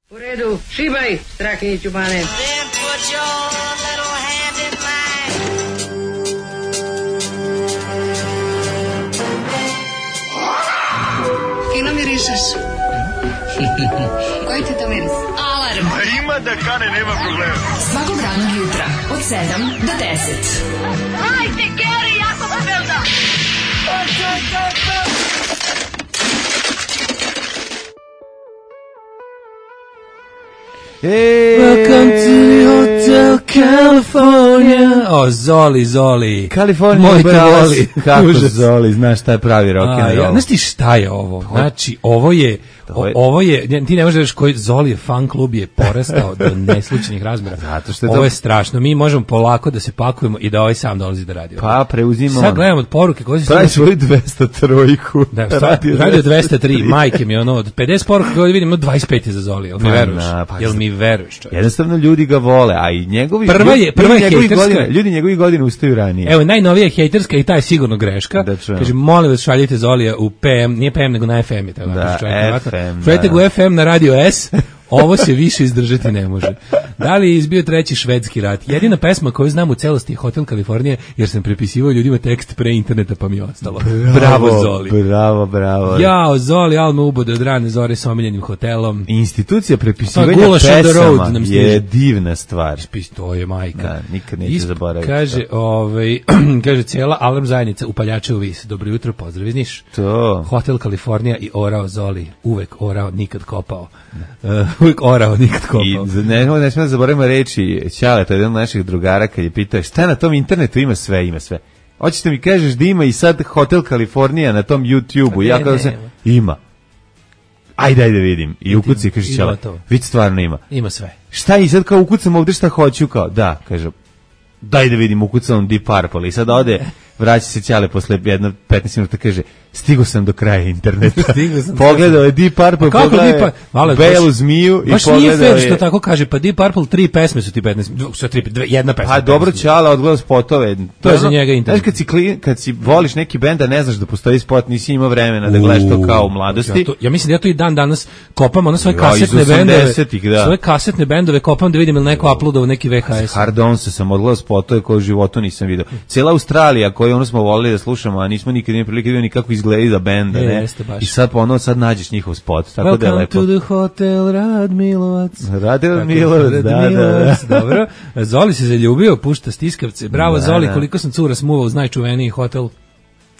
U redu, šibaj, Strahinjiću Bane. Fino mirišeš. Koji ti to miris? Alarm. A ima da kane, nema problema. Svakog radnog jutra, od 7 do 10. Hajde, Geri, jako se velda. Welcome to Hotel California. O, Zoli. Kalifornija moj te voli. Kako Zoli, znaš šta je pravi rock'n'roll. Znaš ti šta je ovo? Znači, ovo je, ti ne možeš reći koji Zoli je fan klub je porastao do neslučajnih razmjera. Zato što je ovo je strašno. Mi možemo polako da se pakujemo i da ovaj sam dolazi da radi. Pa preuzimamo. Sad gledamo od poruke koje se pravi svoju 203-ku. Da, radio 203, majke mi od 50 poruka koje vidimo 25 je za Zoli. Jel mi veruješ? Jel mi veruješ? Jednostavno ljudi ga vole, a i njegovi prva je hejterska. Ljudi njegovih godina ustaju ranije. Evo, najnovija hejterska i ta je sigurno greška. Kaže, molim vas šaljite Zolija u PM, nije PM nego na FM je. Da, FM. Šaljite ga u FM na Radio S. Ovo se više izdržati ne može. Da li je izbio treći švedski rat? Jedina pesma koju znam u celosti je Hotel Kalifornija, jer sam prepisivao ljudima tekst pre interneta pa mi je ostalo. Bravo Zoli. Bravo. Jao, Zoli, alma ubode od rane zore s omiljenim hotelom. Institucija prepisivanja pesama je divna stvar. To je majka. Da, nikad neće zaboraviti. Kaže, cijela alarm zajednica upaljače u vis. Dobro jutro, pozdrav iz Niš. To. Hotel Kalifornija i orao Zoli. Uvek orao, nikad kopao. Uvijek orao, nikad kopao. I ne smijemo zaboravimo reći Ćale, to je jedan od naših drugara kad je pitao šta na tom internetu ima sve. Hoćete mi kažeš da ima i sad Hotel Kalifornija na tom YouTube-u? Ja kada se ima. Ajde da vidim. I ukuci kaže Ćale, vidi stvarno ima. Ima sve. Šta i sad kao ukucam ovdje šta hoću kao? Da, kaže, daj da vidim, ukucam Deep Purple i sad ode, vraća se Ćale posle 15 minuta, kaže, stigo sam do kraja interneta. Pogledao je Deep Purple, pogledao je Belu zmiju i pogledao je... Baš nije fair što tako kaže, pa Deep Purple 3 pesme su ti 15, jedna pesma. Pa dobro Ćale, odgledao spotove. To je za njega internet. Znaš kad si voliš neki bend, a ne znaš da postoji spot, nisi imao vremena da gledaš to kao u mladosti. Ja mislim da ja to i dan danas kopam, ono svoje kasetne bendove kopam da vidim ili neko uploadao neki VHS. Hard On sam odgledao spotove koje u životu nisam vidio. Cijela Australija koju ono smo volili da slušamo, a nismo nikad imali prilike ni kako izgleda da benda, ne? I sad sad nađeš njihov spot, tako da je lepo. Welcome to the hotel Radmilovac. Da. Dobro. Zoli se zaljubio, pušta stiskavce. Bravo Zoli, koliko sam cura smuvao uz najčuveniji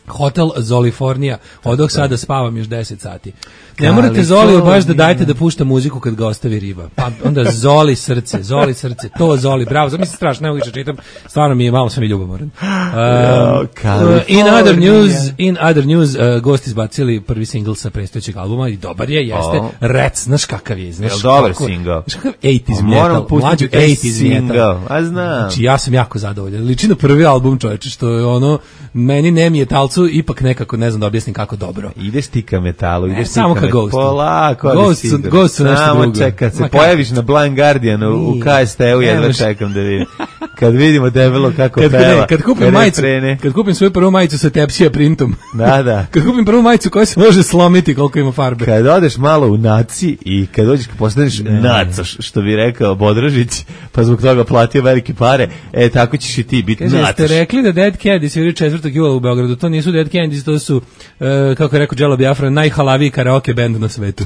Hotel Zolifornija. Odok sada spavam još 10 sati. Ne morate Zoli baš da dajete da pušta muziku kad ga ostavi riba. Pa onda Zoli srce, to Zoli, bravo. Znam, mislim strašno, ne mogu više čitam. Stvarno mi je, malo sam i ljubomoran. In other news, gosti izbacili prvi singl sa predstojećeg albuma i dobar je, jeste. Rec, znaš kakav je. Jel dobar singl? Znaš kakav 80s metal, mlađu 80s metal. A znam. Znači ja sam jako zadovoljan. Liči na prvi album, čoveče, što je ono, meni ne mi je talcu, ipak nekako, ne znam da objasnim kako dobro. Ideš ti ka metalu, ideš ti ka Ghost. Polako, Ghost su nešto drugo. Čekaj, se pojaviš na Blind Guardianu u KST-u, jedva čekam da vidim. Kad vidimo debelo kako peva. Kad kupim svoju prvu majicu sa tepsija printom. Da. Kad kupim prvu majicu koja se može slomiti koliko ima farbe. Kad odeš malo u naci i kad dođeš kad postaneš nacaš, što bi rekao Bodražić, pa zbog toga platio velike pare, tako ćeš i ti biti nacaš. Ste rekli da Dead Candies sviraju 4. jula u Beogradu, to nisu Dead Candies, to su, kako je rekao Jello Biafra, najhalaviji karaoke band na svetu.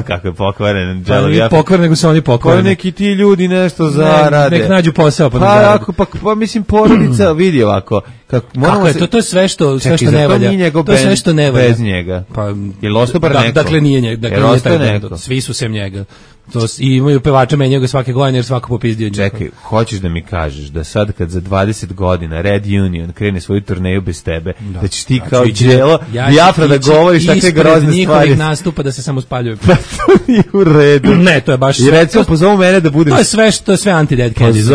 Kako je pokvaren Jello Biafra. Pokvaren, nego su oni pokvareni. Neki ti ljudi nešto zarade. Nek nađu posao pa pa mislim porodica vidi ovako kako je to je sve što ne valja. To je sve što ne valja bez njega. Pa je ostao bar neko. Dakle nije njega, svi su sem njega. To i imaju pevača menjaju ga svake godine jer svako popizdio njega. Čekaj, hoćeš da mi kažeš da sad kad za 20 godina Red Union krene svoju turneju bez tebe, da ćeš ti kao Jello Biafra da govoriš takve grozne stvari. Njihovih nastupa da se samo spaljuju. Pa to nije u redu. Ne, to je baš... I recimo pozovu mene da budem... To je sve anti-Dead Candies.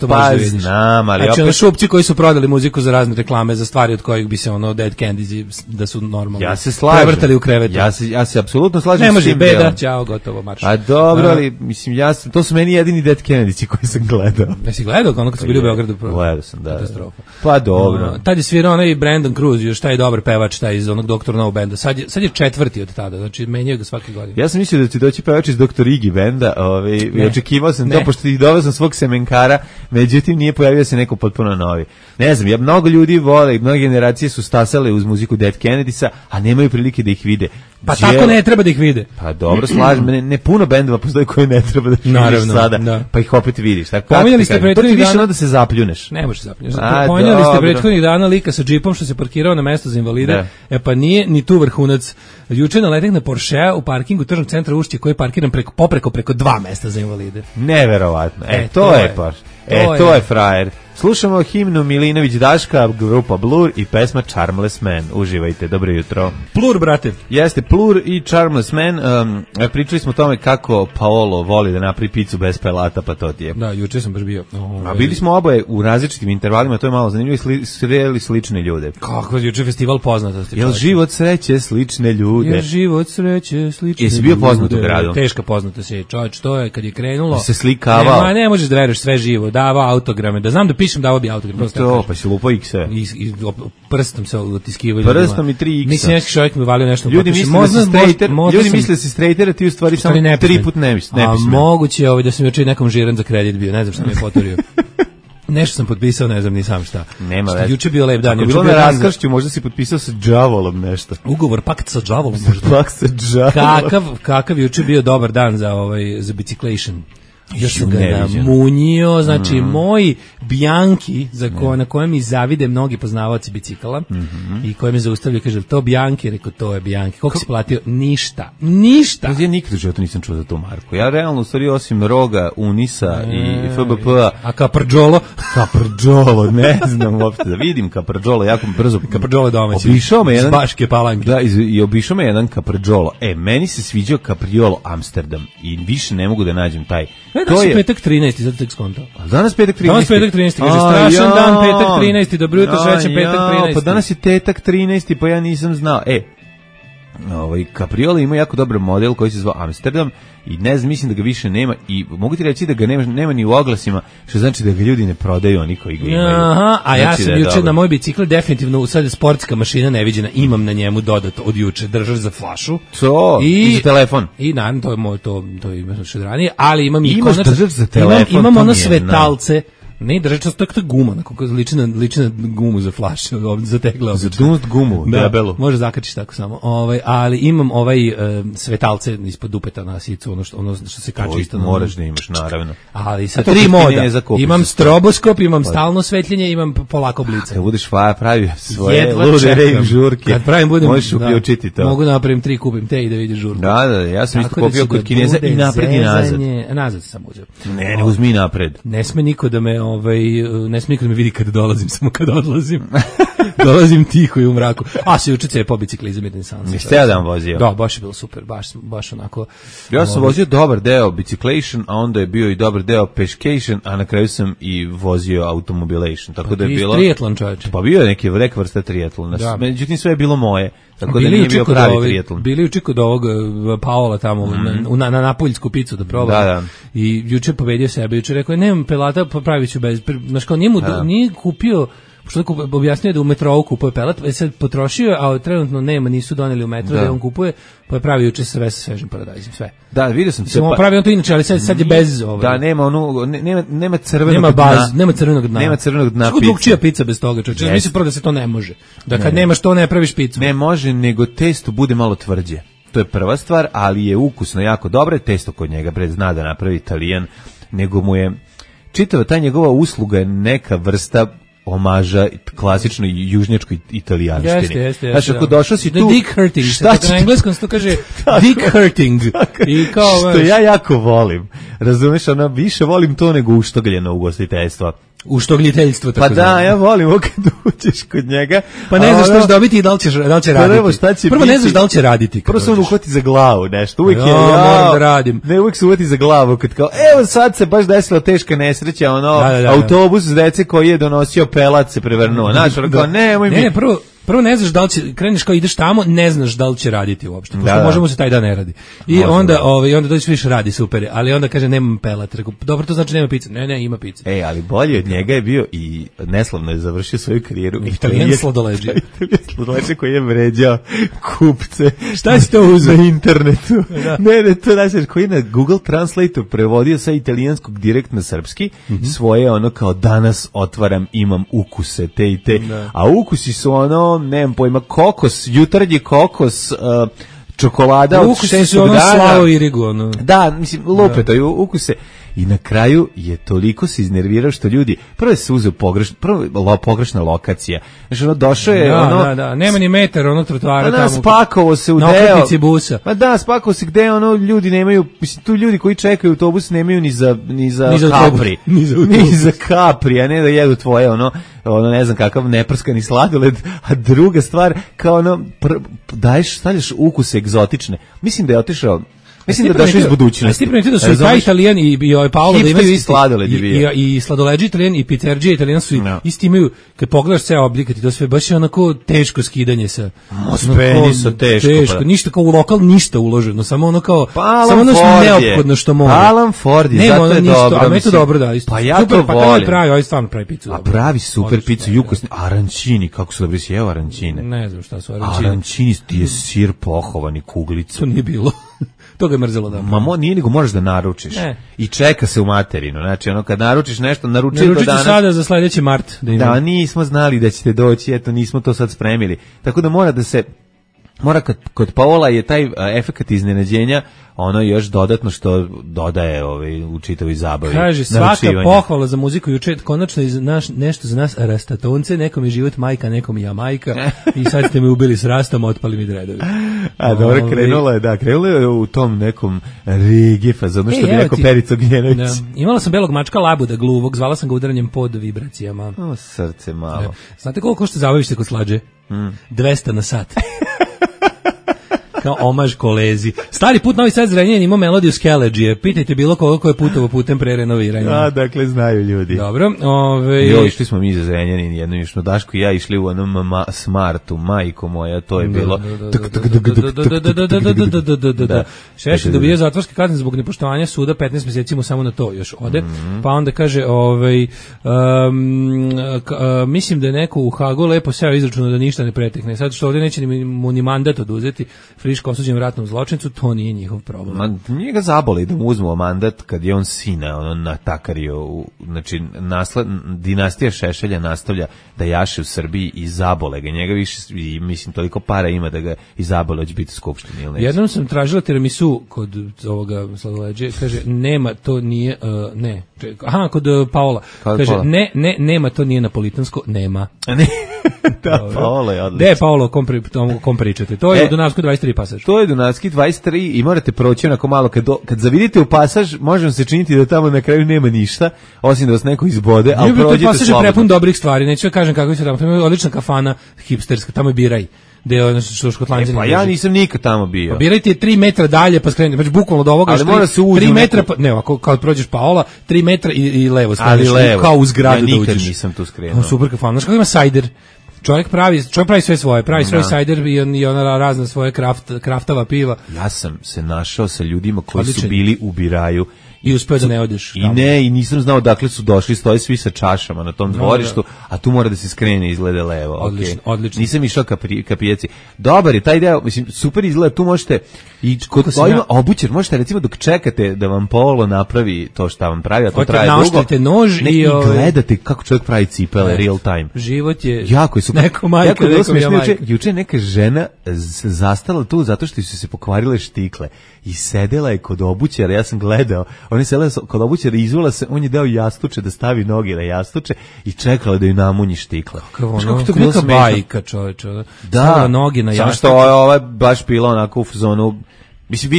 Pa znam, ali znači, šupci koji su prodali muziku za razne reklame za stvari od kojih bi se ono Dead Candies da su normalno. Ja se slažem. Prevrtali u krevetu. Ja se apsolutno slažem. Ne s može tim beda, delom. ćao, gotovo, marš. A dobro, ali mislim to su meni jedini Dead Kennedy koji sam gledao. Jesi gledao ono kad su bili u Beogradu? Gledao sam, da. Katastrofa. Pa dobro. Tad je svirao onaj Brandon Cruz, još taj dobar pevač, taj iz onog Dr. No benda. Sad je četvrti od tada, znači menjaju ga svake godine. Ja sam mislio da će doći pevač iz Dr. Iggy benda, i očekivao sam to, pošto ih doveo sam svog semenkara, međutim nije pojavio se neko potpuno novi. Ne znam, mnogo ljudi vole i mnoge generacije su stasale uz muziku Dead Kennedysa, a nemaju prilike da ih vide. Pa tako ne treba da ih vide. Pa dobro, slažem, ne puno bendova postoji koje ne treba da ih vidiš sada, da. Pa ih opet vidiš. Pominjali ste prethodnih dana da se zapljuneš. Ne možeš zapljuneš. Pominjali ste prethodnih dana lika sa džipom što se parkirao na mesto za invalide. Pa nije ni tu vrhunac. Juče naletih na Porschea u parkingu tržnog centra Ušće koji je parkiran preko 2 mesta za invalide. Neverovatno. To je baš. To je frajer. Slušamo himnu Milinović Daška, grupa Blur i pesma Charmless Man. Uživajte, dobro jutro. Plur, brate. Jeste, Plur i Charmless Man. Pričali smo o tome kako Paolo voli da napravi picu bez pelata, pa to ti je. Da, juče sam baš bio. A bili smo oboje u različitim intervalima, to je malo zanimljivo, sreli slične ljude. Kako, juče festival poznatosti. Jel život sreće slične ljude? Jel život sreće slične ljude? Jesi bio poznat u gradu? Teška poznatost je, čovječ, to je kad je krenulo. Se slikavao. Ne možeš da veruješ sve živo, davao autograme, da znam da pišem, davao bi autogram. To, pa si lupo X-e. I prstom se otiskivaju. Prstom i 3 X-a. Mislim, neki čovjek mi valio nešto. Ljudi misle da si straighter, a ti u stvari samo 3 put ne pišeš. A moguće je da sam juče nekom žiran za kredit bio, ne znam šta mi je poturio. Nešto sam potpisao, ne znam ni sam šta. Nema veze. Juče bio lep dan. Ako bilo na raskršću, možda si potpisao sa đavolom nešto. Ugovor, pakt sa đavolom možda. Pakt sa đavolom. Kakav juče bio dobar dan za biciclation. Još sam ga namunjio, znači moj Bianchi, na kojem mi zavide mnogi poznavaoci bicikala i koje me zaustavljaju, kaže, to Bianchi, rekao, to je Bianchi. Koliko si platio? Ništa. Ja nikad u životu nisam čuo za tu marku. Ja realno, u stvari, osim Roga, Unisa i FBP-a... A Caprđolo? Caprđolo, ne znam uopšte da vidim Caprđolo, jako brzo... Caprđolo domaći. Obišao me jedan... Iz Baške Palanke. Da, i obišao me jedan Caprđolo. Meni se sviđao Capriolo Amsterdam i više ne mogu da nađem taj... To je petak 13. zato tek skontao. Danas petak 13. Danas petak 13. Kaže, strašan dan, petak 13. Dobro jutro, srećan petak 13. Pa danas je tetak 13. pa ja nisam znao. Capriola ima jako dobar model koji se zvao Amsterdam i ne znam, mislim da ga više nema i mogu ti reći da ga nema ni u oglasima, što znači da ga ljudi ne prodaju, oni koji ga imaju. Aha, a ja sam juče na moj bicikl definitivno, sad je sportska mašina neviđena, imam na njemu dodato od juče držač za flašu. To, i za telefon. I naravno, to je moj, to je još od ranije, ali imam i konačno, držač za telefon, imam ono svetalce. Ne, držač, to je guma, liči na gumu za flaše, za tegle. Za dunst gumu, debelu. Može zakačiš tako samo. Ali imam svetalce ispod dupeta na sicu, ono što se kače isto. Moraš da imaš, naravno. Ali sa 3 moda. Imam stroboskop, imam stalno svetljenje, imam polako blice. Kad budeš pravi svoje lude rejv žurke, kad pravim budem, možeš uključiti to. Mogu napravim 3, kupim te i da vidiš žurku. Da, ja sam isto kupio kod Kineza i napred i nazad. Nazad sam uzeo. Ne, uzmi napred. Ne sme niko da me ne smije niko da me vidi kad dolazim, samo kad odlazim. Dolazim tiho i u mraku. A se juče po biciklizam jedan sam. Niste ja dan vozio? Da, baš je bilo super, baš onako. Ja sam vozio dobar deo biciclation, a onda je bio i dobar deo pešcation, a na kraju sam i vozio automobilation. Tako da je bilo triatlon, čoveče. Pa bio je neka vrsta triatlona. Međutim sve je bilo moje. Tako da nije bio pravi triatlon. Bili juče kod ovog Paola tamo na Napoljsku picu da probam. Da. I juče pobedio sebe, juče rekao nemam pelata, pravit ću bez. Znaš kao nije kupio, što objasnio da u metrou kupuje pelat, sad potrošio, a trenutno nema, nisu doneli u metro da on kupuje, pa je pravio juče sve sa svežim paradajzom, sve. Da, vidio sam se. Pravi on to inače, ali sad je bez Da, nema crvenog dna. Nema crvenog dna. Nema crvenog dna pice. Drugčija pica bez toga, čovječe. Mislim prvo da se to ne može. Da kad nemaš to ne praviš picu. Ne može, nego testo bude malo tvrđe. To je prva stvar, ali je ukusno jako dobro, testo kod njega zna da napravi Italijan, nego mu je čitava ta njegova usluga je neka vrsta omaža klasičnoj južnjačkoj italijanštini. Jeste. Znači, ako došao si tu... Dick hurting, na engleskom se to kaže dick hurting. I kao, što ja jako volim. Razumeš, više volim to nego uštogljeno ugostiteljstvo. u štogljiteljstvo. Pa da, ja volim kad uđeš kod njega. Pa ne znaš šta će dobiti i da li će raditi. Prvo ne znaš da li će raditi. Prvo se on uhvati za glavu, nešto. Uvijek moram da radim. Ne, uvijek se uhvati za glavu, kad kao, evo sad se baš desila teška nesreća, autobus s dece koji je donosio pelat se prevrnuo. Znaš, kao, nemoj mi... Ne, prvo ne znaš da li će, kreneš kao ideš tamo, ne znaš da li će raditi uopšte, pošto možemo se taj dan ne radi. I onda dođeš više radi, super, ali onda kaže nemam pelat. Rekao, dobro, to znači nema pice. Ne, ima pice. Ali bolje od njega je bio i neslavno je završio svoju karijeru. Italijan sladoleđi. Italijan sladoleđi koji je vređao kupce. Šta si to uzeo? Na internetu. Ne, to znači koji je na Google Translate prevodio sa italijanskog direkt na srpski, svoje ono kao danas otvaram, imam ukuse, te i te. A ukusi su ono, nemam pojma, kokos, jutarnji kokos, čokolada od 6 dana. Slavo i rigu, ono. Da, mislim, lupe to je ukuse. I na kraju je toliko se iznervirao što ljudi, prvo se uzeo pogrešna lokacija. Znači, ono, došao je, nema ni metar, ono, trotoara tamo. Spakovo se u deo. Busa. Pa da, spakovo se gde, ono, ljudi nemaju, mislim, tu ljudi koji čekaju autobus nemaju ni za Capri. Ni za Capri, a ne da jedu tvoje, ono, ne znam kakav neprskani sladoled, a druga stvar, kao ono, stavljaš ukuse egzotične. Mislim da je otišao. Mislim da došao iz budućnosti. Ti primetio da su i taj Italijan i Paolo da imaju isti sladoled i sladoleđi Italijan i pizzerđije Italijan su isti imaju, kad pogledaš sve oblike, to sve baš je onako teško skidanje sa. Speniso teško. Ništa kao u lokal, ništa uloženo, samo ono kao samo ono što neophodno što može. Alan Ford je, zato je dobro. A meni to dobro da isto. Pa ja to volim. Pravi stvarno pravi picu. A pravi super picu, jukosni arancini, kako su dobri sjeo arancine. Ne znam šta su arancini. Arancini je sir pohovani kuglicu. To nije bilo. To ga je mrzelo da. Nije nego možeš da naručiš. I čeka se u materinu. Znači, ono, kad naručiš nešto, naručite danas. Sada za sledeći mart. Da, nismo znali da ćete doći, eto, nismo to sad spremili. Tako da mora kod Paola je taj efekat iznenađenja ono još dodatno što dodaje u čitavoj zabavi. Kaže, svaka pohvala za muziku juče, konačno nešto za nas rastatonce, nekom je život majka, nekom je Jamajka i sad ste me ubili s rastom, otpali mi dredovi. A dobro, krenulo je u tom nekom reggae fazonu, što bi rekao Perica Ognjenović. Imala sam belog mačka labuda gluvog, zvala sam ga udaranjem pod vibracijama. O, srce malo. Znate koliko košta zabavište kod slađe? 200 na sat. Kao omaž kolezi. Stari put Novi Sad Zrenjanin imao melodiju Skeleđije. Pitajte bilo koliko je putovo putem pre renoviranja. Dakle, znaju ljudi. Dobro. Išli smo mi za Zrenjanin, jedno išno Daško i ja išli u onom Smartu, majko moja, to je bilo... Šešelj dobije zatvorske kazne zbog nepoštovanja suda, 15 mjeseci mu samo na to još ode. Pa onda kaže, mislim da je neko u Hagu lepo seo izračuno da ništa ne pretekne. Sad što ovdje neće mu ni mandat oduzeti, friško osuđen ratnom zločincu, to nije njihov problem. Nije ga zabole da mu uzmu mandat kad je on sina natakario, znači dinastija Šešelja nastavlja da jaše u Srbiji i zabole ga. Njega više, mislim, toliko para ima da ga i zabole će biti u skupštini. Ili jednom sam tražila tiramisu kod ovoga sladoleđe, kaže, nema, to nije, ne. Aha, kod Paola. Kaže, nema, to nije napolitansko, nema. Ne. Da, Paolo je odlično. Gde je Paolo, kom pričate? To je u Dunavskoj 23 pasaž. To je Dunavski 23 i morate proći onako malo, kad zavidite u pasaž, možemo se činiti da tamo na kraju nema ništa, osim da vas neko izbode, ali prođete slobodno. Pasaž je prepun dobrih stvari, neću da kažem kako se tamo, tamo je odlična kafana hipsterska, tamo je Biraj. Što Škotlanđani. Pa ja nisam nikad tamo bio. Pa birajte 3 metra dalje pa skrenete, znači bukvalno do ovoga. Ali mora se ući 3 metra, ne, ako kad prođeš Paola, 3 metra i levo skreneš, kao u zgradu da uđeš. Ja nikad nisam tu skrenuo. Super kafana, znači kako ima sajder. Čovjek pravi sve svoje, pravi svoj sajder i ona razna svoje kraftava piva. Ja sam se našao sa ljudima koji su bili u Biraju i uspeo da ne odeš. I nisam znao dakle su došli, stoje svi sa čašama na tom dvorištu, a tu mora da se skrene, izgleda levo. Odlično. Nisam išao ka pijaci. Dobar je taj deo, mislim, super izgleda, tu možete i kod ovima obućer, možete recimo dok čekate da vam Paolo napravi to šta vam pravi, a to traje dugo. Naoštrite nož i gledate kako čovjek pravi cipele real time. Život je jako je super. Neko majka, neko majka. Juče neka žena zastala tu zato što su se pokvarile štikle i sedela je kod obućara, ja sam gledao, ona je sedela kod obućara i izvula se, on je dao jastuče da stavi noge na jastuče i čekala da ju namunji štikle. Kako to bilo bajka, čoveče. Da, noge na jastuče. samo što ova baš bila onako u zonu Mislim,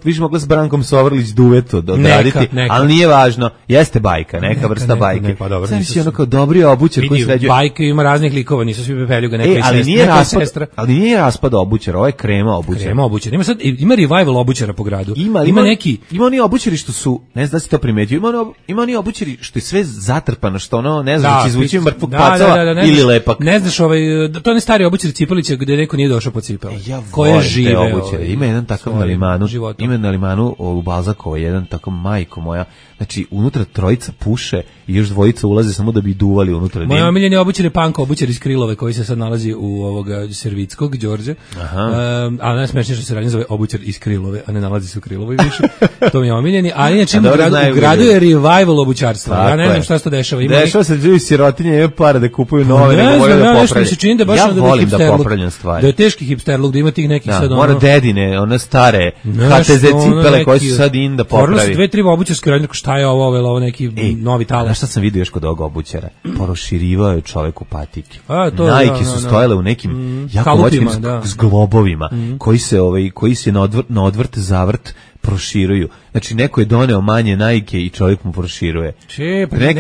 više mogla s Brankom Sovrlić duet odraditi, ali nije važno. Jeste bajka, neka vrsta bajke. Pa dobro. Znači, ono kao dobri obućar koji sređuje. Bajke ima raznih likova, nisu svi Pepeljuga, neka sestra. Ali nije raspad obućar, ovo je krema obućar. Krema obućar. Ima revival obućara po gradu. Ima neki... Ima oni obućari što su, ne znam da si to primetio, ima oni obućari što je sve zatrpano, što ono, ne znam, će izvući mrtvog pacova ili lepak. Ne znaš, to je stari obućar Cipelića gde neko nije došao po cipele. Ko je žive. Ima jedan takav na Limanu, ima na Limanu u Balzakovo, jedan tako majko moja, znači unutra trojica puše i još dvojica ulaze samo da bi duvali unutra. Moja omiljeni obućar je Panko, obućar iz Krilove koji se sad nalazi u ovoga Servickog, Đorđe. A najsmešnije što se radi zove obućar iz Krilove, a ne nalazi se u Krilovoj više. To mi je omiljeni, ali inače u gradu je revival obućarstva. Ja ne znam šta se to dešava. Dešava se ljudi sirotinje, imaju para da kupuju nove, ne moraju da popravljaju. Ja volim da popravljam stvari. Da je teški hipsterluk, da ima tih nekih sad ono. Mora dedine, one stare HTZ cipele koje su sad in da popravi. Forno su 2-3 obućarske radnje, šta je ovo neki novi talas. Znaš šta sam vidio još kod ovog obućara? Proširivao je čovek u patike. Nike su stojale u nekim jako moćnim zglobovima koji se na odvrt zavrt proširuju. Znači, neko je doneo manje Nike i čovjek mu proširuje.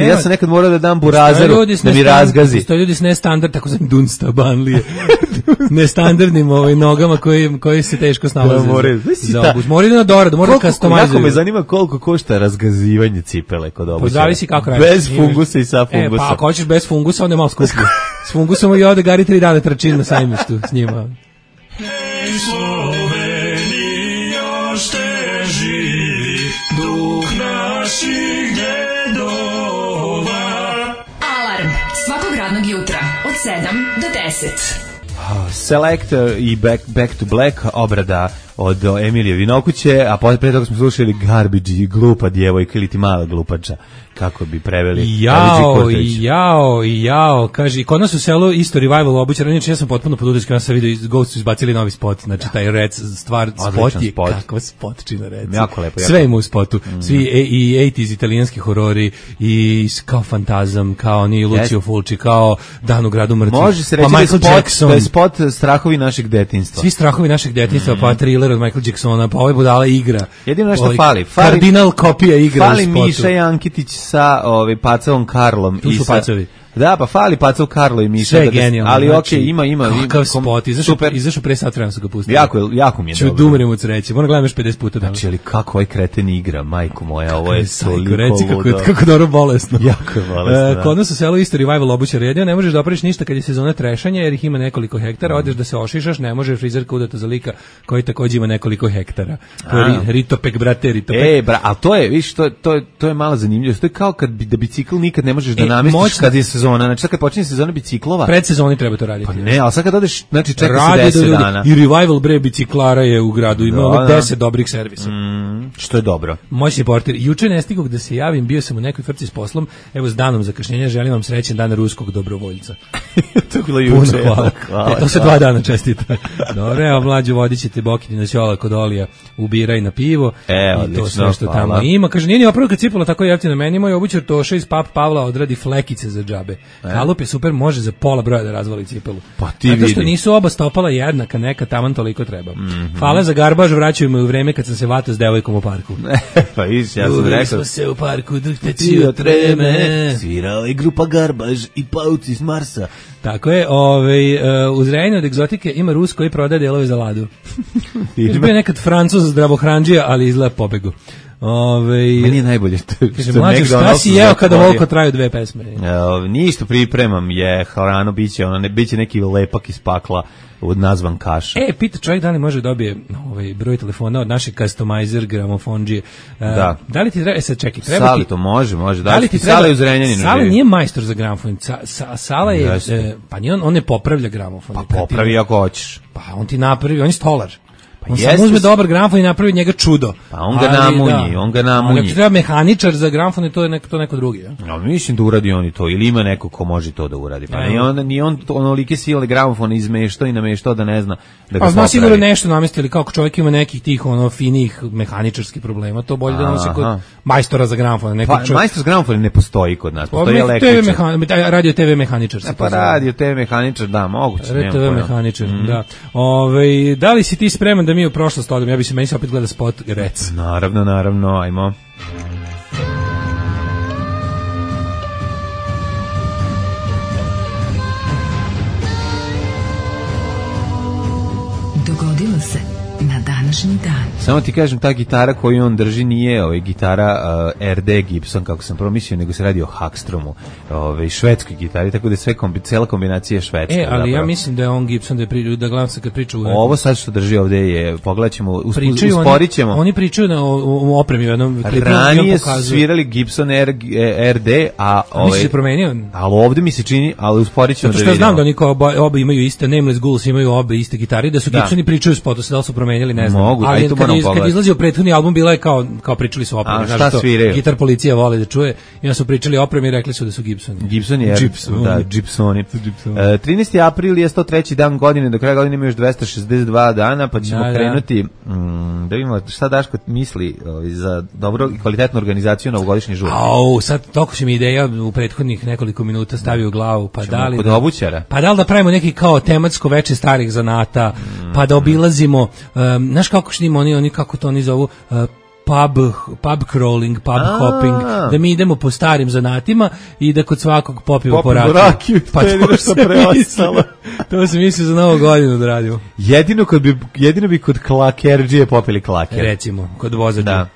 Ja sam nekad morao da dam burazeru da mi razgazi. To ljudi s nestandard, tako znam Dunsta Banlije. Nestandardnim nogama koji se teško snalaze za obuz. Mora da na doradu, mora da customizuju. Jako me zanima koliko košta razgazivanje cipele kod obućara. Zavisi kako radiš. Bez fungusa i sa fungusa. Pa ako hoćeš bez fungusa, onda je malo skuplje. S fungusom i ovde Gari 3 dana trčim na sajmištu s njima. Živi duh naših djedova. Alarm svakog radnog jutra od 7 do 10. Selector i Back to Black, obrada od Emilije Vinokuće, a pre toga smo slušali Garbage i glupa djevojka ili ti mala glupača, kako bi preveli. Jao, kaže, kod nas u selu isto revival obućara, inače ja sam potpuno pod utiskom, ja sam vidio Ghost su izbacili novi spot, znači taj Rec stvar, spot je kakva spotčina Rec. Jako lepo. Sve ima u spotu, svi i 80s italijanski horori, i kao Fantazam, kao ni Lucio Fulci, kao Dan u gradu mrtvih. Može se reći da je spot strahovi našeg detinjstva. Svi strahovi našeg detinjstva, pa Thriller od Michael Jacksona, pa ovaj budala igra. Jedino nešto fali. Kardinal kopija igra fali u spotu. Fali Miša Jankitić sa Pacavom Karlom. Tu su Pacovi. Da, pa fali Pacov Karlo i Miša. Sve je genijalno. Ali znači, ima. Kakav spot, izašao pre sat vremena su ga pustili. Jako mi je dobro. Ću dumrem od sreće, moram gledam još 50 puta. Znači, ali kako ovaj kreten igra, majko moja, ovo je toliko ludo. Kako dobro bolesno. Jako je bolesno. Kod nas u selu isto revival obućara, jedino ne možeš da opraviš ništa kad je sezona trešanja, jer ih ima nekoliko hektara, odeš da se ošišaš, ne može frizerka udata za lika koji takođe ima nekoliko hektara. To je Ritopek, brate, Ritopek. A to je, viš, to je malo zanimljivo. To je kao kad da bicikl nikad ne možeš da namestiš kad je sezona. Znači, kad počinje sezona biciklova. Predsezoni treba to raditi. Pa ne, ali sad kad odeš, znači čeka se 10 dana. I revival bre biciklara je u gradu, ima 10 dobrih servisa. Što je dobro. Moćni portir. Juče ne stigao da se javim, bio sam u nekoj frci s poslom. Evo s danom zakašnjenja, želim vam srećan dan ruskog dobrovoljca. To je bilo juče. Hvala. To se 2 dana čestita. Dobro, evo mlađu vodit Bokini na ćola kod Olija, ubiraj na pivo. I to sve što tamo ima. Kaže, nije ni opravka cipala tako jeftino meni, moj obućar Toša iz Pap Pavla odradi flekice za džabe. Kalup je super, može za pola broja da razvali cipelu. Pa ti vidi. Zato što nisu oba stopala jednaka, neka taman toliko treba. Hvala za garbaž, vraćaju me u vreme kad sam se vatao s devojkom u parku. Pa viš, ja sam rekao. Smo se u parku drhteći od treme. Svirao je grupa Garbaž i Pauci iz Marsa. Tako je, u Zrenjaninu od egzotike ima Rus koji prodaje delove za Ladu. Bio je nekad Francuz zdravohranđija, ali izgleda pobegu. Meni je najbolje kaže, mlađo, šta si jeo kada volko traju 2 pesme? Ništa pripremam, je hrano, biće neki lepak iz pakla nazvan kaša. Pita čovjek da li može dobije broj telefona od našeg customizer gramofonđije. Da li ti treba, sad čekaj, treba Sali to može, da li ti treba, Sala je u Zrenjaninu. Sala nije majstor za gramofon, Sala je, pa nije on ne popravlja gramofon. Pa popravi ako hoćeš. Pa on ti napravi, on je stolar. On samo uzme dobar gramofon i napravi od njega čudo. Pa on ga namunji. Ako treba mehaničar za gramofon, to je neko drugi. Ja mislim da uradi on i to, ili ima neko ko može to da uradi. Pa ni on onolike sile gramofona izmeštao i nameštao da ne zna da ga popravi. Zna sigurno nešto namestili, kako čovjek ima nekih tih finih mehaničarskih problema, to bolje da nosi kod majstora za gramofon. Pa majstor za gramofon ne postoji kod nas, postoji električar. Radio TV mehaničar. Pa radio TV mehaničar, da, moguće. Radio TV mehaničar, da. Da li si ti spreman da mi u prošlost odem, meni se opet gleda spot Rec. Naravno, ajmo. Dogodilo se na današnji dan. Samo ti kažem, ta gitara koju on drži nije gitara RD Gibson, kako sam promislio, nego se radi o Hackstromu, švedskoj gitari, tako da je cela kombinacija švedska. Ali zapravo. Ja mislim da je on Gibson, da gledam se kad priča Ovo sad što drži ovde je, pogledat ćemo, usporit ćemo. Oni pričaju o opremi u jednom klipu. Ranije su svirali Gibson RD, a misli se promenio? Ali ovde mi se čini, ali usporit ćemo da vidimo. Zato što znam da oni oba imaju iste, Nameless Ghouls imaju obe iste gitare, da su Gibsoni pričaju u spotu, da li su promenjali, ne znam. Mogu, ali kad izlazio prethodni album, bila je kao pričali su o opremi. A šta sviraju? Gitar policija voli da čuje. I onda su pričali o opremi i rekli su da su Gibsoni. Gibsoni. 13. april je 103. dan godine, do kraja godine ima još 262 dana, pa ćemo krenuti da vidimo šta Daško misli za dobro i kvalitetnu organizaciju novogodišnje žurke. Sad toliko će mi ideja u prethodnih nekoliko minuta stavi u glavu, pa da li kod obućara? Pa da li da pravimo neki kao tematsko veče starih zanata, pa da obilazimo, znaš kako što oni kako to oni zovu, pub crawling, pub hopping, da mi idemo po starim zanatima i da kod svakog popijemo po rakiju. Pa to se misli za novu godinu da radimo. Jedino bi kod klakerđije popili klaker. Recimo, kod vozađa. Da.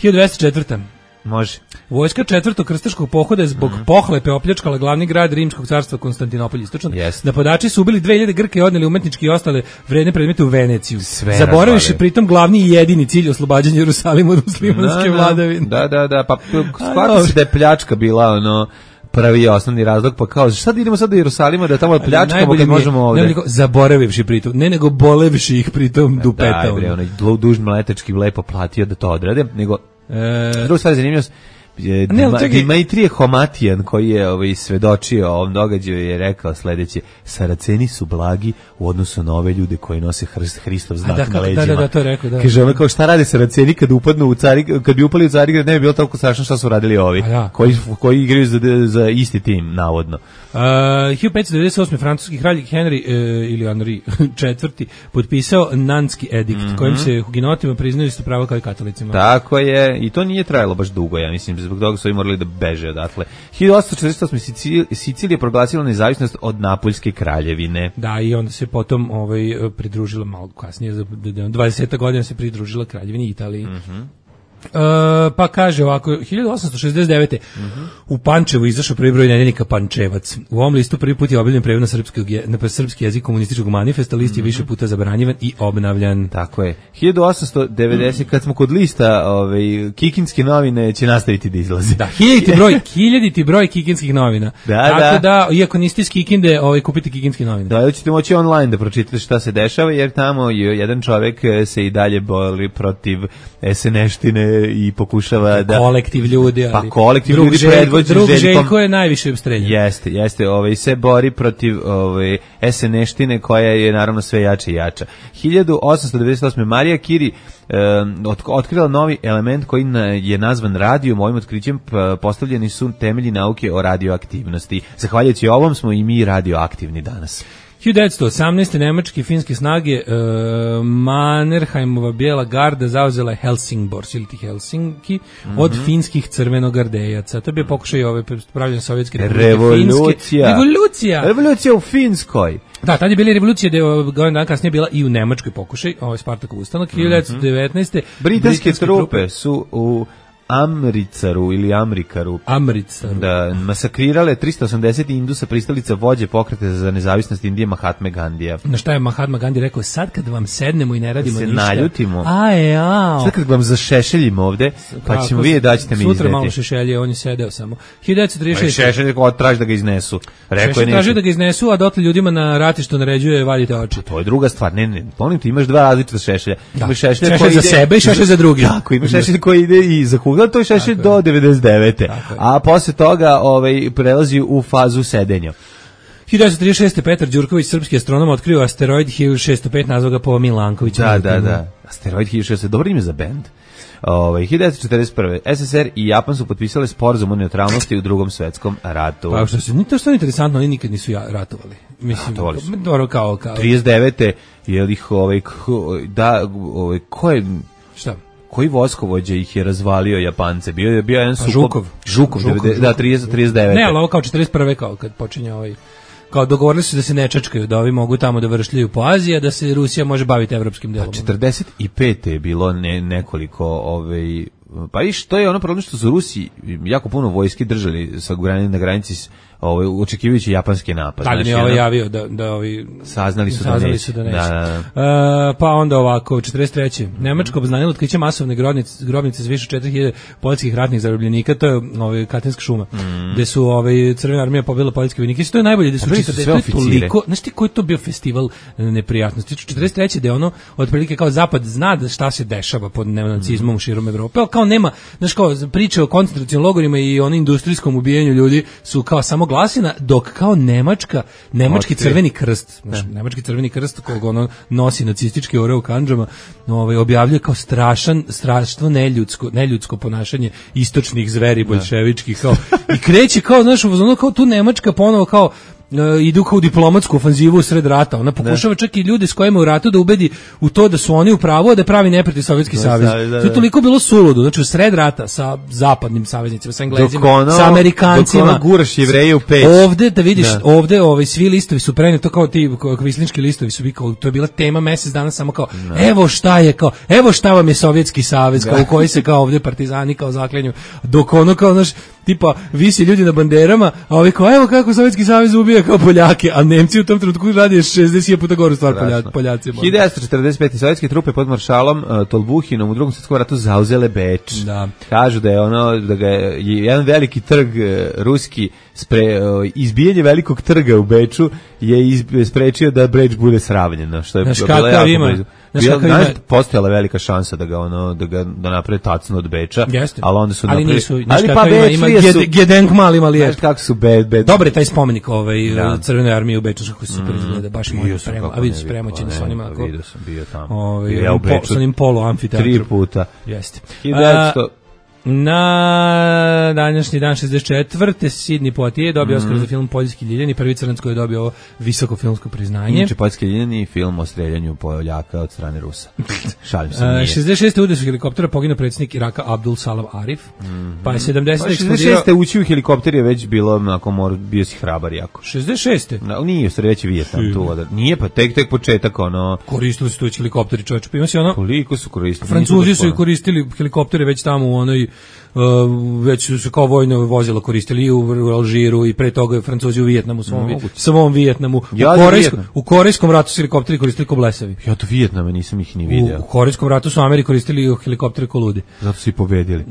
1204. Može. Vojska četvrtog krstaškog pohoda je zbog pohlepe opljačkala glavni grad Rimskog carstva Konstantinopolj istočno. Napadači su ubili 2000 Grka i odneli umetnički i ostale vredne predmete u Veneciju. Zaboravivši pritom glavni i jedini cilj oslobađanja Jerusalima od muslimanske vladavine. Da, pa shvati se da je pljačka bila prvi i osnovni razlog, pa kao, šta da idemo sad do Jerusalima da tamo pljačkamo kad možemo ovde? Zaboravivši pritom, nego bolevši ih pritom dupeta. Da, onaj dužni mletački lepo platio da to odrade, nego druga stvar je zanimljivost, Dimitrije Homatijan koji je svedočio o ovom događaju je rekao sledeće: Saraceni su blagi u odnosu na ove ljude koji nose Hristov znak na leđima. Da, to je rekao, da. Kaže ono kao šta rade Saraceni kad upadnu u kad bi upali u Carigrad, ne bi bilo toliko strašno šta su radili ovi koji igraju za isti tim, navodno. 1598. francuski kralj Henry ili Henri IV. Potpisao Nanski edikt, kojim se hugenotima priznaju isto pravo kao i katolicima. Tako je, i to nije trajalo baš dugo, ja mislim, zbog toga su i morali da beže odatle. 1848. Sicilija proglasila nezavisnost od Napoljske kraljevine. Da, i onda se potom pridružila malo kasnije, 20. godina se pridružila kraljevini Italiji. Pa kaže ovako, 1869. U Pančevu izašao prvi broj nedeljnika Pančevac. U ovom listu prvi put je objavljen prevod na srpski jezik komunističkog manifesta, list je više puta zabranjivan i obnavljan. Tako je. 1890, kad smo kod lista, Kikinske novine će nastaviti da izlazi. Da, 1000. broj Kikinskih novina. Tako da, iako niste iz Kikinde, kupite Kikinske novine. Da, ćete moći online da pročitate šta se dešava, jer tamo jedan čovek se i dalje bori protiv SNS-tine i pokušava da kolektiv ljudi, ali kolektiv ljudi predvođen Željkom. Željko je najviše obstreljen. Jeste, se bori protiv SNS-tine koja je naravno sve jača i jača. 1898. Marija Curie otkrila novi element koji je nazvan radijum. Ovim otkrićem postavljeni su temelji nauke o radioaktivnosti. Zahvaljujući ovom smo i mi radioaktivni danas. 1918. nemačke i finske snage Mannerheimova bijela garda zauzela je Helsingborg ili Helsinki od finskih crvenogardejaca. To bi pokušaj pravljanja Sovjetske republike Revolucija u Finskoj. Da, tad je bila revolucija, da je godin dan kasnije bila i u Nemačkoj pokušaj, Spartakov ustanak. 1919. Britanske trupe su u Amricaru ili Amrikaru da masakrirale 380 Indusa, pristalica vođe pokreta za nezavisnost Indije Mahatme Gandija. Na šta je Mahatma Gandhi rekao? Sad kad vam sednemo i ne radimo ništa, naljutimo, sad kad vam zašešeljimo ovde, pa ćemo vidjeti da ćete mi izdeti. Sutra malo šešelje, on je sedeo samo. 1936. Šešelje traži da ga iznesu. Šešelje traži da ga iznesu, a dotle ljudima na ratištu naređuje vadite oči. To je druga stvar. Ne, ponim ti imaš dva različita šešelja. Imaš šešelj za sebe i šešelj za druge. Tako, imaš šešelj koji ide i za koga, to je šešelj do 99. A posle toga prelazi u fazu sedenja. 1936. Petar Đurković, srpski astronom, otkrio asteroid 1605, nazvao ga po Milankoviću. Da. Asteroid 1605, dobro ime za bend. 1941. SSR i Japan su potpisale sporazum o neutralnosti u Drugom svetskom ratu. Pa što se, to što je interesantno, oni nikad nisu ratovali. Mislim, dobro kao 39. je ih ko je šta? Koji vojskovođa ih je razvalio Japance? Bio je jedan Žukov. Žukov. 39. Ne, ali ovo kao 41. kao kad počinje kao dogovorili su da se ne čačkaju, da ovi mogu tamo da vršljaju po Aziji, a da se Rusija može baviti evropskim delom. 45. je bilo nekoliko pa to je ono problem što su Rusi jako puno vojske držali na granici očekivajući japanski napad. Da li mi je javio da ovi saznali su da neće. Da. Pa onda ovako, 43. Nemačko obznanilo otkriće masovne grobnice s više 4000 poljskih ratnih zarobljenika, to je Katinska šuma, gde su Crvena armija pobila poljske vojnike. To je najbolje da su toliko, znaš ti koji je to bio festival neprijatnosti. 43. da je ono, otprilike kao Zapad zna da šta se dešava pod neonacizmom širom Evrope, ali kao nema, znaš kao priče o koncentracionim logorima i ono industrijskom ubijanju ljudi su kao samo glasina, dok kao nemački crveni krst, znači nemački crveni krst kog ono nosi nacistički oreo u kandžama, objavljuje kao strašno neljudsko ponašanje istočnih zveri boljševičkih, kao i kreće kao, znaš, ono kao tu Nemačka ponovo kao idu kao u diplomatsku ofanzivu u sred rata. Ona pokušava čak i ljude s kojima u ratu da ubedi u to da su oni u pravu, a da pravi neprijatelj Sovjetski savez. To je toliko bilo suludo. Znači u sred rata sa zapadnim saveznicima, sa Englezima, sa Amerikancima. Dok guraš Jevreje u peć. Ovde, da vidiš, ovde svi listovi su preneti, to kao ti kvislinški listovi su kao, to je bila tema mesec dana samo kao, evo šta vam je Sovjetski savez, kao u koji se kao ovde partizani kao zaklenju. Dok ono kao, znaš, tipa visi ljudi na banderama, a ovi kao, evo kako Sovjetski savez ubija kao Poljake, a Nemci u tom trenutku radi 60 puta goru stvar Poljacima. 1945. sovjetske trupe pod maršalom Tolbuhinom u Drugom svjetskom ratu zauzele Beč. Da. Kažu da je da ga je jedan veliki trg ruski izbijanje velikog trga u Beču je sprečio da Beč bude sravnjeno, što je bilo jako postojala velika šansa da ga naprave tacno od Beča, ali onda su napravili. Gedenkmal imali je. Znaš kako su Dobar je taj spomenik Crvenoj armiji u Beču, kako se super izgleda, baš moj sprema. A vidiš premoćeni sa onima. Vidio sam, bio tamo. Ja u Beču. Sa onim polo amfiteatrom. 3 puta. Jeste. Na današnji dan 64. Sidney Poitier dobio Oskar za film Poljski ljiljani, prvi crnac koji je dobio ovo visoko filmsko priznanje. Inače Poljski ljiljani film o streljanju Poljaka od strane Rusa. Šalim se, nije. 66. u udesu helikoptera poginuo predsjednik Iraka Abdul Salam Arif. Pa je 70. eksplodirao. 66. ući u helikopter je već bilo, bio si hrabar jako. 66. Nije, u već je Vijetnam tu. Nije, pa tek početak, koristili su tu helikopteri, čovječe. Pa ima si koliko su koristili? Francuzi su koristili helikoptere već tamo u onoj već su kao vojno vozila koristili i u Alžiru i pre toga Francuzi u Vijetnamu, svom Vijetnamu. U Korejskom ratu su helikopteri koristili ko blesavi. Ja do Vijetnama nisam ih ni vidio. U Korejskom ratu su Ameri koristili helikoptere ko ludi. Zato su i pobedili.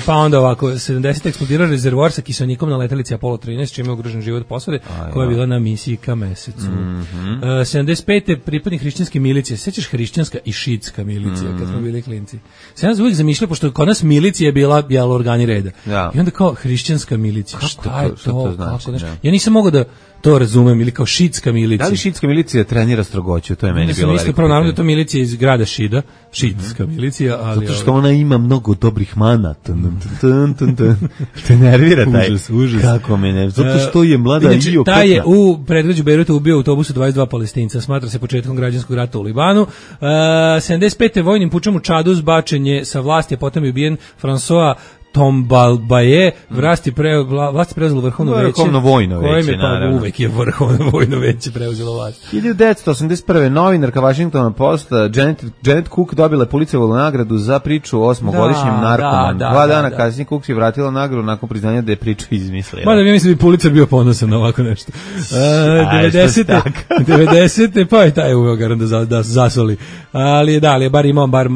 Pa onda ovako, 70. eksplodirao rezervoar sa kiselnikom na letelici Apollo 13, čime je ugrožen život posade, koja je bila na misiji ka mesecu. 75. pripadnik hrišćanske milicije. Sećaš hrišćanska i šiitska milicija kad smo bili klinci? Sam ja uvijek zamišljao, pošto kod nas milicija je bila organi reda. Ja. I onda kao hrišćanska milicija. Šta je to? Znači, ja nisam mogao da to razumem, ili kao šiitska milicija. Da li šiitska milicija trenira strogoću? To je meni bilo veliko. Prvo naravno da to milicija iz grada Šida, šiitska milicija, ali zato što ona ima mnogo dobrih mana. Te nervira taj. Užas. Kako me ne? Zato što je mlada i opetna. Taj je u predgrađu Bejruta ubio autobusu 22 Palestinca. Smatra se početkom građanskog rata u Libanu. 75. vojnim pučem u Čadu zbačen je sa vlasti, a potom je ubijen François Tombalbaye, vlast preuzelo vrhovno veće. Vrhovno vojno veće, naravno. Uvek je vrhovno vojno veće preuzelo vlast. 1981. novinarka Washington Post Janet Cook dobila Pulitzerovu nagradu za priču o 8-godišnjem narkomanu. 2 dana kasnije Cook je vratila nagradu nakon priznanja da je priču izmislila. Mada ja mislim da bi Pulitzer bio ponosan na ovako nešto. 90. pa je taj uveo garan da zasoli. Ali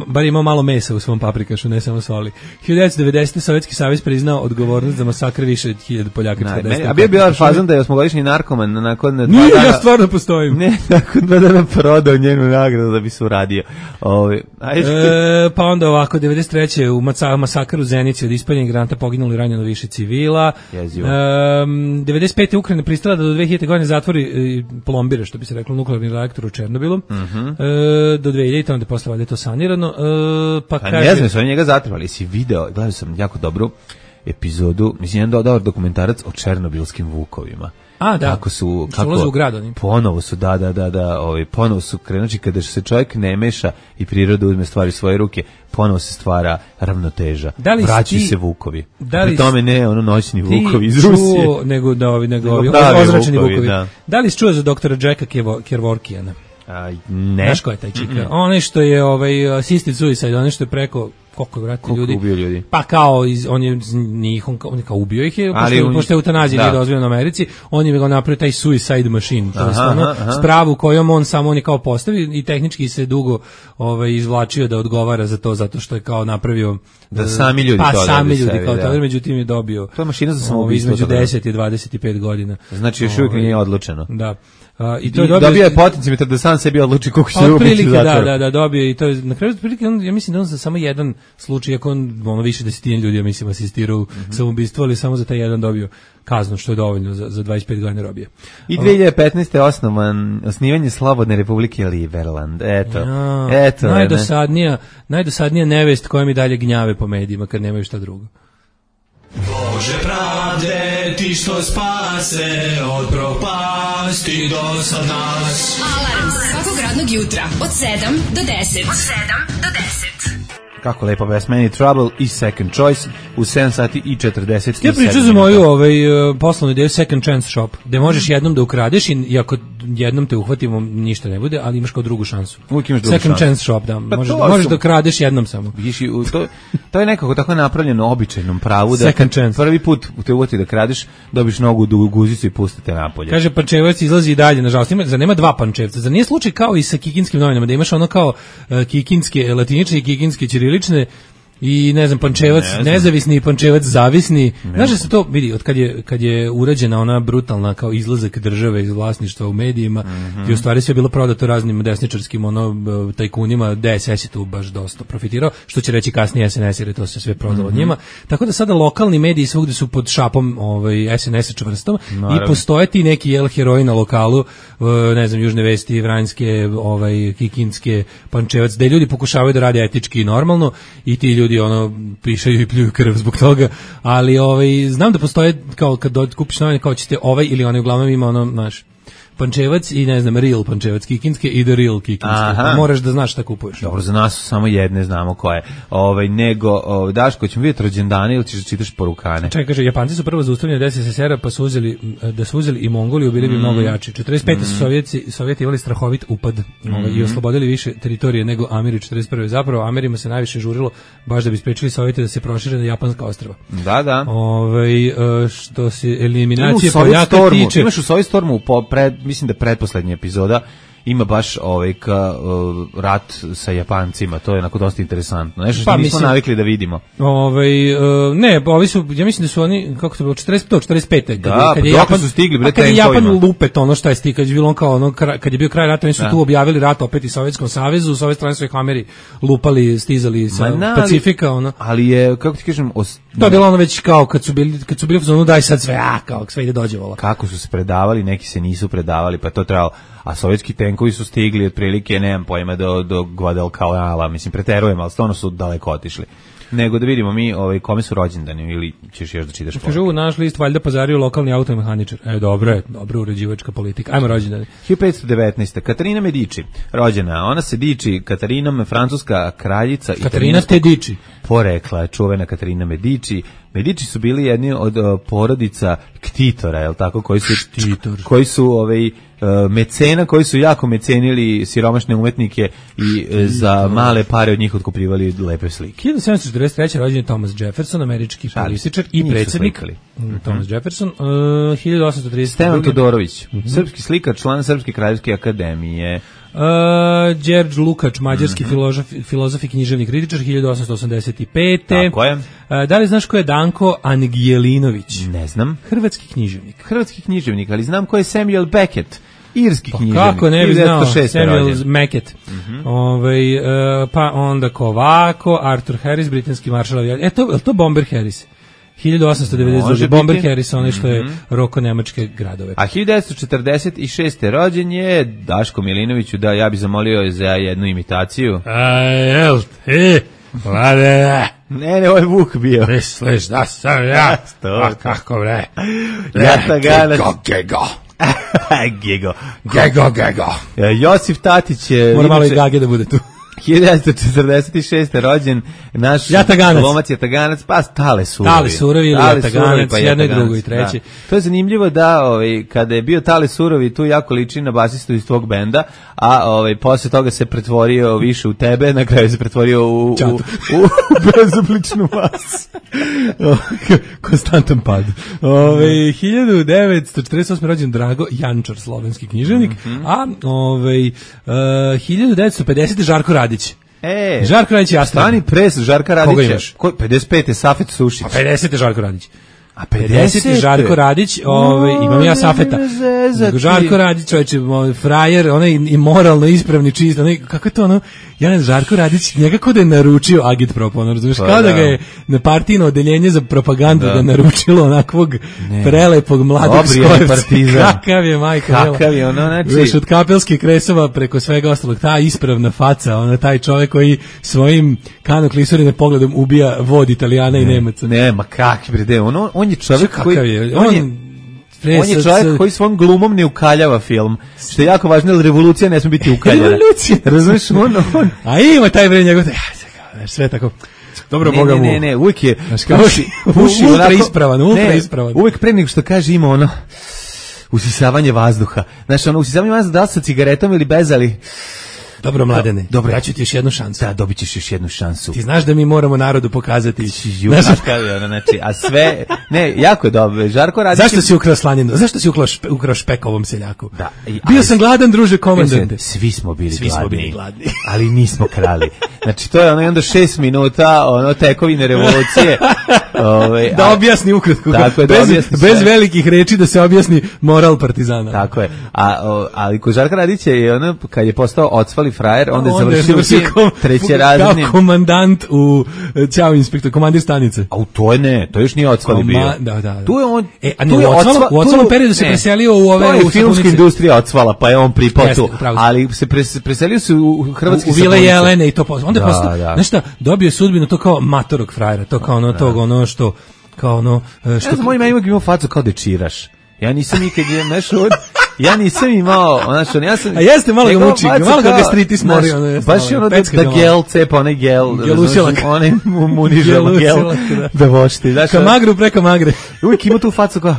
bar imao malo mesa u svom paprikašu, ne samo soli. 1990. Sovjetski savez priznao odgovornost za masakr više od 1000 Poljaka. A bio je fazon da je osmogodišnji narkoman nakon 2 dana... ja stvarno postojim. Ne, nakon 2 dana prodao njenu nagradu da bi se uradio. Pa onda ovako, 93. u masakru u Zenici od ispaljenih granata poginuli ranjeno više civila. 95. Ukrajina pristala da do 2000. godine zatvori plombire, što bi se reklo, nuklearni reaktor u Černobilu. Do 2000. onda posle valjda je to sanirano. Pa kaže... Ne znam, su oni njega zatrovali. Si video, gledao sam jako dobru epizodu, mislim, jedan dobar dokumentarac o černobilskim vukovima. A, da. Kako ulaze u grad oni. Ponovo su, ponovo su krenući kada se čovjek ne meša i priroda uzme stvari u svoje ruke, ponovo se stvara ravnoteža. Vraćaju se vukovi. Pri tome ne noćni vukovi iz Rusije. Nego ozračeni vukovi. Da li si čuo za doktora Jacka Kevorkijana? Ne. Znaš ko je taj čika? Onaj što je assisted suicide, onaj što je preko koliko je vrati ljudi. Ubio ljudi? Pa kao on je kao ubio ih je, pošto je eutanazija nije dozvoljena u Americi, on je ga napravio taj suicide machine, to je spravu kojom on samo kao postavi i tehnički se dugo izvlačio da odgovara za to, zato što je kao napravio da sami ljudi to sami ljudi kao to, međutim je dobio. To je mašina za samoubistvo između 10 i 25 godina. Znači još uvijek nije odlučeno. Da. I to je dobio je potencijalno da sam sebi odluči koliko će ubiti u zatvoru. Da, dobio i to je na kraju prilike, ja mislim da on za samo jedan slučaj, ako on više desetina ljudi, ja mislim, asistirao samoubistvo, ali samo za taj jedan dobio kaznu, što je dovoljno za 25 godina robije. I 2015. osnivanje Slobodne Republike Liberland. Eto. Najdosadnija nevest koja mi dalje gnjave po medijima kad nemaju šta drugo. Bože pravde, ti što spase od propasti do sad nas. Alarm svakog radnog jutra od 7 do 10. Kako lepo Best Man in Trouble i Second Choice u 7 sati i 47. Ja pričam za moju poslovnu ideju Second Chance Shop, gde možeš jednom da ukradeš i ako jednom te uhvatimo ništa ne bude, ali imaš kao drugu šansu. Second Chance Shop, da. Možeš da ukradeš jednom samo. To je nekako tako napravljeno običajnom pravu da prvi put te uvati da kradeš, dobiš nogu u guzicu i pustite napolje. Kaže Pančevac izlazi i dalje, nažalost. Zar nema dva Pančevca? Zar nije slučaj kao i sa kikinskim novinama, da imaš ono kao kikinske latinične i kikinske ćirilične i ne znam, Pančevac nezavisni i Pančevac zavisni. Znaš da se to vidi od kad je urađena ona brutalna kao izlazak države iz vlasništva u medijima i u stvari sve je bilo prodato raznim desničarskim tajkunima, DSS je tu baš dosta profitirao, što će reći kasnije SNS, jer je to se sve prodalo od njima. Tako da sada lokalni mediji svugde su pod šapom SNS-a čvrstom i postoje ti neki heroji na lokalu, ne znam, Južne vesti, Vranjske, Kikinske, Pančevac, da ljudi pokušavaju da rade etički i normalno i ti ljudi pišaju i pljuju krv zbog toga, ali znam da postoje kao kad kupiš novine kao ćete ili uglavnom ima naš Pančevac i ne znam, Real Pančevac Kikinske i The Real Kikinske. Moraš da znaš šta kupuješ. Dobro, za nas su samo jedne, znamo koje. Nego, Daško, ćemo vidjeti rođendane ili ćeš da čitaš porukane? Čekaj, kaže, Japanci su prvo zaustavljeni od SSSR-a, pa su uzeli i Mongoliju, bili bi mnogo jači. 45. su Sovjeti imali strahovit upad i oslobodili više teritorije nego Ameri 41. Zapravo, Amerima se najviše žurilo baš da bi sprečili Sovjeti da se prošire na japanska ostrva. Da. Što se eliminacije Poljaka tiče... Imaš u Sovjetstormu mislim da pretposlednja epizoda ima baš rat sa Japancima, to je onako dosta interesantno. Nešto što nismo navikli da vidimo. Ovi su, ja mislim da su oni, kako to bilo, 45. Kad je Japan, su stigli, kad je Japan lupet, ono što je stigli, kad je bilo kad je bio kraj rata, oni su tu objavili rat opet i Sovjetskom savezu, u Sovjet strane su ih Ameri lupali, stizali sa Pacifika, ali je, kako ti kažem, to je bilo već kao kad su bili u zonu, daj sad sve, kao sve ide dođe vola. Kako su se predavali, neki se nisu predavali, pa to trebalo, a sovjetski tenkovi su stigli otprilike, nemam pojma, do Guadalcanala, mislim, preterujem, ali stvarno su daleko otišli. Nego da vidimo mi kome su rođendani, ili ćeš još da čitaš poruke. Kažu, naš list valjda pazario lokalni automehaničar. Dobro uređivačka politika. Ajmo rođendani. 1519. Katarina Medici, rođena. Ona se diči Katarinom, francuska kraljica. Katarina te diči. Porekla, čuvena Katarina Medici. Medici su bili jedni od porodica ktitora, je li tako, koji su mecena, koji su jako mecenili siromašne umetnike i za male pare od njih otkupljivali lepe slike. 1743. rođen je Thomas Jefferson, američki političar i predsjednik. Thomas Jefferson. 1830. Stevan Todorović, srpski slikar, član Srpske kraljevske akademije. Đerđ Lukač, mađarski filozof i književni kritičar, 1885. Tako je. Da li znaš ko je Danko Angelinović? Ne znam. Hrvatski književnik, ali znam ko je Samuel Beckett. Irski književnik. Kako ne bi znao, Samuel Beckett. Pa onda Kovako, Arthur Harris, britanski maršal. Je to Bomber Harris? 1892. Bomber Harris, onaj što je roko nemačke gradove. A 1946. rođen je Daško Milinoviću, da ja bih zamolio za jednu imitaciju. Vlade, ne, ovo je Vuk bio. Misliš da sam ja? A kako bre? Gego. Josif Tatić je... Mora malo i Gage da bude tu. 1946. rođen naš glumac Jataganac, pa Tale Surovi ili Jataganac, jedno i drugo i treće. Da. To je zanimljivo da kada je bio Tale Surovi, tu jako liči na basistu iz tvog benda, a posle toga se pretvorio više u tebe, na kraju se pretvorio u bezobličnu masu. Konstantan pad. 1948. rođen Drago Jančar, slovenski književnik, a 1950. Žarko Radić. Žarko Radić je Astra. Stani pres Žarka Radića. Koga imaš? 55. je Safet Sušić. A 50. je Žarko Radić. A 50. je Žarko Radić, imam ja Safeta. Žarko Radić, čovječe, frajer, onaj i moralno ispravni, čist, onaj, kako je to ono, ja ne, Žarko Radić, nekako da je naručio Agitprop, ono, razumiješ, kao da ga je na partijno odeljenje za propagandu ga naručilo onakvog prelepog mladog Skojevca. Kakav je, majka, kakav je, ono, znači... Od kapelskih kresova preko svega ostalog, ta ispravna faca, ono, taj čovjek koji svojim kanoklisurine pogledom ubija vod Italijana i Nemaca. Ne, ma kakvi brede, on je čovjek koji... On je čovjek koji svom glumom ne ukaljava film. Što je jako važno, jer revolucija ne smije biti ukaljena. Revolucija. Razumiješ, on... A ima taj bre njegov... Sve tako... Dobro, Boga mu. Ne, uvijek je... Puši ultra ispravan. Uvijek pre nego što kaže ima ono... Usisavanje vazduha. Znači, ono, usisavanje vazduha, da li sa cigaretom ili bez, ali... Dobro, Mladene, dobro, ja ću ti još jednu šansu. Da, dobit ćeš još jednu šansu. Ti znaš da mi moramo narodu pokazati. Znači, a sve... Ne, jako je dobro. Žarko Radić... Zašto si ukrao slaninu? Zašto si ukrao špek ovom seljaku? Da. Bio sam gladan, druže komandante. Svi smo bili gladni. Ali nismo krali. Znači, to je ono onda 6 minuta, ono, tekovine revolucije. Da objasni ukratko. Tako je, bez velikih reči da se objasni moral partizana. Tako je. Ali ko Žarka Radića je ono, kad je postao ocvali frajer, onda je završio trećerazrednim... Kao komandant u Ćao inspektor, komandir stanice. A to je ne, to još nije ocvali bio. Da. Tu je on... U ocvalom periodu se preselio u ove... To je filmska industrija ocvala, pa je on pripao tu. Ali se preselio se u hrvatski sapunice. U Vile Jelene i to postao. Onda je postao, znaš šta, dobio sudbinu to kao matorog frajera, to kao ono tog, ono što... Kao ono... Ja znam, moj ima imao facu kao dečiraš. Ja nisam nikad ja nisam imao, znači, ja sam... A jeste, malo ga muči, malo ga gastritis mori. Baš je ono da gel cepa, onaj gel... Gelusilak. Onaj munižava gel da vošti. Ka magru preko magre. Uvijek ima tu facu kao...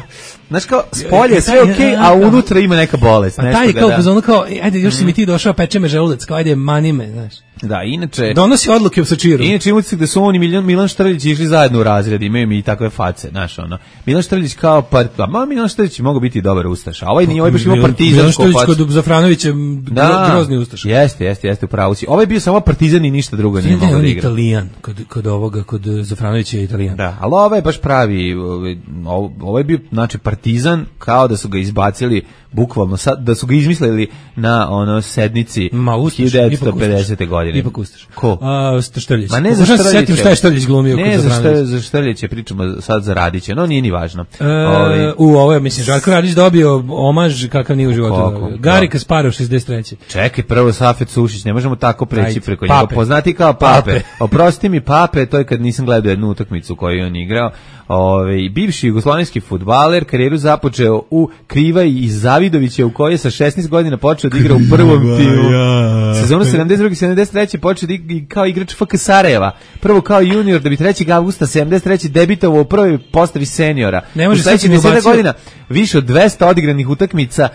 Znaš kao, spolje je sve okej, a unutra ima neka bolest. A taj kao, ono kao, ajde, još si mi ti došao, peče me želudac, kao, ajde, mani me, znaš. Da, inače... Donosi odluke u Sačiru. Inače imam da su on i Milan Štrljić išli zajedno u razred, imaju mi i takve face, znaš, ono. Milan Štrljić kao, Milan Štrljić mogu biti dobar ustaš, a ovaj nije, ovaj baš imao partizansku facu. Milan Štrljić kod Zafranovića grozni ustaš. Jeste, u pravu si. Ovaj bio samo partizan i ništa drugo nije mogao da igra. Italijan, kod Zafranovića je Italijan. Da, ali ovaj je baš pravi, ovaj je bio, znači, partizan, kao da su ga izbacili, bukvalno, da su ga izmislili na ono sednici 1950. godine. Ipak ustaš. Ko? Štrljić. Ma ne za Štrljića. Šta je Štrljić glumio? Ne za Štrljića, pričamo sad za Radića. No, nije ni važno. Ovo je, mislim, Žarko Radić dobio omaž kakav nije u životu. Gari Kasparov, 63. Čekaj, prvo Safet Sušić, ne možemo tako preći preko njega. Poznati kao Pape. Oprosti mi Pape, to je kad nisam gledao jednu utakmicu koju je on igrao. Bivši jugoslovenski fudbaler, karijeru započeo u Krivaji iz Zavidovića, u kojoj je sa 16 godina počeo da igra u prvom timu. Sezonu 72-73 počeo da igra kao igrač FK Sarajeva. Prvo kao junior, da bi 3. avgusta 73 debitovao u prvoj postavi seniora. U sledećih 10 godina više od 200 odigranih utakmica,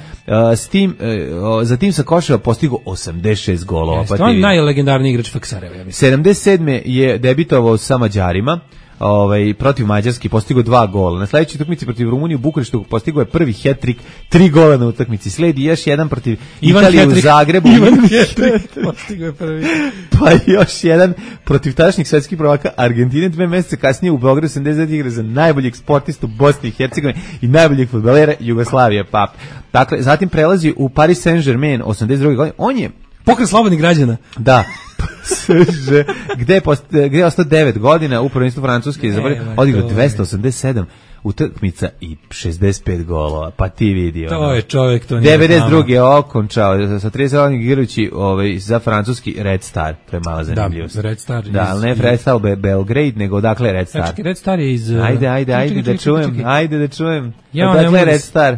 za tim sa Koševa postigao 86 golova. To je najlegendarniji igrač FK Sarajeva, ja mislim. 77. je debitovao sa Mađarima. protiv Mađarske postigao 2 gola. Na sledećoj utakmici protiv Rumunije u Bukureštu postigao je prvi hat-trick, 3 gola na utakmici. Sledi još jedan protiv Italije u Zagrebu. Ivan hat-trick postigao je prvi. Pa još jedan protiv tadašnjih svetskih prvaka Argentine 2 meseca kasnije u Beogradu 79 igra za najboljeg sportistu Bosne i Hercegovine i najboljeg fudbalera Jugoslavije Pap. Dakle, zatim prelazi u Paris Saint-Germain 82. godine. On je Pokret slobodnih građana. Da. Gde je ostao 9 godina u prvenstvu Francuske, odigrao 287 utakmica i 65 golova, pa ti vidi. To je čovjek, to nije 92. je okončao sa 30 godina igrajući za francuski Red Star, to je mala zanimljivost. Da, Red Star. Da, ali ne Red Star Belgrade, nego odakle Red Star. Čekaj, Red Star je iz... Ajde da čujem. Odakle Red Star?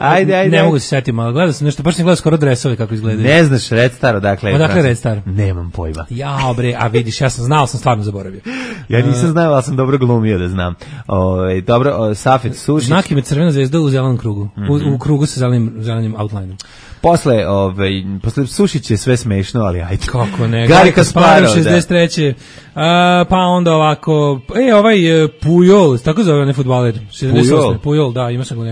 Ajde. Ne mogu se setim, ali gledao sam nešto, baš sam gledao skoro dresove kako izgledaju. Ne znaš Red Star, odakle je? Odakle Red Star? Nemam pojma. Jao bre, a vidiš, ja sam znao, sam stvarno zaboravio. Ja nisam znao, ali sam dobro glumio da znam. Dobro, Safet Sušić. Znak ime crvena zvezda u zelenom krugu. U krugu sa zelenim outlineom. Posle Sušić je sve smešno, ali ajde. Kako ne? Gari Kasparov, 63. Pa onda ovako, Pujol, tako zove onaj fudbaler. 68. Pujol, da, ima sam ga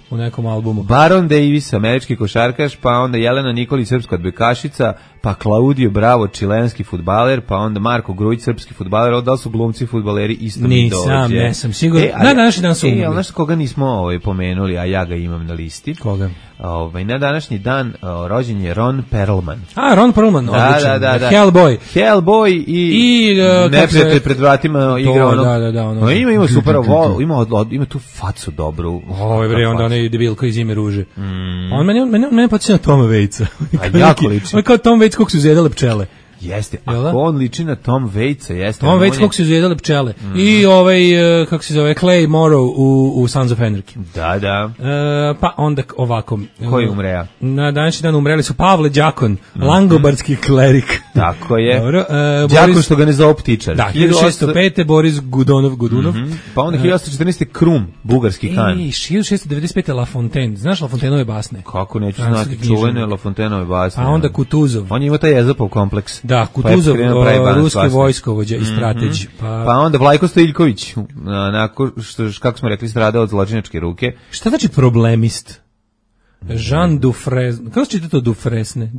u nekom albumu. Baron Davis, američki košarkaš, pa onda Jelena Nikolić, srpska odbojkašica, pa Claudio Bravo, čilenski fudbaler, pa onda Marko Grujić, srpski fudbaler. Da li su glumci fudbaleri isto mi dođe? Nisam sigurno. Na današnji dan su umrli. Ali znaš koga nismo pomenuli, a ja ga imam na listi? Koga? Na današnji dan rođen je Ron Perlman. Ron Perlman, odličan. Da. Hellboy i neprijatelj pred vratima igra ono. Ima super, ima tu facu dobru. Onda onaj debilko iz Ime ruže. On mene podsjeća na Toma Vejca. A jako liči. On kao Tom Vejc kako su izjedale pčele. Jeste, ako on liči na Tom Waitsa, jeste. Tom Waits kako su izjedale pčele. I kako se zove, Clay Morrow u Sons of Anarchy. Da. Pa onda ovako. Koji umreja? Na današnji dan umreli su Pavle Đakon, langobardski klerik. Tako je. Dobro. Đakon što ga ne zove ptičar. Da, 1605. Boris Gudunov. Pa onda 1814. Krum, bugarski kan. 1695. La Fontaine. Znaš La Fontaineove basne? Kako neću znati čuvene La Fontaineove basne. Pa onda Kutuzov. On je imao taj Ezopov kompleks. Da, Kutuzov, ruski vojskovođa i strateć. Pa onda Vlajko Stojiljković, kako smo rekli, strada od zločinačke ruke. Šta znači problemist? Jean Dufresne. Kako se čita to Dufresne?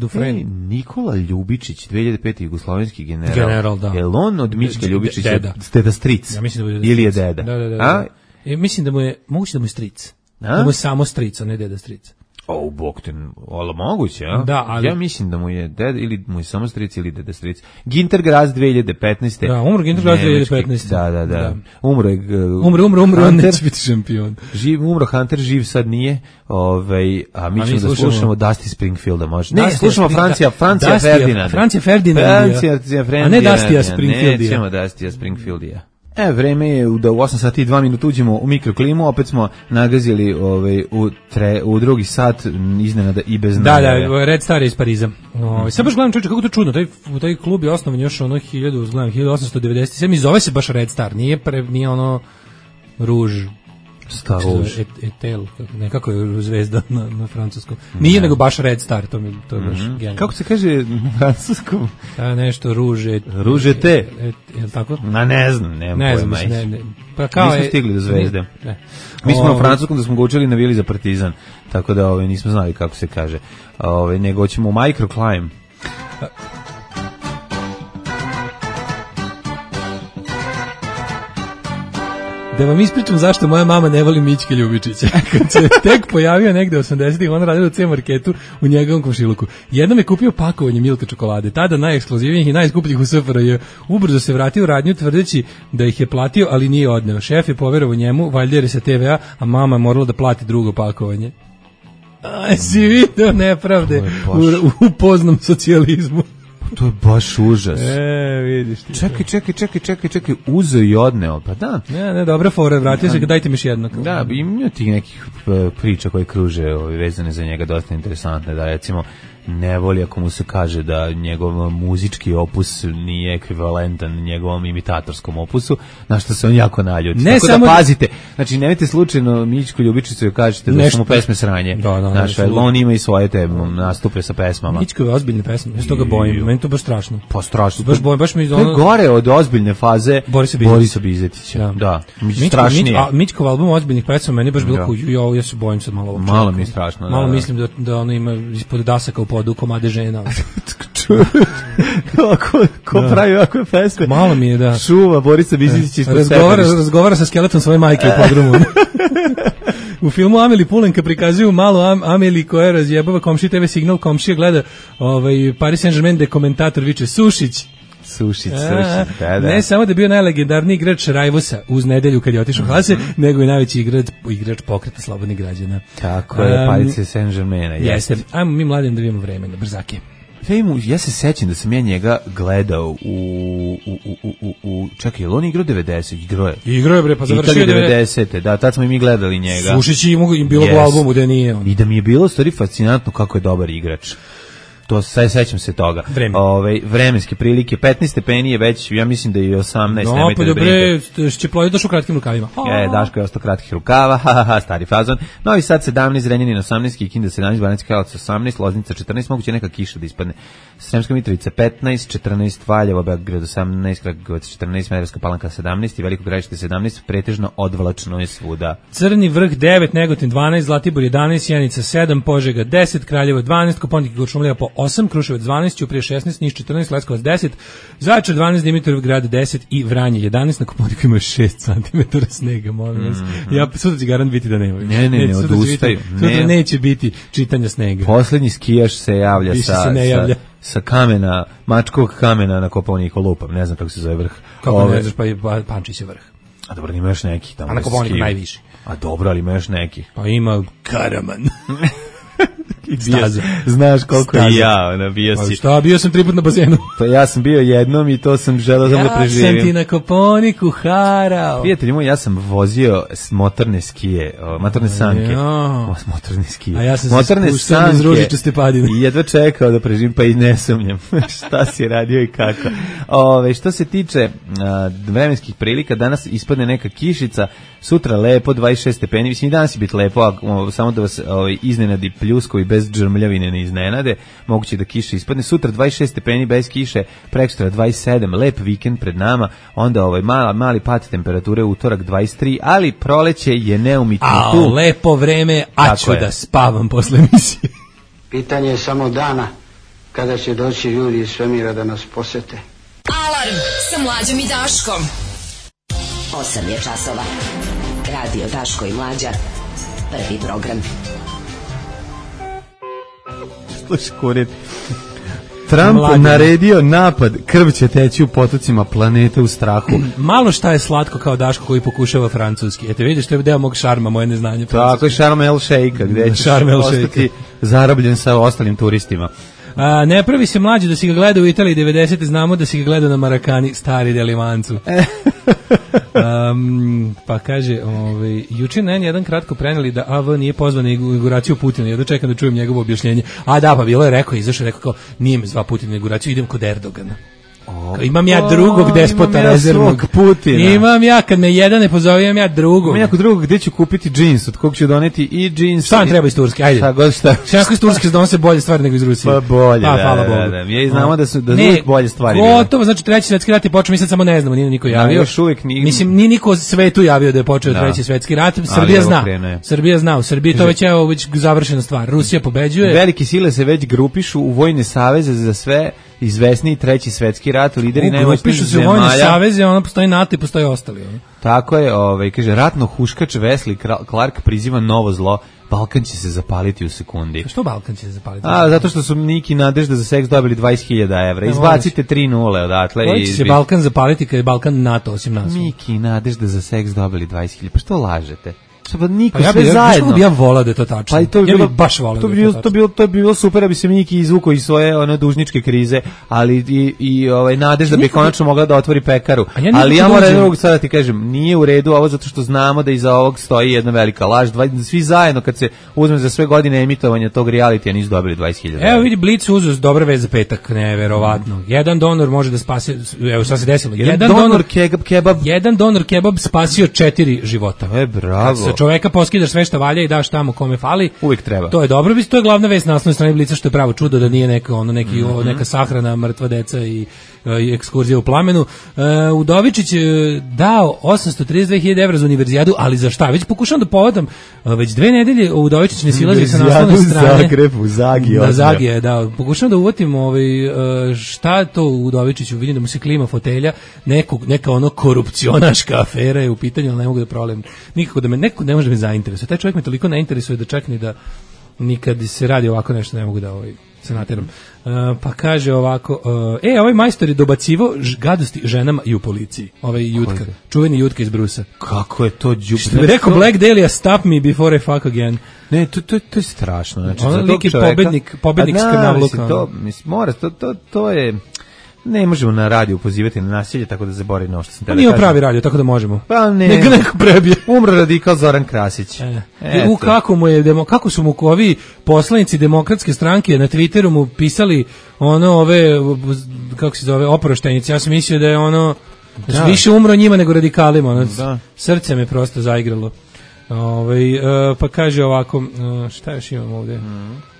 Nikola Ljubičić, 2005. jugoslovenski general. General, da. Je li on od Miške Ljubičića? Deda stric? Ja mislim da bude ili je deda? Da. Mislim da mu je, moguće da mu je stric. Da mu je samo stric, a ne deda stric. Bog te, ali moguće, a? Da, ali... Ja mislim da mu je deda, ili mu je samo stric, ili deda stric. Ginter Graz 2015. Da, umro Ginter Graz 2015. Da. Umro je... Umro, on neće biti šampion. Umro Hunter, živ sad nije, a mi ćemo da slušamo Dusty Springfielda, možda. Ne, slušamo Francija Ferdinanda. Francija Ferdinanda. A ne Dustya Springfielda. Nećemo Dustya Springfielda. Vreme je da u 8 sati i 2 minuta uđemo u mikroklimu, opet smo nagazili u drugi sat iznenada i bez najave. Da, Red Star je iz Pariza. Sad baš gledam čovječe, kako to čudno, taj klub je osnovan još 1897 i zove se baš Red Star, nije ono Ruž. Star Rouge. Etel, nekako je zvezda na francuskom. Nije nego baš Red Star, to je baš genijalno. Kako se kaže na francuskom? Nešto Rouge. Rouge te? Je tako? Ne znam, nemam pojma. Pa kao nismo stigli do zvezde. Mi smo na francuskom da smo ga učili navili za Partizan, tako da nismo znali kako se kaže. Nego ćemo u microclimb. Da vam ispričam zašto moja mama ne voli Mićke Ljubičića. Kad se tek pojavio negde 80-ih, on radio u C-marketu u njegovom komšiluku. Jednom je kupio pakovanje Milka čokolade, tada najekskluzivnijih i najskupljih u SFRJ. Ubrzo se vratio u radnju tvrdeći da ih je platio, ali nije odneo. Šef je poverovao njemu, valjda je sa TV-a, a mama je morala da plati drugo pakovanje. Si video nepravde u poznom socijalizmu. To je baš užas. Vidiš ti. Čekaj, uzeo i odneo, pa da. Ne, dobra fora, vratio se, dajte mi još jedno. Da, ima ti nekih priča koje kruže vezane za njega, dosta interesantne, da recimo ne voli ako mu se kaže da njegov muzički opus nije ekvivalentan njegovom imitatorskom opusu, na što se on jako naljuti. Tako da pazite, znači nemojte slučajno Mićku Ljubičicu joj kažete da su mu pesme sranje. Znači, on ima i svoje te nastupe sa pesmama. Mićko je ozbiljne pesme, ja se toga bojim, meni to baš strašno. Pa strašno. Baš bojim, baš mi to je gore od ozbiljne faze Borisa Bizetića. Da, strašnije. Mićkov album ozbiljnih pesama meni baš bilo kuju, ja se bojim sad malo. Malo mi je strašno. Malo mislim da ono ima ispod dasaka u podu komade žena. Ko pravi ovakve pesme? Malo mi je, da. Šuva Borisa Bizetića ispod sebe. Razgovara sa skeletom svoje majke u podrumu. U filmu Ameli Pulenka prikazuju malu Ameli koja razjebava komši TV signal, komšija gleda Paris Saint-Germain de komentator viče Sušić. Sušić, da. Ne samo da je bio najlegendarniji igrač Rajvosa uz nedelju kad je otišao Hase, nego i najveći igrač pokreta slobodnih građana. Tako je, Paris Saint-Germaina. Jeste. Ajmo mi mladim da vidimo vreme na brzake. Ja se sećam da sam ja njega gledao čekaj, je li on igrao 90? Igrao je bre, pa završio 90. Da, tad smo i mi gledali njega. Sušić i bilo u albumu da nije on. I da mi je bilo stvari fascinantno kako je dobar igrač. To sećam se toga. Vremenske prilike 15 stepeni je već, ja mislim da je 18. No, pa dobre, će ploviti došao u kratkim rukavima. Daško je ostao kratkih rukava, stari fazon. Novi Sad 17, Zrenjanin 18, Kikinda 17, Banacki Karlovac 18, Loznica 14, moguće neka kiša da ispadne. Sremska Mitrovica 15, 14, Valjevo, Beograd 18, Kragujevac 14, Smederevska Palanka 17 i Veliko Gradište 17, pretežno odvlačno je svuda. Crni vrh 9, Negotin 12, Zlatibor 11, Sjenica 7, Požega 10, Kraljevo 12, Kopaonik i Kuršumlija po 8, Kruševac 12, Ćuprije 16, Niš 14, Leskovac 10, Zaječar 12, Dimitrovgrad 10 i Vranje 11, na Kopaoniku ima 6 cm snega, molim vas. Ja sutra će garant biti da nema. Ne, odustaju. Sutra neće biti čitanja snega. Poslednji skijaš se javlja sa kamena, Mačkovog kamena na Kopaoniku, lupam, ne znam kako se zove vrh. Kako ne znaš, pa Pančić je vrh. A dobro, ima još neki tamo. A na Kopaoniku najviši. A dobro, ali ima još neki. Pa ima Karaman. Znaš koliko i ja, bio si. Šta, bio sam 3 puta na bazenu. Pa ja sam bio jednom i to sam želeo da preživim. Ja sam ti na Kopaoniku harao. Prijatelji moji, ja sam vozio motorne skije, motorne sanke. Motorne skije. A ja sam se spuštao iz Ružičaste padine. I jedva čekao da preživim, pa i ne sumnjam. Šta si radio i kako. Što se tiče vremenskih prilika, danas ispadne neka kišica, sutra lepo, 26 stepeni. Mislim, i danas će biti lepo, samo da vas iznenadi pljuskovi bez džrmljavine ne iznenade, moguće da kiša ispadne. Sutra 26 stepeni bez kiše, prekstra 27, lep vikend pred nama, onda mali pad temperature, utorak 23, ali proleće je neumitno tu. Lepo vreme, a ću da spavam posle emisije. Pitanje je samo dana kada će doći ljudi iz svemira da nas posete. Alarm sa Mlađom i Daškom. 8 je časova. Radio Daško i Mlađa. Prvi program. Slušaj, kurir. Trump naredio napad, krv će teći u potocima planete u strahu. Malo šta je slatko kao Daško koji pokušava francuski. Eto vidiš, to je deo mog šarma, moje neznanje. Tako je Sharm el Sheikha, gde ćeš ostati zarobljen sa ostalim turistima. Ne pravi se Mlađe da si ga gleda u Italiji 90. Znamo da si ga gleda na Marakani, stari delimancu. Pa kaže, juče na N1 kratko preneli da AV nije pozvan na inauguraciju Putina. Ja da čekam da čujem njegovo objašnjenje. A da, pa bilo je rekao, izašao rekao kao, nije me zva Putin na inauguraciju, idem kod Erdogana. Imam ja drugog despota rezervnog Putina. Imam ja, kad me jedan ne pozove, imam ja drugog. Imam ja kod drugog gde ću kupiti džins, od kog ću doneti i džins. Šta vam treba iz Turske, ajde. Šta iz Turske donose bolje stvari nego iz Rusije. Pa bolje, da. Ja i znamo da su uvijek bolje stvari. Gotovo, znači treći svetski rat je počeo, mi sad samo ne znamo, nije niko javio. Mislim, nije niko u svetu javio da je počeo treći svetski rat. Srbija zna, u Srbiji to već je završena stvar. Rusija pobeđuje. Velike sile se već grupišu u vojne saveze za sve izvesniji treći svetski rat, lideri najmoćnijih zemalja. Pišu se u vojne saveze, ono postoji NATO i postoji ostali. Tako je, kaže, ratno huškač Wesley Clark priziva novo zlo, Balkan će se zapaliti u sekundi. Što Balkan će se zapaliti? Zato što su Niki Nadežda za seks dobili 20.000 evra. Izbacite 3-0 odatle. Koji će se Balkan zapaliti kad je Balkan NATO osim nas? Niki Nadežda za seks dobili 20.000. Pa što lažete? Pa niko, ja sve zajedno. Ja bih volao da je to tačno. Pa i to bi ja bilo, bih baš volao to da bi je to tačno. To bi bilo super da bi se Miki izvukao iz svoje dužničke krize, ali i nadež da bi konačno mogla da otvori pekaru. Ali ja moram drugog sada ti kažem, nije u redu ovo zato što znamo da iza ovog stoji jedna velika laž. Svi zajedno kad se uzme za sve godine emitovanja tog realitija nisu dobili 20.000. Evo vidi, Blic uzeo dobre veze za petak, neverovatno. Jedan donor može da spasi, evo šta se desilo. Jedan donor kebab. Jedan donor kebab spasio 4 života. Bravo. Kad sa čoveka poskidaš sve što valja i daš tamo kome fali. Uvijek treba. To je dobro, to je glavna vest na naslovnoj strani Blica, što je pravo čudo da nije neka sahrana, mrtva deca i ekskurzija u plamenu. Udovičić dao 832.000 evra za univerzijadu, ali za šta? Već pokušavam da povodam, već 2 nedelje Udovičić ne silazi sa naslovne strane. U Zagrebu, da, Zagije, da. Pokušavam da uvatim šta to u Udovičiću, vidim da mu se klima fotelja, neka korupcionaška afera je u pitanju, ali ne mogu da provalim. Nikako da me, neko ne može da me zainteresuje. Taj čovjek me toliko ne interesuje da čak ni da nikad se radi ovako nešto ne mogu da se nateram. Pa kaže ovako, ovaj majstor je dobacivo gadosti ženama i u policiji. Ovaj Jutka, čuveni Jutka iz Brusa. Kako je to đubre? Što bi rekao Black Dahlia, stop me before I fuck again. Ne, to je strašno. Znači, on je neki pobednik skrnavluka. To je... Ne možemo na radiju pozivati na nasilje, tako da zaboravim na ovo što sam tebe. Nije pravi radio, tako da možemo. Pa ne. Neka neko prebije. Umro radikal Zoran Krasić. Kako su mu ovi poslanici Demokratske stranke na Twitteru mu pisali kako se zove, oproštenjice. Ja sam mislio da je više umro njima nego radikalima. Srce me prosto zaigralo. Pa kaže ovako, šta još imamo ovdje?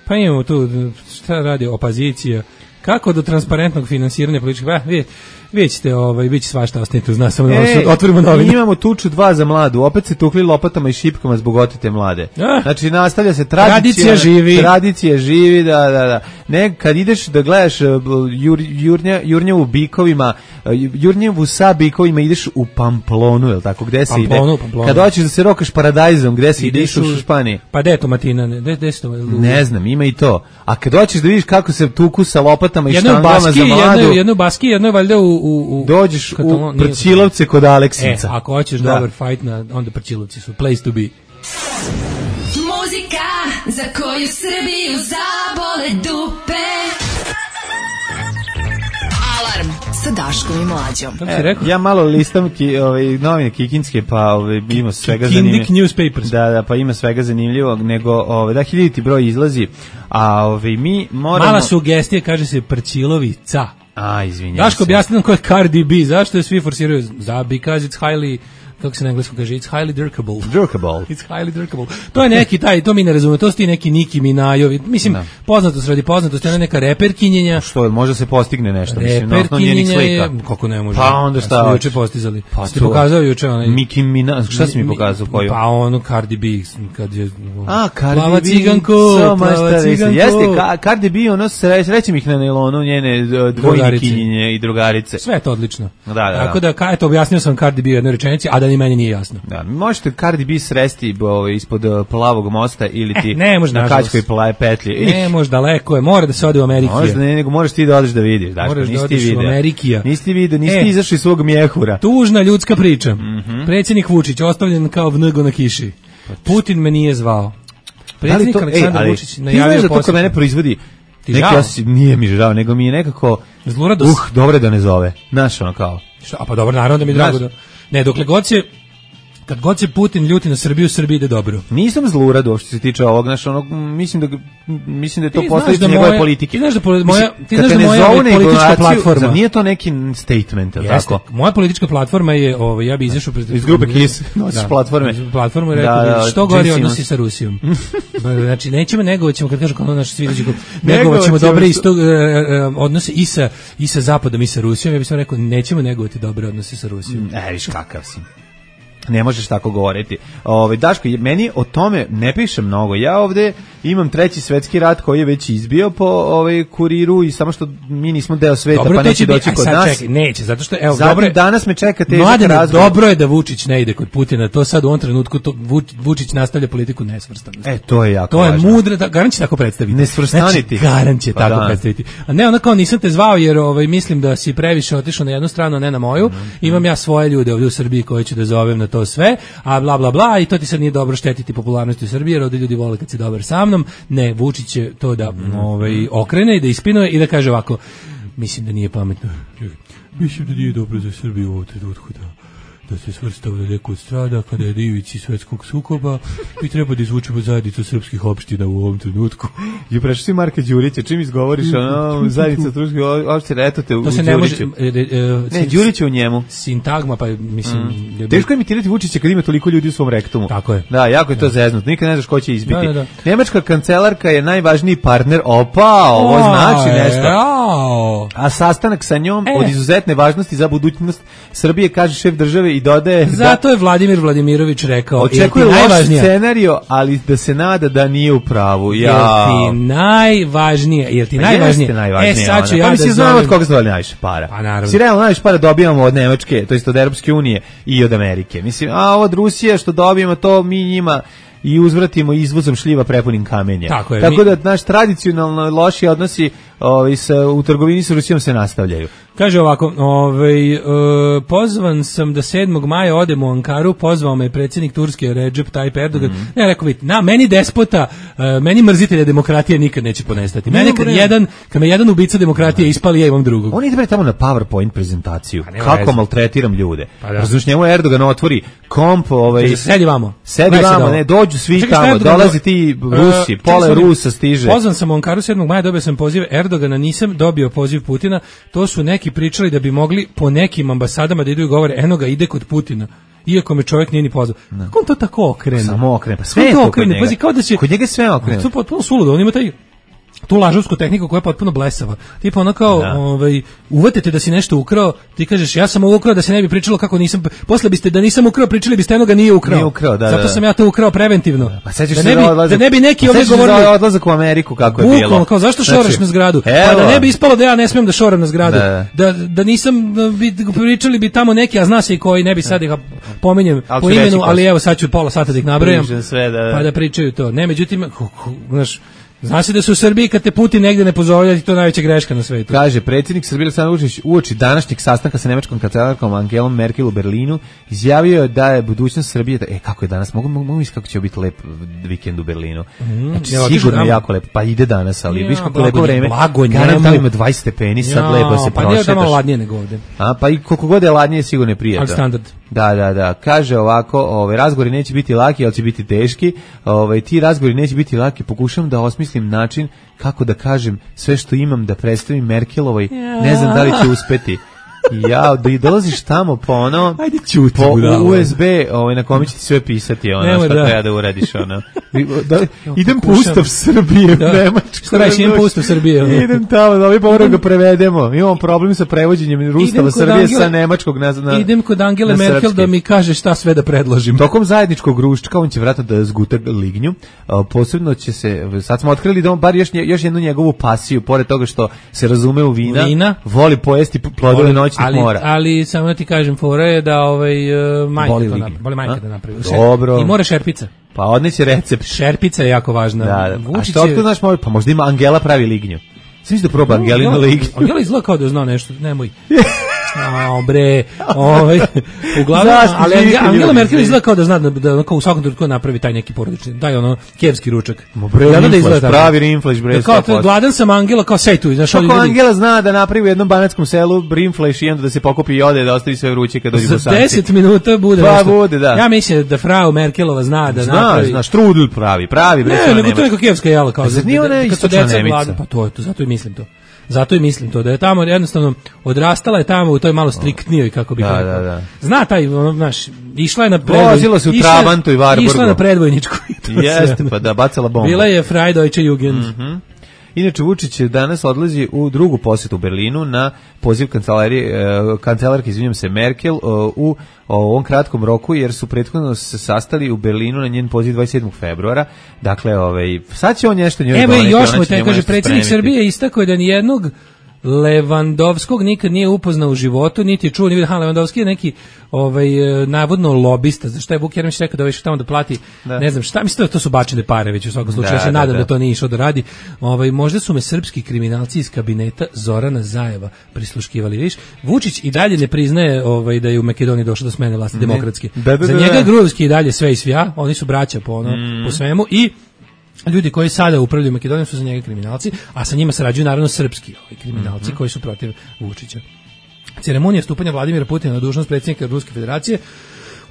Pa imamo tu, šta radi opozicija? Kako do transparentnog finansiranja političkih... Vidjet ćete, bit će svašta, ostanite uz nas, samo da otvorimo novine. Imamo tuču 2 za mladu, opet se tukli lopatama i šipkama zbog otete mlade. Znači, nastavlja se tradicija živi. Tradicija živi, da. Ne, kad ideš da gledaš Jurnjevu bikovima, Jurnjevu sa bikovima ideš u Pamplonu, je li tako, gde se ide? Kad hoćeš da se rokaš paradajzom, gde se ideš u Španiji? Pa gde je to, Matina? Ne znam, ima i to. A kad hoćeš da vidiš kako se tuku sa lopatama i štangama za mladu... Jedno u Baski, jedno je valjda dođeš u Prčilovce kod Aleksinca. Ako hoćeš dobar fight, onda Prčilovci su place to be. Muzika za koju Srbiju zabole dupe. Alarm sa Daškom i Mlađom. Ja malo listam novine kikinske, pa ima svega zanimljivo. Kindik newspapers. Da, pa ima svega zanimljivog, nego 1000 broj izlazi, a mi moramo... Mala sugestija, kaže se Prčilovica. Izvinjam Daško, objasni nam ko je Cardi B, zašto je svi forsiraju? Because it's highly, kako se na engleskom kaže, it's highly dirkable. It's highly dirkable. To je neki to mi ne razumemo, to su ti neki Niki Minajovi, mislim, poznatost radi poznatosti, ona je neka reperkinjenja. Što, može se postigne nešto, mislim, na osnovu njenih slika. Kako ne može? Pa onda šta? Smo juče postizali. Ste pokazao juče onaj... Miki Mina, šta si mi pokazao koju? Pa ono Cardi B, kad je... Cardi plava B. ciganko. Jeste, Cardi B, ono srećem ih na nailonu, njene dvojnikinjenje i drugarice. Sve je to odlično. Da. Tako da, eto, objasnio sam Cardi B u jednoj rečenici, a da ni meni nije jasno. Da, možete Cardi B sresti ispod Plavog mosta ili ti na Kačkoj petlji. Ne može, daleko je, mora da se ode u Ameriku. Možda ne, nego moraš ti da odeš da vidiš. Moraš da odeš u Amerikija. Nisi vidio, nisi ti izašao iz svog mjehura. Tužna ljudska priča. Predsjednik Vučić ostavljen kao vnego na kiši. Putin me nije zvao. Predsjednik Aleksandar Vučić najavio posjet. Ti znaš da to kod mene proizvodi nije mi žao, nego mi je nekako zluradost. Dobro da ne zove. Znaš ono kao. A pa dobro, naravno da mi je drago da... Ne, dokle god se... Kad god se Putin ljuti na Srbiju, Srbiji ide dobro. Nisam zlurado što se tiče ovog, znaš, mislim da je to posledica njegove politike. Ti znaš da moja politička platforma... Nije to neki statement, tako? Moja politička platforma je, ja bi izašao... Iz grupe KIS, nosiš platforme. Iz platforme rekao, što gori odnosi sa Rusijom. Znači, nećemo, negovaćemo, kad kažu kao naš sviđađi, negovaćemo dobre odnose i sa Zapadom i sa Rusijom, ja bih sam rekao, nećemo negovati dobre odnose sa Rusijom. Viš kakav si. Ne možeš tako govoriti. Daško, meni o tome ne piše mnogo. Ja ovde imam 3. svetski rat koji je već izbio po Kuriru i samo što mi nismo deo sveta, dobro, pa neće doći kod nas. Čekaj, neće, zato što danas me čeka težak razgovor. Dobro je da Vučić ne ide kod Putina. To sad u ovom trenutku Vučić nastavlja politiku nesvrstanosti. To je jako važno. To je mudro, garant će tako predstaviti. Nesvrstaniti. Garant će tako predstaviti. A ne, ono kao nisam te zvao jer mislim da si previše otišao na jednu stranu, a ne na moju. Imam ja svoje ljude ovdje u Srbiji koje ću da zovem na to sve, a bla bla bla, i to ti sad nije dobro, štetiti popularnosti u Srbiji, jer ovdje ljudi vole kad si dobar sa mnom. Ne, Vučić će to da okrene i da ispinuje i da kaže ovako: mislim da nije pametno. Mislim da nije dobro za Srbiju u ovom trenutku da se svrstava na neku od strana kada je divici svetskog sukoba i treba da izvučemo zajednicu srpskih opština u ovom trenutku. I prešli si Marka Đurića, čim izgovoriš zajednica srpskih opština, eto te u Đuriću. To se ne može... Ne, Đurić je u njemu. Sintagma, pa mislim... Teško je imitirati Vučića kad ima toliko ljudi u svom rektumu. Tako je. Da, jako je to zeznut. Nikad ne znaš ko će izbiti. Da. Nemačka kancelarka je najvažniji partner. Opa, ovo znači nešto. A sastanak sa njom od izuzetne važnosti za budućnost Srbije, kaže šef države i dodaje... Zato je Vladimir Vladimirović rekao... Očekuje loš scenario, ali da se nada da nije u pravu. Jel ti najvažnije? Sad ću ja da znam od koga se dovali najviše para. Pa naravno. Si realno najviše para dobijamo od Nemačke, to jest od Europske unije i od Amerike. Mislim, a od Rusije što dobijemo, to mi njima i uzvratimo izvozom šljiva prepunim kamenja. Tako da naš tradicionalno loši odnosi u trgovini sa Rusijom se nastavljaju. Kaže ovako, pozvan sam da 7. maja odem u Ankaru, pozvao me predsjednik Turske Recep Tayyip Erdogan. Ne, rekao, vidite, meni despota, meni mrzitelja demokratije nikad neće ponestati. Mene kad me jedan ubica demokratije ispali, ja imam drugog. On ide tamo na PowerPoint prezentaciju. Kako maltretiram ljude. Razumiješ, njemu Erdogan otvori komp, sedi vamo, ne, dođu svi tamo, dolazi ti Rusi, pola Rusa stiže. Pozvan sam u Ankaru 7. maja, dobio sam poziv Erdogana, nisam dobio poziv Putina. To su neki pričali da bi mogli po nekim ambasadama da idu i govore, eno ga, ide kod Putina, iako me čovjek nije ni pozvao. Kako on to tako okrene? Samo okrene, pa sve je to kod njega. Pazi, kao da će... Kod njega sve okrene. To je potpuno suludo, on ima tu lažovsku tehniku koja je potpuno blesava. Tipa ono kao, uvatite da si nešto ukrao, ti kažeš, ja sam ovo ukrao da se ne bi pričalo kako nisam, posle biste da nisam ukrao, pričali biste eno ga nije ukrao. Zato sam ja to ukrao preventivno. Da ne bi neki ovdje govorili... Za odlazak u Ameriku kako je bilo. Kao, zašto šoraš na zgradu? Pa da ne bi ispalo da ja ne smijem da šoram na zgradu. Da nisam, pričali bi tamo neki, a zna se i koji, ne bi sad ih pominjem po imenu, ali evo sad ću pola sata da ih nabrojam, pa da pričaju to. Ne, međutim, znaš, zna se da su u Srbiji kad te Putin negdje ne pozove, to je najveća greška na svetu. Kaže, predsjednik Srbije Aleksandar Vučić uoči današnjeg sastanka sa nemačkom kancelarkom Angelom Merkel u Berlinu izjavio je da je budućnost Srbije, kako je danas, mogu misliti kako će biti lep vikend u Berlinu. Znači, sigurno je jako lep, pa ide danas, ali viš kako lepo vreme, garant tamo ima 20 stepeni, sad lepo se prošetaš. Pa nije tamo ladnije nego ovdje. Pa i koliko god je ladnije, sigurno je prijatno. Ali standard. Da, kaže ovako, razgovori neće biti laki, ali će biti teški, ti razgovori neće biti laki, pokušam da osmislim način kako da kažem sve što imam da predstavim Merkelovoj, ne znam da li će uspeti. Ja, da i dolaziš tamo po ono, po USB, na kome će ti sve pisati, šta treba da uradiš, idem po Ustav Srbije u Nemačku. Šta reći, idem po Ustav Srbije? Idem tamo, da moramo ga prevedemo. Imamo problem sa prevođenjem Ustava Srbije sa nemačkog na idem kod Angele Merkel da mi kaže šta sve da predložim. Tokom zajedničkog ručka, on će vratno da zguta lignju, posebno će se, sad smo otkrili da on bar još jednu njegovu pasiju, pored toga što se razume u vina, voli pojesti plodove noći. Ali samo da ti kažem, fora je da majka da napravi. Dobro. I mora šerpica. Pa odneće recept. Šerpica je jako važna. Da. A što otkud znaš, pa možda ima Angela pravi lignju. Sviš da proba Angelinu lignju. Angela izgleda kao da zna nešto, nemoj. Bre, uglavnom, ali Angela Merkel izgleda kao da zna da u svakom trenutku napravi taj neki porodični, taj kijevski ručak. Pravi rinflash, bre. Kao gladan sam Angela, kao sej tu. Kako Angela zna da napravi u jednom banatskom selu rinflash i onda da se pokopi i ode, da ostavi sve vruće kad dođe Bosanci. Za 10 minuta bude nešto. Pa bude, da. Ja mislim da frau Merkelova zna da napravi. Zna, štrudl pravi, bre. Ne, nego to je kao kijevska jela, kao kad su deca gladna. Pa to je to, zato i mislim to, da je tamo jednostavno odrastala je tamo u toj malo striktnijoj, kako bih rekao. Da. Zna taj, išla je na predvojničku. Vozila se u Trabantu i Varburgu. Išla na predvojničku. Jeste, pa da, bacala bombu. Bila je Freie Deutsche Jugend. Inače, Vučić danas odlazi u drugu posjetu u Berlinu na poziv kancelarke, Merkel, u ovom kratkom roku, jer su prethodno se sastali u Berlinu na njen poziv 27. februara. Dakle, sad će on nešto njoj doneti. Evo i još mu te, kaže, predsjednik Srbije istakao je da nijednog Levandovskog nikad nije upoznao u životu, niti je čuo, ni vidio. Levandovski je neki navodno lobista, za što je Vuk Jeremić rekao da već tamo da plati, ne znam šta, mislim da to su bačene pare već u svakom slučaju, ja se nadam da to nije išao da radi. Možda su me srpski kriminalci iz kabineta Zorana Zajeva prisluškivali, vidiš. Vučić i dalje ne priznaje da je u Makedoniji došlo do smene vlasti demokratski. Za njega je Gruzijski i dalje sve i svja, oni su braća po svemu i ljudi koji sada upravljaju Makedonijom su za njega kriminalci, a sa njima sarađuju naravno srpski kriminalci koji su protiv Vučića. Ceremonija stupanja Vladimira Putina na dužnost predsjednika Ruske federacije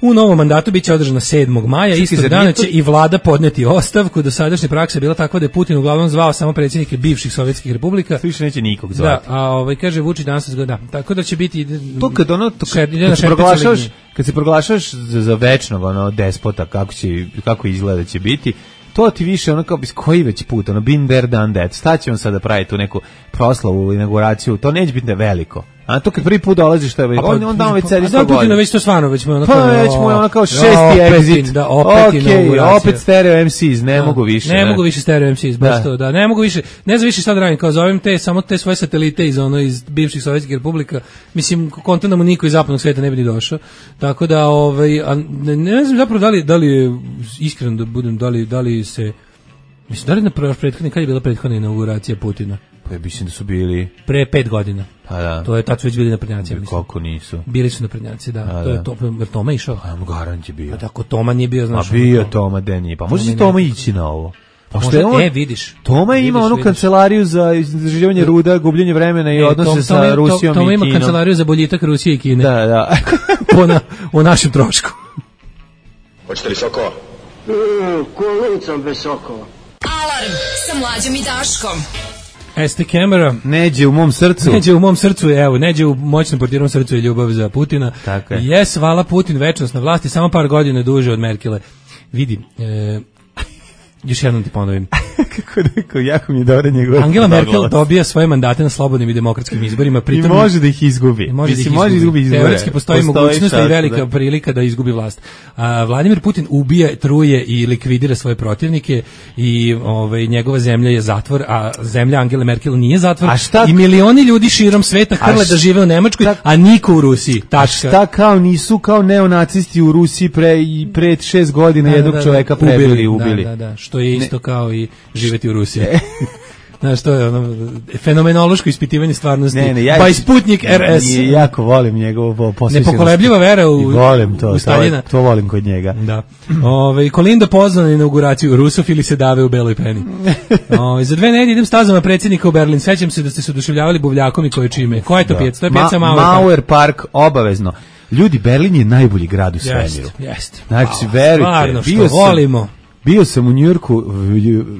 u novom mandatu biće održana 7. maja, istog dana će i vlada podneti ostavku. Dosadašnja praksa je bila takva da je Putin uglavnom zvao samo predsjednike bivših sovjetskih republika. Više neće nikog zvati. Da, kaže Vučić danas da. Tako da će biti to kad se proglašaš za večnog despota kako izgleda će biti. To ti više kao koji već put, been there, done that. Staće on sada pravi tu neku proslavu, inauguraciju, to neće biti veliko. A to kad prvi put dolaziš, što je on već sedi 100 godina. Putina već to stvarno, već mu je kao šesti exit. Da, opet stereo MCs, ne mogu više. Ne mogu više stereo MCs, baš to, da, ne mogu više, ne znam više šta da radim, kao zovem samo te svoje satelite iz bivših sovjetskih republika, mislim, konta da mu niko iz zapadnog sveta ne bi ni došao, tako da, ne znam zapravo da li je, iskreno da budem, da li se, mislim, da li kad je bila prethodna inauguracija Putina? Pa mislim da su bili pre 5 godina. Pa da. To je tad su već bili naprednjaci, mislim. Koliko nisu? Bili su naprednjaci, da. To je Toma išao. A garant je bio. A tako Toma nije bio, znaš. A bio Toma, da nije. Pa može si Toma ići na ovo. Pa možda, vidiš. Toma ima onu kancelariju za istraživanje ruda, gubljenje vremena i odnose sa Rusijom i Kinom. Toma ima kancelariju za boljitak Rusije i Kine. Da. Po našem trošku. Hoćete li sokova? Kolicom bez sokova. Alarm sa Mlađom i Daškom. Este Kemera. Neđe u mom srcu. Neđe u moćnom portirom srcu je ljubav za Putina. Tako je. Jes, hvala Putin, večnost na vlasti, samo par godina duže od Merkele. Vidi, još jednom ti ponovim. Kako rekao, jako mi je dobro njegov. Angela Merkel dobija svoje mandate na slobodnim i demokratskim izborima. Pritom, i može da ih izgubi. Može izgubi izbore. Teoretski postoji mogućnost i velika prilika da izgubi vlast. Vladimir Putin ubija, truje i likvidira svoje protivnike i njegova zemlja je zatvor, a zemlja Angele Merkel nije zatvor. I milioni ljudi širom sveta hrle da žive u Nemačkoj, a niko u Rusiji. Tačka. A šta kao nisu kao neonacisti u Rusiji pre 6 godina jednog čoveka ubili. Da. Što je isto kao i živeti u Rusiji. Znaš, to je fenomenološko ispitivanje stvarnosti. Pa i Sputnik RS. Jako volim njegovo posvećenost. Nepokolebljiva vera u Staljina. To volim kod njega. Da. Kolinda pozvana na inauguraciju, rusofili se dave u beloj peni. Za 2 nedelje idem stazama predsjednika u Berlin. Sećam se da ste se oduševljavali buvljakom i koje čime. Koja je to pijaca? To je pijaca Mauer Park, obavezno. Ljudi, Berlin je najbolji grad u svemiru. Jeste. Znači, verujte, bio sam u Njujorku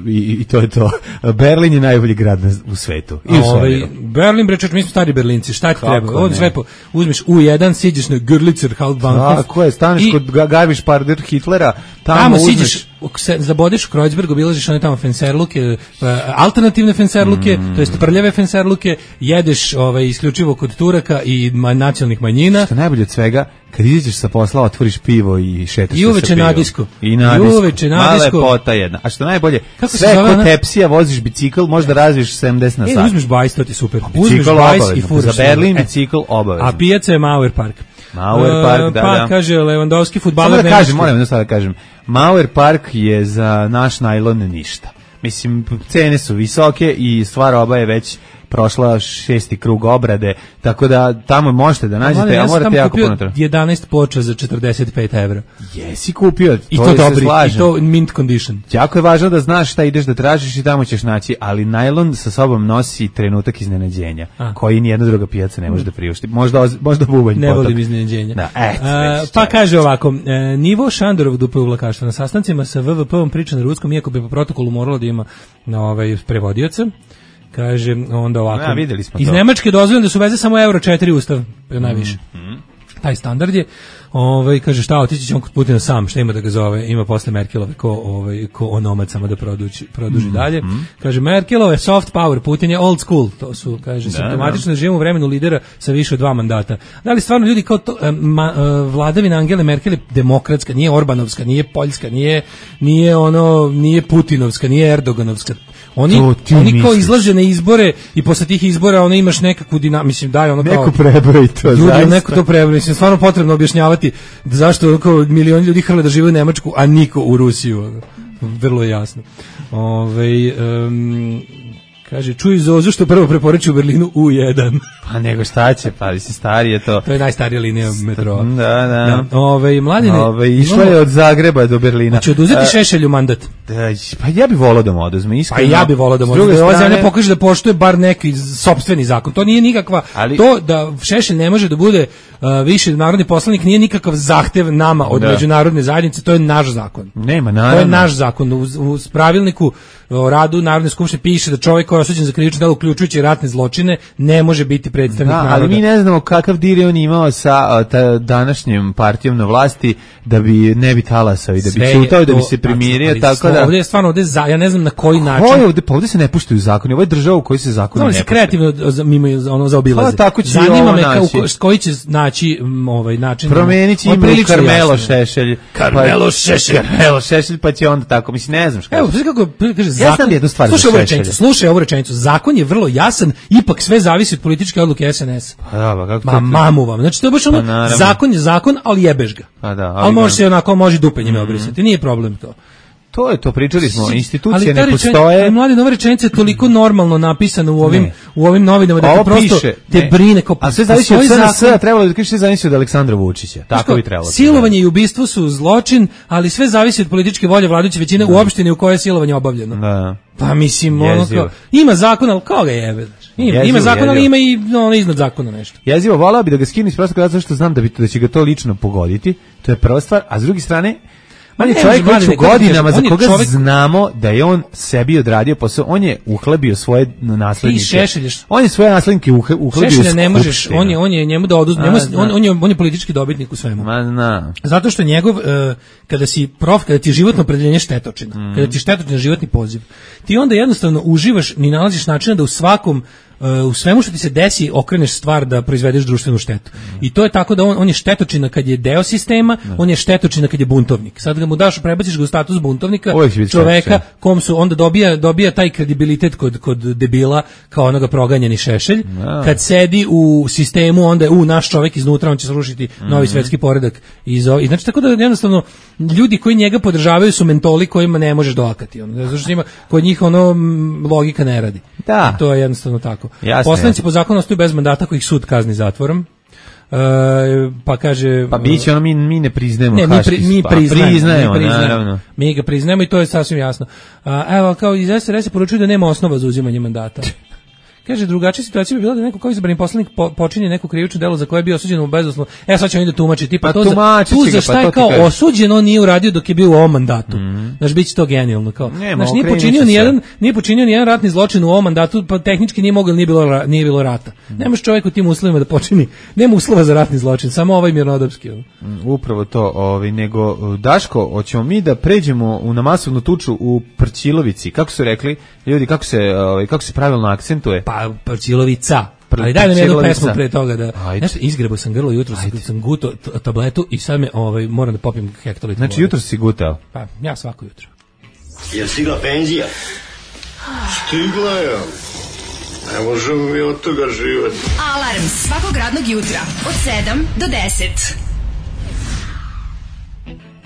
i to je to. Berlin je najbolji grad u svetu. Berlin, bre, mi smo stari Berlinci, šta ti treba? Ovdje sve uzmeš U1, siđeš na Görlitzer Hauptbahnhof. Tako je, staneš kod Garmisch-Partenkirchen Hitlera, tamo siđeš, zabodeš u Kreuzberg, obilaziš one tamo fenserluke, alternativne fenserluke, to jest prljave fenserluke, jedeš isključivo kod Turaka i nacionalnih manjina. Što najbolje od svega, kad izađeš sa posla, otvoriš pivo i šetaš i uveče na disku. I mala lepota jedna. A što najbolje, sve kod tepsija voziš bicikl, možda razviš 70 na sat. Uzmeš bajs, to ti super. Uzmeš bajs i furaš. Za Berlin bicikl obavezno. A pijaca je Mauer Park. Mauer Park, da. Pa, kaže Lewandowski, fudbaler nemački. Moram jednostavno da kažem, Mauer Park je za naš najlon ništa. Mislim, cene su visoke i stvar oba je već prošla 6. krug obrade, tako da tamo možete da nađete, a morate jako puno. 11 ploča za 45 evra. Jesi kupio, i to dobri, i to mint condition. Jako je važno da znaš šta ideš da tražiš i tamo ćeš naći, ali najlon sa sobom nosi trenutak iznenađenja, koji nijedna druga pijaca ne može da priušti. Možda bubanj potok. Ne volim iznenađenja. Da, pa kaže ovako, nivo Šandorov dupe uvlakaštva na sastancima sa WWP-om priča na ruskom, iako bi po protokolu moralo da ima prevodioca. Kaže onda ovako. Videli smo to. Iz Nemačke dozvoljeno da su veze samo euro 4 ustav, najviše. Taj standard je. Kaže šta, otići ćemo kod Putina sam, šta ima da ga zove, ima posle Merkelove ko onomad samo da produži dalje. Kaže Merkelove soft power, Putin je old school, to su, kaže, simptomatično da živimo u vremenu lidera sa više od 2 mandata. Da li stvarno ljudi kao to, vladavina Angele Merkel je demokratska, nije Orbanovska, nije Poljska, nije Putinovska, nije Erdoganovska. Oni kao izlaže na izbore i posle tih izbora ono imaš nekakvu mislim daj ono kao neko prebroji to ljudi, neko to prebroji, mislim stvarno potrebno objašnjavati zašto ono kao milioni ljudi hrle da žive u Nemačku, a niko u Rusiju. Vrlo je jasno. Kaže, čuj Zozu što prvo preporuči u Berlinu U1. Pa nego šta će, pa mislim stari je to. To je najstarija linija metroa. Da. Mladine, išla je od Zagreba do Berlina. Hoće oduzeti Šešelju mandat? Pa ja bih volao da mu oduzme, iskreno. Pa ja bih volao da mu oduzme. Ova zemlja pokaže da poštuje bar neki sopstveni zakon. To nije nikakva, to da Šešelj ne može da bude više narodni poslanik nije nikakav zahtev nama od međunarodne zajednice, to je naš zakon. Nema, naravno. To je naš zakon. U pravilniku o radu Narodne skupštine piše da čovjek koji je osuđen za krivično delo uključujući ratne zločine ne može biti predstavnik naroda. Ali mi ne znamo kakav dir je on imao sa današnjim partijom na vlasti da bi ne bi talasao i da bi ćutao, da bi se primirio, tako da... Ovdje je stvarno, ja ne znam na koji način... Ovdje se ne puštuju zakoni, ovo je država u kojoj se zakoni ne puštuju. Se kreativno zaobilaze. Zanima me koji će naći način... Promenit će ime Karmelo Šešelj. Karmelo Šešelj, pa će onda tako, mislim, ne znam šta. Evo, kako kaže zakon... Ja znam jednu stvar za Šešelj. Slušaj ovu rečenicu, zakon je vrlo jasan, ipak sve zavisi od političke odluke SNS. Mamu vam. Znači, to je baš ono, zakon je zakon, ali jebeš ga. Ali može se onako, može dupenjima obrisati, nije problem to. To je to, pričali smo, institucije ne postoje. Mladi, nova rečenica je toliko normalno napisana u ovim novinama da prosto te brine. A sve zavisi od SNS, trebalo da kažeš sve zavisi od Aleksandra Vučića. Tako bi trebalo. Silovanje i ubistvo su zločin, ali sve zavisi od političke volje vladajuće većine u opštini u kojoj je silovanje obavljeno. Pa mislim, ima zakon, ali kao ga jebe? Ima zakon, ali ima i iznad zakona nešto. Jezivo, volao bi da ga skinu iz prostog razloga što znam da će ga to lično pogoditi. To je prva stvar, a s druge strane on je čovjek već u godinama za koga znamo da je on sebi odradio posao, on je uhlebio svoje naslednike. On je svoje naslednike uhlebio Šešelja ne možeš, on je njemu da oduzme, on je politički dobitnik u svemu. Zato što njegov, kada ti je životno opredeljenje štetočina, kada ti je štetočina životni poziv, ti onda jednostavno uživaš, ni nalaziš načina da u svemu što ti se desi okreneš stvar da proizvedeš društvenu štetu. I to je tako da on je štetočina kad je deo sistema, on je štetočina kad je buntovnik. Sad ga mu daš, prebaciš ga u status buntovnika, čoveka kom su onda dobija taj kredibilitet kod debila kao onoga proganjeni Šešelj. Kad sedi u sistemu, onda je naš čovek iznutra, on će srušiti novi svetski poredak. I znači tako da jednostavno ljudi koji njega podržavaju su mentoli kojima ne možeš doakati. Zato što kod njih logika ne radi. Da. I to je jednostavno tako. Poslanici po zakonu ostaju bez mandata koji ih sud kazni zatvorom. Pa kaže... Pa biće ono, mi ne priznajemo mi priznajemo, naravno. Mi ga priznajemo i to je sasvim jasno. Evo, kao iz SRS poručuju da nema osnova za uzimanje mandata. Kaže, drugačija situacija bi bila da neko kao izabrani poslanik počinje neko krivično delo za koje je bio osuđen u bezuslovno. Sad će oni da tumači, tipa to za šta je kao osuđen, on nije uradio dok je bio u ovom mandatu. Znaš, bit će to genijalno. Znaš, nije počinio ni jedan ratni zločin u ovom mandatu, pa tehnički nije mogao, nije bilo rata. Nemaš čovjek u tim uslovima da počini, nema uslova za ratni zločin, samo ovaj mirnodopski. Upravo to, nego, Daško, hoćemo mi da pređemo na masovnu tuču u Prćilovici, kako su rekli ljudi, kako se pravilno akcentuje? Prćilovica. Ali daj nam jednu pesmu pre toga da... Nešto, izgrebao sam grlo jutro, sam gutao tabletu i sad me moram da popijem hektolitru. Znači jutro si gutao? Pa, ja svako jutro. Je stigla penzija? Stigla je. Ne možemo mi od toga živati. Alarm svakog radnog jutra od 7 do 10.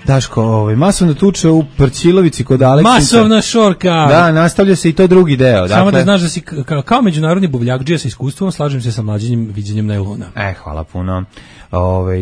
Daško, masovna tuča u Prćilovici kod Aleksandra. Masovna šorka. Da, nastavlja se i to drugi deo. Samo da znaš da si kao međunarodni buvljakdžija sa iskustvom, slažem se sa mlađim viđenjem najlona. Hvala puno.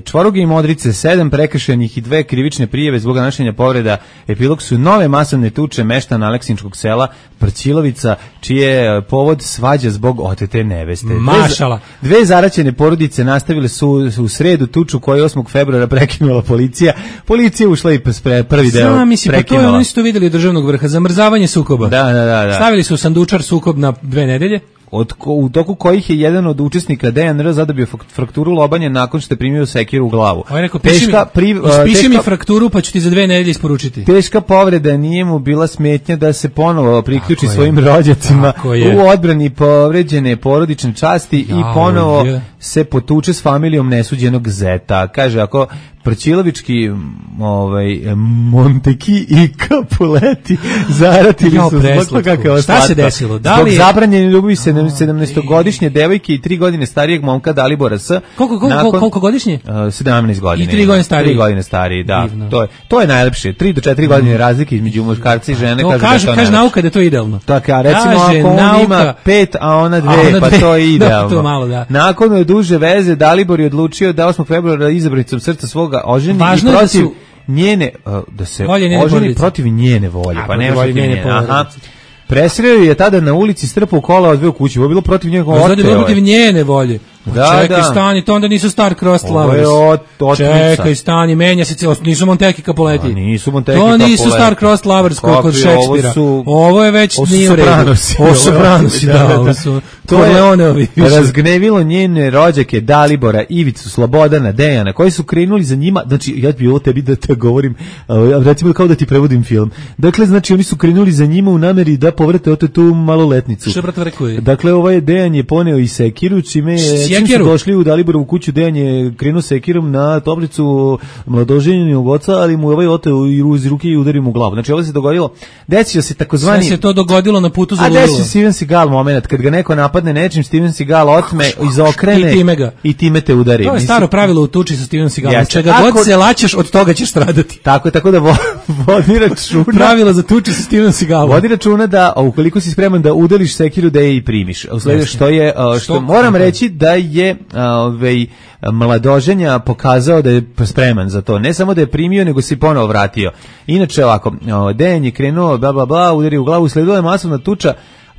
Čvoruge i Modrice, 7 prekršajnih i 2 krivične prijave zbog nanošenja povreda. Epilog su nove masovne tuče meštana Aleksinčkog sela Prćilovica, čije povod svađa zbog otete neveste. Mašala. Dve zaraćene porodice nastavile su u sredu tuču koju 8. februara prekinula policija. Policija ušla i prvi deo prekinula. Pa to je oni su to vidjeli od državnog vrha, zamrzavanje sukoba. Da. Stavili su sandučar sukob na 2 nedelje. u toku kojih je jedan od učesnika DNR zadobio frakturu lobanje nakon što je primio sekiru u glavu. On je rekao, ispiši mi frakturu pa ću ti za 2 nedelje isporučiti. Teška povreda, nije mu bila smetnja da se ponovo priključi svojim rođacima u odbrani povređene porodične časti i ponovo se potuče s familijom nesuđenog zeta. Kaže, ako Prčilovički Monteki i Capuleti zaratili su zbog toga. Šta se desilo? Zbog zabranjene ljubavi 17-godišnje devojke i 3 godine starijeg momka Dalibora S. Koliko godišnje? 17 godina. I 3 godine stariji. 3 godine stariji, da. To je najlepše. 3 do 4 godine razlike između muškarca i žene. Kaže nauka da je to idealno. Tako, a recimo ako on ima 5, a ona 2, pa to je idealno. Nakon duže veze Dalibor je odlučio da 8. februara izabranicom srca svoga oženi i protiv njene da se oženi protiv njene volje, pa ne može njene. Aha. Presreo je tada na ulici, strpao kola, odveo kući. Ovo je bilo protiv njega oteo. Zato je bilo protiv njene volje. Čekaj, stani, to onda nisu Star-Crossed Lovers. Čekaj, stani, menja se cijelo. Nisu Monteki Capuleti. Nisu Monteki Capuleti. To nisu Star-Crossed Lovers kod Šekspira. Ovo je već nije u redu. Ovo su Sopranosi, da. Ovo su Corleoneovi. Razgnevilo njene rođake Dalibora, Ivicu, Slobodana, Dejana, koji su krenuli za njima. Znači, ja bih ovo tebi da te govorim, recimo kao da ti prevodim film. Dakle, znači, oni su krenuli za njima u nameri da povrate tu maloletnicu. Što brat rekao je? Dakle, ovaj Dejan je poneo i sekiru, čime čim su došli u Daliborovu kuću, Dejan je krenuo sekirom na toplicu mladoženjenog oca, ali mu je ovaj oteo iz ruke i udario mu u glavu. Znači, ovo se dogodilo, desio se takozvani... Sve se to dogodilo na putu za Lulilo. A desio Steven Seagal moment, kad ga neko napadne nečim, Steven Seagal otme, izokrene i time te udari. To je staro pravilo u tuči sa Steven Seagalom. Čega god se laćeš, od toga ćeš stradati. Tako da vodi računa. Pravilo za tuči sa Steven Seagalom. Vodi računa da, ukoliko si spreman da udeliš sekiru, da je i primiš. Što moram reći da je mladoženja pokazao da je spreman za to. Ne samo da je primio, nego se i ponovo vratio. Inače ovako, Dejan je krenuo, udario u glavu, sledila je masovna tuča,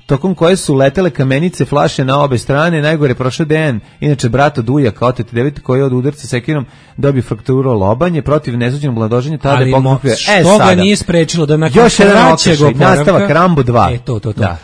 tokom koje su letele kamenice, flaše na obe strane. Najgore prošao Dejan, inače brat od ujaka, oteti deveti, koji je od udarca sekirom dobio frakturu lobanje protiv nesuđenog mladoženja, tada je pokupio. Što ga nije sprečilo da nakon kraćeg oporavka... Nastavak Rambo 2. To.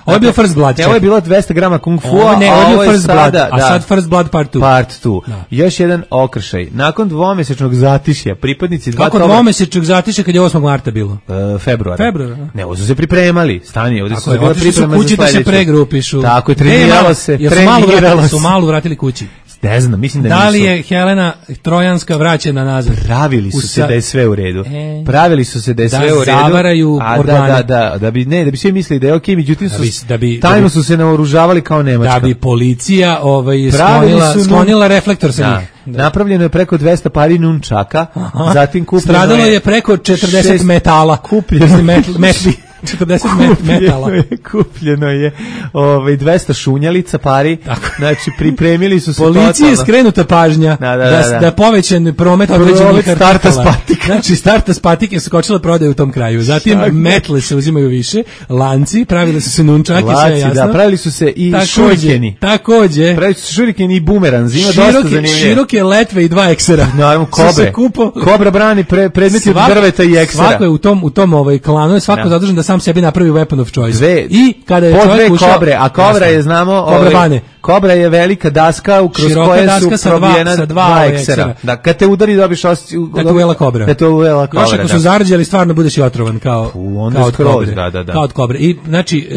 Ovo je bio First Blood. Ovo je bilo 200 grama kung fu, ovo je bio First Blood, a sad First Blood Part 2. Part 2. Još jedan okršaj. Nakon dvomesečnog zatišja, pripadnici dva... Kako dvomesečnog zatišja kad je 8. marta bilo? Februara. Ne, ovo su se pripremali. Stani, ovdje su se bila priprema za sledeće. Pregrupišu. Tako je, treniralo se. Su malo vratili kući. Ne znam, mislim da nisu. Da li je Helena Trojanska vraćena nazad? Pravili su se da je sve u redu. Pravili su se da je sve u redu. Da zavaraju organe. Da bi svi mislili da je okej, međutim tajno su se naoružavali kao Nemačka. Da bi policija sklonila reflektor sa njih. Napravljeno je preko 200 pari nunčaka, zatim kupljeno stradalo je preko 40 metala. Metli. 40 metala. Kupljeno je 200 šunjalica pari. Znači, pripremili su se policiji je skrenuta pažnja da povećan promet određenih artikala. Znači, starta patike su kočile prodaju u tom kraju. Zatim, metle se uzimaju više, lanci, pravili su se nunčaki, sve je jasno. Da, pravili su se i šurikeni. Takođe. Pravili su se šurikeni i bumeranzi. Ima dosta zanimljivo. Široke letve i 2 eksera. Naravno, kobre. Kobra brani predmeti od drveta i eksera. Svako je u tom klanu, je svako zadužen da sam sebi napravi weapon of choice. I kada je čovjek ušao... kobre, a kobra je, znamo... Kobra je velika daska kroz koje su probijena 2 eksera. Da, kad te udari dobiš osjećaj... Da te uvela kobra. Još ako su zarđali, stvarno budeš i otrovan kao od kobre. Kao od kobre. I, znači,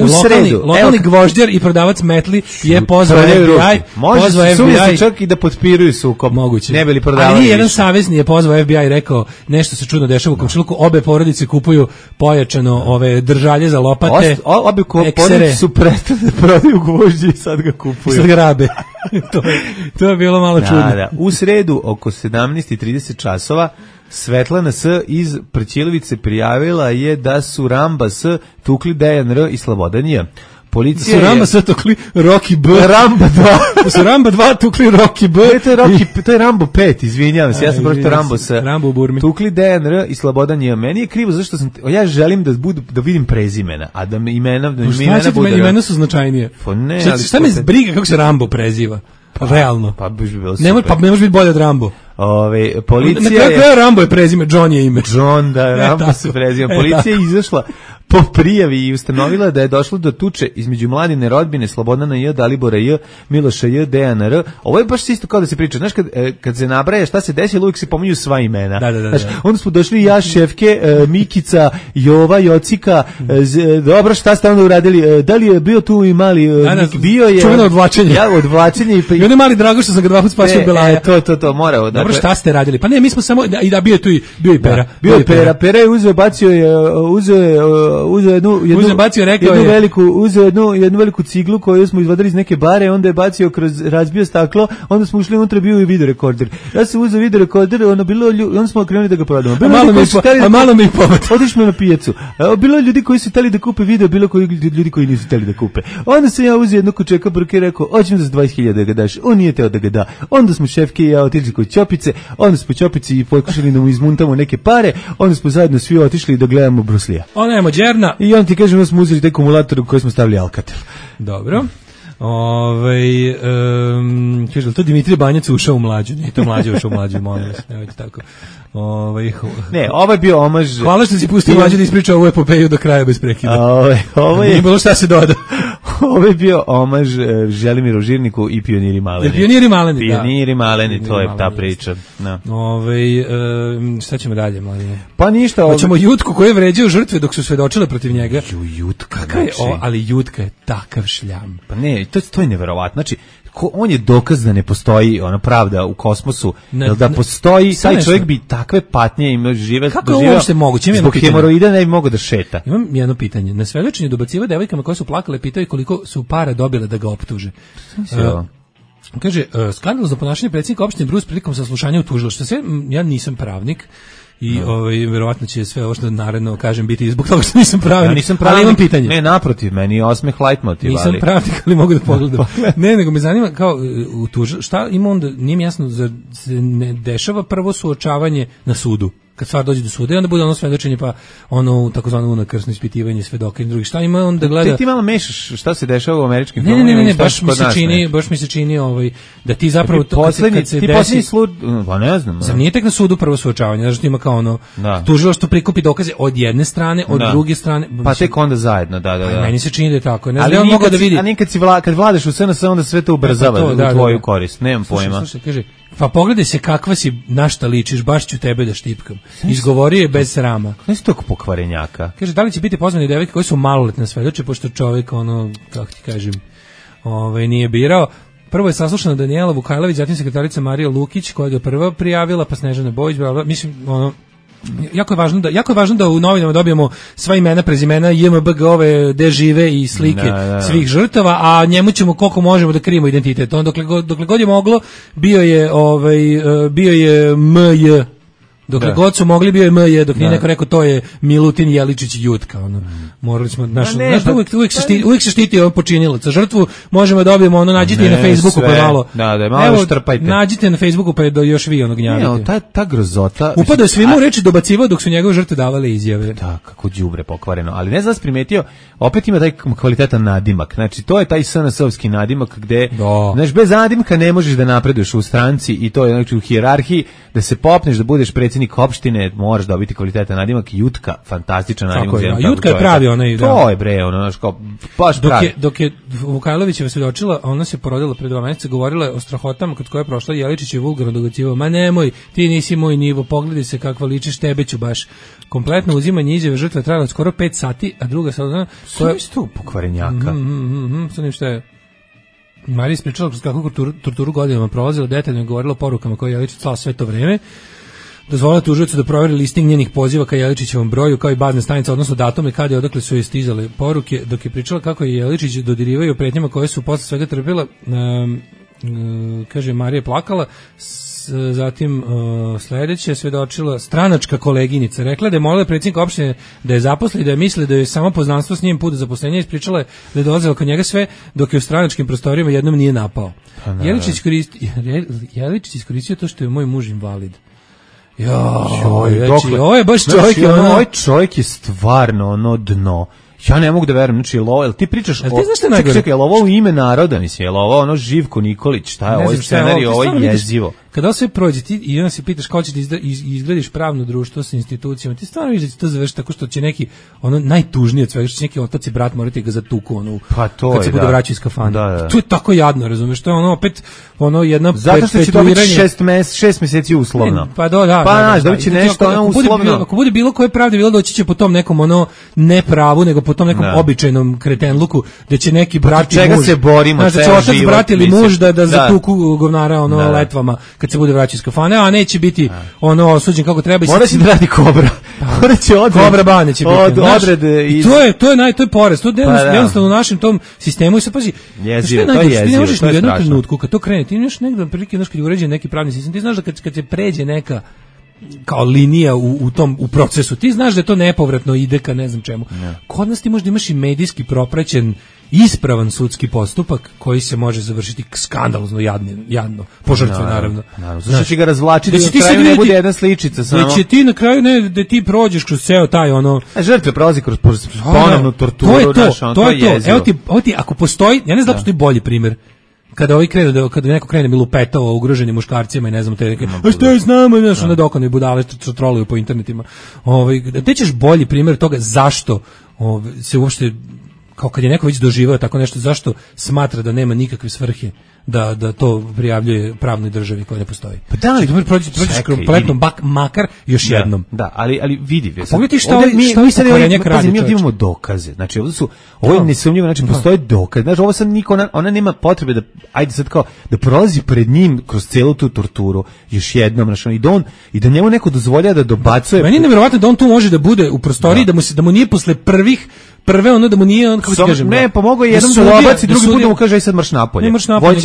lokalni gvožđer i prodavac metli je pozvao FBI. Može se čak i da potpiruju sukob. Moguće. Ne bili prodavali ali jedan savezni je pozvao FBI i rekao nešto se čudno dešava u komšiluku. Obe porodice kupuju pojačano ove držalje za lopate. Obe porodice su prestane da prodaju gvožđe i sad ga kupuju. Sad ga rabe. to je bilo malo čudno. Da. U sredu oko 17:30 časova Svetlana S. iz Prćilovice prijavila je da su Ramba S. tukli Dejan R. i Slobodan J. Policija su Ramba S. tukli Rocky B. Ramba 2. Su Ramba 2 tukli Rocky B. To je Rambo 5, izvinjavam se, ja sam pročitao Rambo S. Rambo u Burmi. Tukli Dejan R. i Slobodan J. Meni je krivo zašto ja želim da vidim prezimena, a da mi imena bude. Imena su značajnije. Šta me briga kako se Rambo preziva? Realno. Pa bi bilo super. Ne može biti bolje od Rambo. Policija je Rambo je prezime, John je ime. John, da, Rambo se prezime. Policija je izašla po prijavi i ustanovila da je došlo do tuče između Mladine rodbine, Slobodana J, Dalibora J, Miloša J, Dejana R. Ovo je baš isto kao da se priča. Znaš, kad se nabraja šta se desilo, uvijek se pominju sva imena. Znaš, onda smo došli ja, Šefke, Mikica, Jova, Jocika, dobro, šta ste onda uradili? Da li je bio tu i mali bio je čuveno odvlačenje. Ja, odvlačenje i on je mali Drago što sam ga 2 puta spasio Belaja. To morao. Dobro, dakle, šta ste radili? Pa ne, mi smo samo i da bio je tu i Pera. Bio je Pera. Pera je uzeo, bacio jednu veliku ciglu koju smo izvadili iz neke bare, onda je bacio kroz razbio staklo, onda smo ušli unutra, bio i video rekorder. Ja sam uzeo video rekorder, onda smo krenuli da ga prodamo. Malo mi povod. Otišli na pijacu. Bilo je ljudi koji su hteli da kupe video, bilo koji ljudi koji nisu hteli da kupe. Onda sam ja uzeo jednog kučeka burke i rekao, hoćemo da za 20.000 da ga daš. On nije teo da ga da. Onda smo Šefke i ja otišli kod Ćopice, onda smo Ćopici i pokušali da mu izmuntamo neke pare, onda smo zajedno svi otišli da gledamo Bruslija. Ona je Mađerna. I on ti kaže, da smo uzeli taj akumulator u koji smo stavili Alcatel. Dobro. Kaže, to Dimitrije Banjac ušao u Mlađu. Nije to Mlađe ušao u Mlađu, molim vas, nemojte tako. Ne, ovo je bio omaž. Hvala što si pustio Mlađe da ispriča ovu epopeju do kraja bez prekida. Ovo je... Nije bilo šta se doda. Ovo je bio omaž Želimiru Žirniku i Pioniri Maleni. Pioniri Maleni, to je ta priča. No. Šta ćemo dalje, Mladine? Pa ništa. Hoćemo Jutku koji je vređao žrtve dok su svedočile protiv njega. Jutka. Ali Jutka je takav šljam. Pa ne, to je neverovatno. Znači, on je dokaz da ne postoji ona pravda u kosmosu, jer da postoji, taj čovjek bi takve patnje imao žive. Kako je uopšte moguće? Zbog hemoroida ne bi mogao da šeta. Imam jedno pitanje. Na svedočenju dobaciva devojkama koje su plakale, pitaju koliko su para dobile da ga optuže. Kaže, skandal za ponašanje predsjednika opštine Brus prilikom saslušanja u tužilaštvu. Ja nisam pravnik. I verovatno će sve ovo što naredno kažem biti zbog toga što nisam pravnik. Ja nisam pravnik, ali imam pitanje. Ne, naprotiv, meni je osmeh leitmotiv. Nisam pravnik, ali mogu da pogledam. Ne, nego me zanima kao šta ima onda, nije mi jasno, se ne dešava prvo suočavanje na sudu. Kad stvar dođe do suda i onda bude ono svedočenje pa ono takozvano unakrsno ispitivanje svedoka i drugih. Šta ima on da gleda? Ti malo mešaš šta se dešava u američkim filmovima. Ne, baš mi se čini da ti zapravo to kad se desi, pa ne znam. Sam nije tek na sudu prvo suočavanje, znači ima kao ono tužilaštvo prikupi dokaze od jedne strane, od druge strane. Pa tek onda zajedno, da. Meni se čini da je tako. Ne znam, on mogao da vidi. A nikad kad vladaš u SNS onda sve to ubrzava u tvoju korist. Nemam pojma. Slušaj, kaže, pa pogledaj se kakva si, na šta ličiš, baš ću tebe da štipkam. Izgovorio je bez srama. Ne si tog pokvarenjaka. Kaže, da li će biti pozvani devojke koji su maloletne svedoče, pošto čovjek, kako ti kažem, nije birao. Prvo je saslušana Danijela Vukajlović, zatim sekretarica Marija Lukić, koja je prva prijavila, pa Snežana Bojić, mislim, jako je važno da u novinama dobijemo sva imena, prezimena, JMBG-ove, gde žive i slike svih žrtava, a njemu ćemo koliko možemo da krijemo identitet. On dokle god je moglo, bio je MJ. Dokle god su mogli, bio je MJ, dok nije neko rekao to je Milutin Jeličić Jutka. Morali smo, uvijek se štiti počinilac. Za žrtvu možemo da dobijemo, nađite na Facebooku pa malo. Malo štrpajte. Nađite na Facebooku pa da još vi gnjavite. Ta grozota. Upadao je svima u reči, dobacivao dok su njegove žrtve davale izjave. Da, kako đubre pokvareno. Ali ne znam da primetio, opet ima taj kvalitetan nadimak. Znači, to je taj SNS-ovski nadimak gde, znaš, bez nadimka ne možeš da napreduješ u stranci i to je znači u hijerarhiji, da se popneš, da budeš predsjednik opštine, moraš dobiti kvalitetan nadimak. Jutka, fantastičan nadimak. Jutka je pravi onaj. To je bre, baš pravi. Dok je Vukajlovićeva svedočila, ona se porodila pre 2 meseca, govorila je o strahotama kod koje je prošla, Jeličić je vulgarno dobacivao, ma nemoj, ti nisi moj nivo, pogledaj se kakva ličiš, tebe ću baš. Kompletno uzimanje izjave žrtve trajalo skoro 5 sati, a druga sada... Sve isto pokvarenjaka. Sad ništa je... Marija ispričala kroz kakvu torturu godinama prolazila, detaljno je govorila o porukama koje je Jeličić slao sve to vreme. Dozvolila tužiocu da proveri listing njenih poziva ka Jeličićevom broju, kao i bazne stanice, odnosno datume kada i odakle su joj stizale poruke, dok je pričala kako je Jeličić dodirivao pretnjama koje su posle svega trpila. Kaže, Marija je plakala. Zatim sledeće svedočila stranačka koleginica. Rekla da je molila predsjednika opštine da je zaposli, da je misli da je samo poznanstvo s njim put do zaposlenja, ispričala je da je dolazila kod njega sve dok je u stranačkim prostorijama jednom nije napao. Jeličić iskoristio to što je moj muž invalid. Ovo je baš čovjek. Ovaj čovjek je stvarno dno. Ja ne mogu da verujem, znači jel ti pričaš čekaj, jel ovo u ime naroda, mislim, jel ovo Živko Nikolić, šta je ovo scenarij, ovo je jezivo. kada sve prođe ti i onda se pitaš kako ćeš da izgradiš pravno društvo sa institucijama, ti stvarno vidiš da će to završiti tako što će neki ono najtužnije od svega, što će neki otac i brat morati ga zatuku kad se bude vraćao iz kafane. To je tako jadno, razumeš, to je ono opet ono jedna zato što će dobiti 6 meseci uslovno. Dobiće nešto ono uslovno. Ako bude bilo koje pravde bilo, doći će po tom nekom ono ne pravu, nego po tom nekom običajnom kretenluku, da će neki brat i muž, se borimo, da će otac, brat ili muž da zatuku govnara letvama kad se bude vraćao iz kafane, a neće biti ono osuđen kako treba. Mora će da radi kobra. Mora će kobra bane će biti. Odrede. To je poraz. To je jednostavno u našem tom sistemu i se pazi. Ti ne možeš ni u jednom trenutku kad to krene, ti nemaš negdje prilike, kad je uređen neki pravni sistem, ti znaš da kad se pređe neka kao linija u procesu, ti znaš da to nepovratno ide ka ne znam čemu. Kod nas ti možda imaš i medijski propraćen ispravan sudski postupak koji se može završiti skandalozno jadno, po žrtve naravno. Znači će ga razvlačiti da na kraju ne bude jedna sličica samo. Da će ti na kraju da ti prođeš kroz ceo taj ono... Žrtve prolazi kroz ponovnu torturu. To je to. Evo ti, ako postoji, ja ne znam da postoji bolji primjer, kada kada neko krene mi lupetao ugroženim muškarcima i ne znam te neke, a što je s nama, znaš, onda dokone budale što troluju po internetima. Te ćeš bolji primjer toga zašto se uopšte, kao kad je neko već doživao tako nešto, zašto smatra da nema nikakve svrhe da to prijavljuje pravnoj državi koja ne postoji. Pa da li prođeš kompletno makar još jednom. Da, ali vidi. Pogledaj mi sad imamo dokaze. Znači ovo je nesumnjivo, znači postoje dokaz. Znači ovo sad ona nema potrebe da ajde sad kao da prolazi pred njim kroz celu tu torturu još jednom, znači i da njemu neko dozvoljava da dobacuje. Meni je neverovatno da on tu može da bude u prostoriji, da mu nije posle prve ono da mu nije on, kako ti kažem. Ne, pomogao je jednom da obaci, drugi put da mu kaže aj sad marš napolje. Ne marš napolje,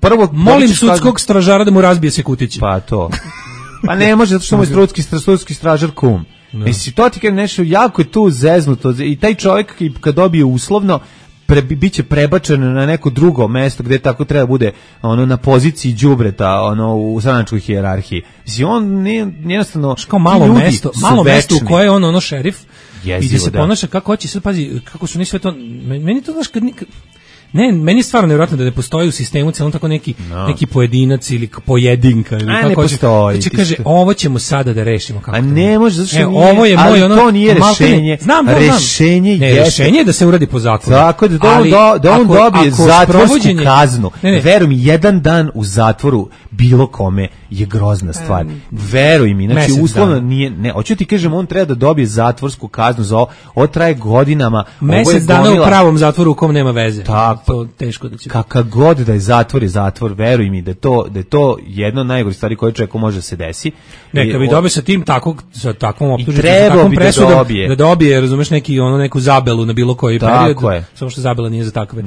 prvo molim sudskog stražara da mu razbije se kutići. Pa to. Pa ne može, zato što mu je sudski stražar kum. Mislim, to ti kaže nešto, jako je tu zeznuto i taj čovjek kad dobije uslovno biće prebačen na neko drugo mesto gdje tako treba bude na poziciji đubreta u stranačkoj hijerarhiji. Mislim, on jednostavno kao malo mesto u koje je on šerif i gdje se ponaša kako hoće. Sad pazi kako su ni sve to, meni to znaš kad ne, meni je stvarno nevjerojatno da ne postoji u sistemu celom tako neki pojedinac ili pojedinka ili kako postoji. Znači kaže ovo ćemo sada da rešimo kako. A ne može, zato što ovo je moj to nije rešenje. Rešenje je da se uradi po zakonu. Tako da on dobije zatvorsku kaznu. Veruj mi, jedan dan u zatvoru bilo kome je grozna stvar. Veruj mi, znači uslovno nije, ne, hoću ti kažem, on treba da dobije zatvorsku kaznu za ovo traje godinama. Mesec dana u pravom zatvoru u kom nema veze. To teško da će. Kakav god da je zatvor, veruj mi da je to jedno od najgorih stvari koje čovjeku može se desi. Neka bi dobio sa takvom optužnicom, sa takvom presudom da dobije, razumeš, neku zabelu na bilo koji period. Samo što zabela nije za takve.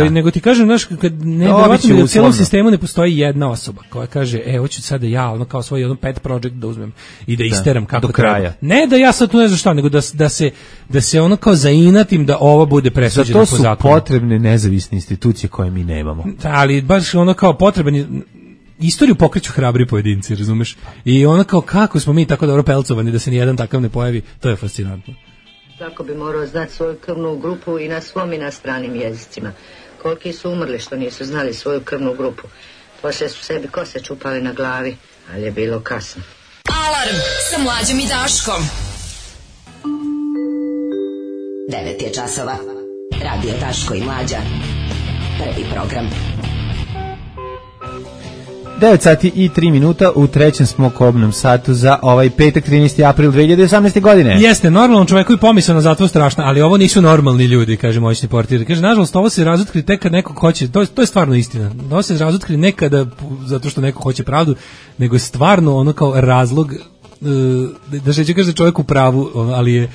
Nego ti kažem, znaš, kad nevjerovatno da u cijelom sistemu ne postoji jedna osoba koja kaže, hoću sada ja kao svoj pet project da uzmem i da isteram kako do kraja. Ne da ja sad tu ne znam šta, nego da se kao zainatim da ovo bude presuđeno po zakonu. Za to su potrebne nezavisne institucije koje mi nemamo. Ali baš kao potreban istoriju pokreću hrabri pojedinci, razumeš? I kao kako smo mi tako dobro pelcovani da se nijedan takav ne pojavi, to je fascinantno. Svako bi morao znati svoju krvnu grupu i na svom i na stranim jezicima. Koliki su umrli što nisu znali svoju krvnu grupu. Poslije su sebi kose čupali na glavi, ali je bilo kasno. Alarm sa Mlađom i Daškom. 9 je časova. Radio Daško i Mlađa. Prvi program. 9 sati i 3 minuta, u trećem smo kobnom satu za ovaj petak 13. april 2018. godine. Jeste, normalnom čovjeku i pomisao na zatvor strašna, ali ovo nisu normalni ljudi, kaže moćni portir. Kaže, nažalost, ovo se razotkri tek kad neko hoće, to je stvarno istina. Ovo se razotkri nekada zato što neko hoće pravdu, nego je stvarno kao razlog, da će kaže čovjek u pravu, ali je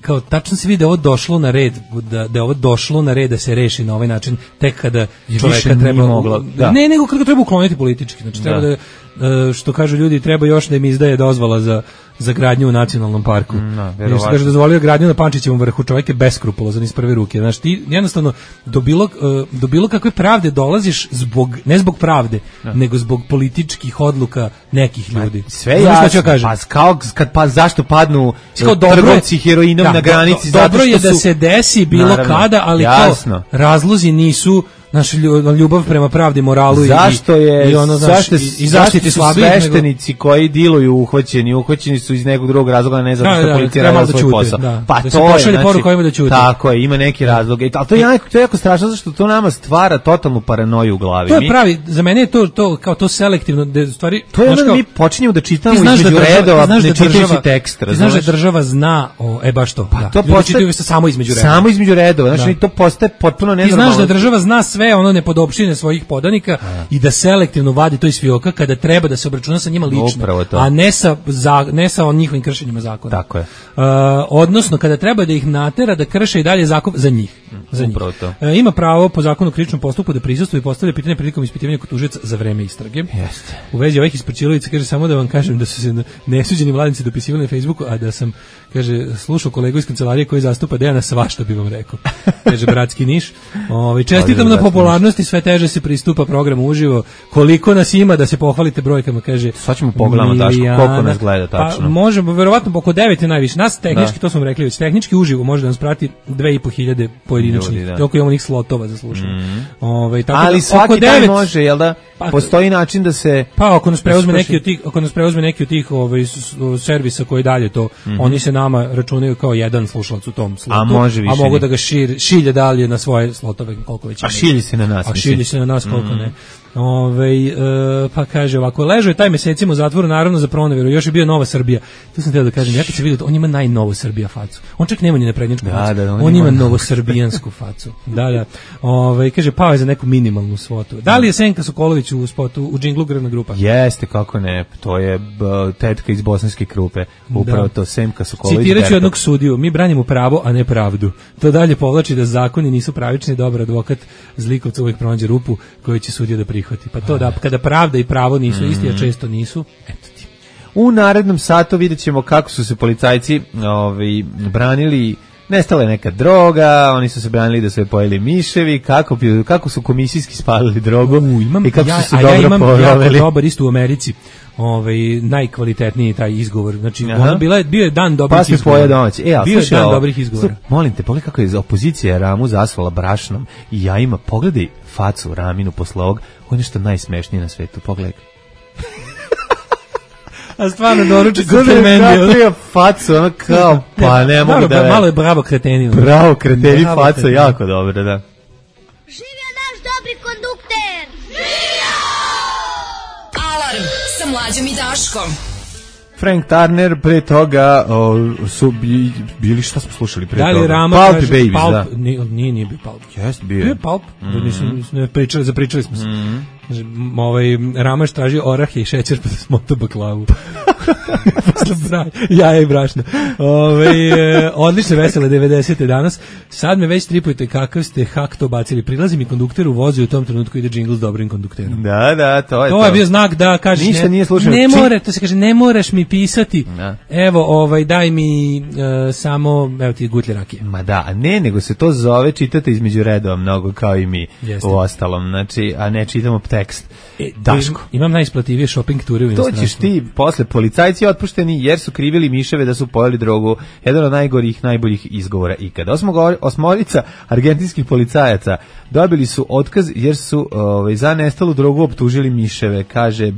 kao tačno se vidi da je ovo došlo na red, da je ovo došlo na red da se reši na ovaj način tek kada čovjeka treba ne, nego kada ga treba ukloniti politički, znači treba da što kažu ljudi, treba još da im izdaje dozvola za gradnju u nacionalnom parku. Jer se kaže dozvolio gradnju na Pančićevom vrhu, čovjek je beskrupulozan iz prve ruke. Znači ti jednostavno do bilo kakve pravde dolaziš ne zbog pravde, nego zbog političkih odluka nekih ljudi. Sve jasno, zašto padnu trgovci heroinom na granici? Dobro je da se desi bilo kada, ali kao razlozi nisu. naša ljubav prema pravdi, moralu i zaštiti slabijih. Sveštenici koji diluju uhoćeni su iz nekog drugog razloga, ne zato što policija radi svoj posao. Pa da to je, znači, tako je, ima neki razlog. Ali to je jako strašno, zato što to nama stvara totalnu paranoju u glavi. To je pravi, za mene je to kao to selektivno, stvari. To je ono mi počinjemo da čitamo između redova, ne čitajući tekst. Ti znaš da država zna, baš to. To postaje samo između redova. Samo između redova, znači to postaje potpuno nenormalno. Ti znaš da država zna sve ono nepodopštine svojih podanika i da selektivno vadi to iz fioka kada treba da se obračuna sa njima lično, a ne sa njihovim kršenjima zakona. Tako je. Odnosno kada treba da ih natera da krše i dalje zakon za njih. Ima pravo po zakonu o krivičnom postupku da prisustvuje i postavlja pitanje prilikom ispitivanja kod tužioca za vreme istrage. Jeste. U vezi ovih ispračilovica kaže samo da vam kažem da su se nesuđeni mladinci dopisivali na Facebooku, a da sam, kaže, slušao kolegu iz kancelarije koji zastupa Dejana, svašta bi vam rekao. Kaže bratski Niš. Čestitam na popularnosti, sve teže se pristupa programu uživo. Koliko nas ima da se pohvalite brojkama, kaže. Sad ćemo pogledamo Daško, koliko nas gleda tačno. Pa možemo, verovatno oko 9 je najviše. Nas tehnički, to smo rekli već, tehnički uživo može da nas prati 2.500 pojedinačnih. Toliko imamo njih slotova za slušanje. Ali svaki dan može, jel da? Postoji način da se... Pa ako nas preuzme neki od tih servisa koji dalje to, oni se nama računaju kao jedan slušalac u tom slotu. A može više. A mogu da ga šilje dalje na svoje slotove, koliko već. A šilji se na nas. A šilji se na nas, koliko ne. Pa kaže ovako, ležao je taj mesecima u zatvoru, naravno za proneveru, još je bio Nova Srbija. Tu sam htio da kažem, ja kad se vidio, on ima najnovo Srbija facu. On čak nema ni naprednjačku facu. On ima novosrbijansku facu. Da. Kaže, pao je za neku minimalnu svotu. Da li je Senka Sokolović u spotu, u džinglu Grvna grupa? Jeste, kako ne. To je tetka iz Bosanske Krupe. Upravo to, Senka Sokolović. Citiraću jednog sudiju, mi branimo pravo, a ne pravdu. To dalje povlači da zakoni nisu pravični, dobar advokat zlikovca uvijek pronađe rupu koju će sudija da prihvati. Pa to da, kada pravda i pravo nisu isti, a često nisu, eto ti. U narednom satu vidjet ćemo kako su se policajci branili. Nestala je neka droga, oni su se branili da su je pojeli miševi, kako su komisijski spalili drogu i kako su se dobro poveli. Ja imam jako dobar isto u Americi, najkvalitetniji taj izgovor. Znači, bio je dan dobrih izgovora. Bio je dan dobrih izgovora. Molim te, pogledaj kako je opozicija Ramu zasvala brašnom i jajima. Pogledaj facu Raminu posle ovog, on je nešto najsmešnije na svetu, pogledaj. A stvarno doručak u Fermendio. Kako je facu, ono kao, pa ne mogu da... Malo je bravo kreteni. Bravo kreteni faca, jako dobro, da. Živio naš dobri kondukter! Živio! Alarm sa Mlađom i Daškom. Frank Turner, pre toga su bili, šta smo slušali pre toga? Da li Rama Pulp kaže, Babies, Pulp, da. Nije bio Pulp. Jest, bio je Pulp, zapričali smo se. Ramaš traži orahe i šećer pa da smota baklavu. Jaja i brašno. Odlične vesele 90. danas. Sad me već tripujete kakav ste hak to bacili. Prilazi mi kondukter u vozu i u tom trenutku ide džingl s dobrim kondukterom. Da, to je to. To je bio znak da kažeš ništa nije slučajno. To se kaže, ne moraš mi pisati. Da. Evo, daj mi samo, evo ti gutlje rakije. Ma da, a ne, nego se to zove čitati između redova mnogo kao i mi. Jeste. U ostalom, znači, a ne čitamo tekst. Daško. Imam najisplativije shopping ture u inostranstvu. To ćeš ti posle, policajci otpušteni jer su krivili miševe da su pojeli drogu. Jedan od najboljih izgovora ikada. Osmorica argentinskih policajaca dobili su otkaz jer su za nestalu drogu optužili miševe, kaže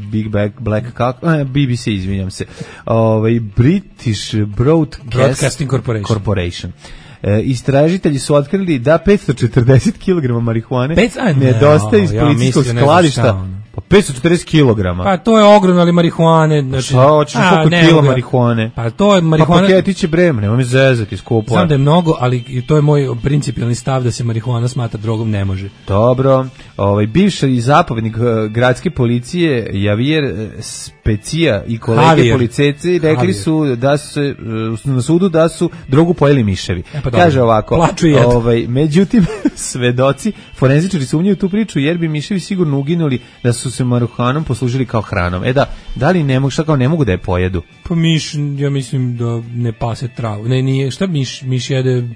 BBC, izvinjam se. British Broadcasting Corporation. Istražitelji su otkrili da 540 kg marihuane nedostaje iz policijskog skladišta. Pa 540 kg. Pa to je ogromno, ali marihuane. Znači, hoćeš koliko kila marihuane? Pa to je marihuana. Pa paketiće breme, nemoj mi zezati skupo. Znam da je mnogo, ali to je moj principijalni stav da se marihuana smatra drogom, ne može. Dobro. Bivši zapovjednik gradske policije Javier Specija i kolege policajci rekli su da se na sudu da su drogu pojeli miševi. Kaže ovako, međutim svedoci, forenzičari sumnjaju tu priču jer bi miševi sigurno uginuli da su se marihuanom poslužili kao hranom. Da li ne mogu, šta kao ne mogu da je pojedu? Pa miš, ja mislim da ne pase travu. Ne, nije, šta miš jede?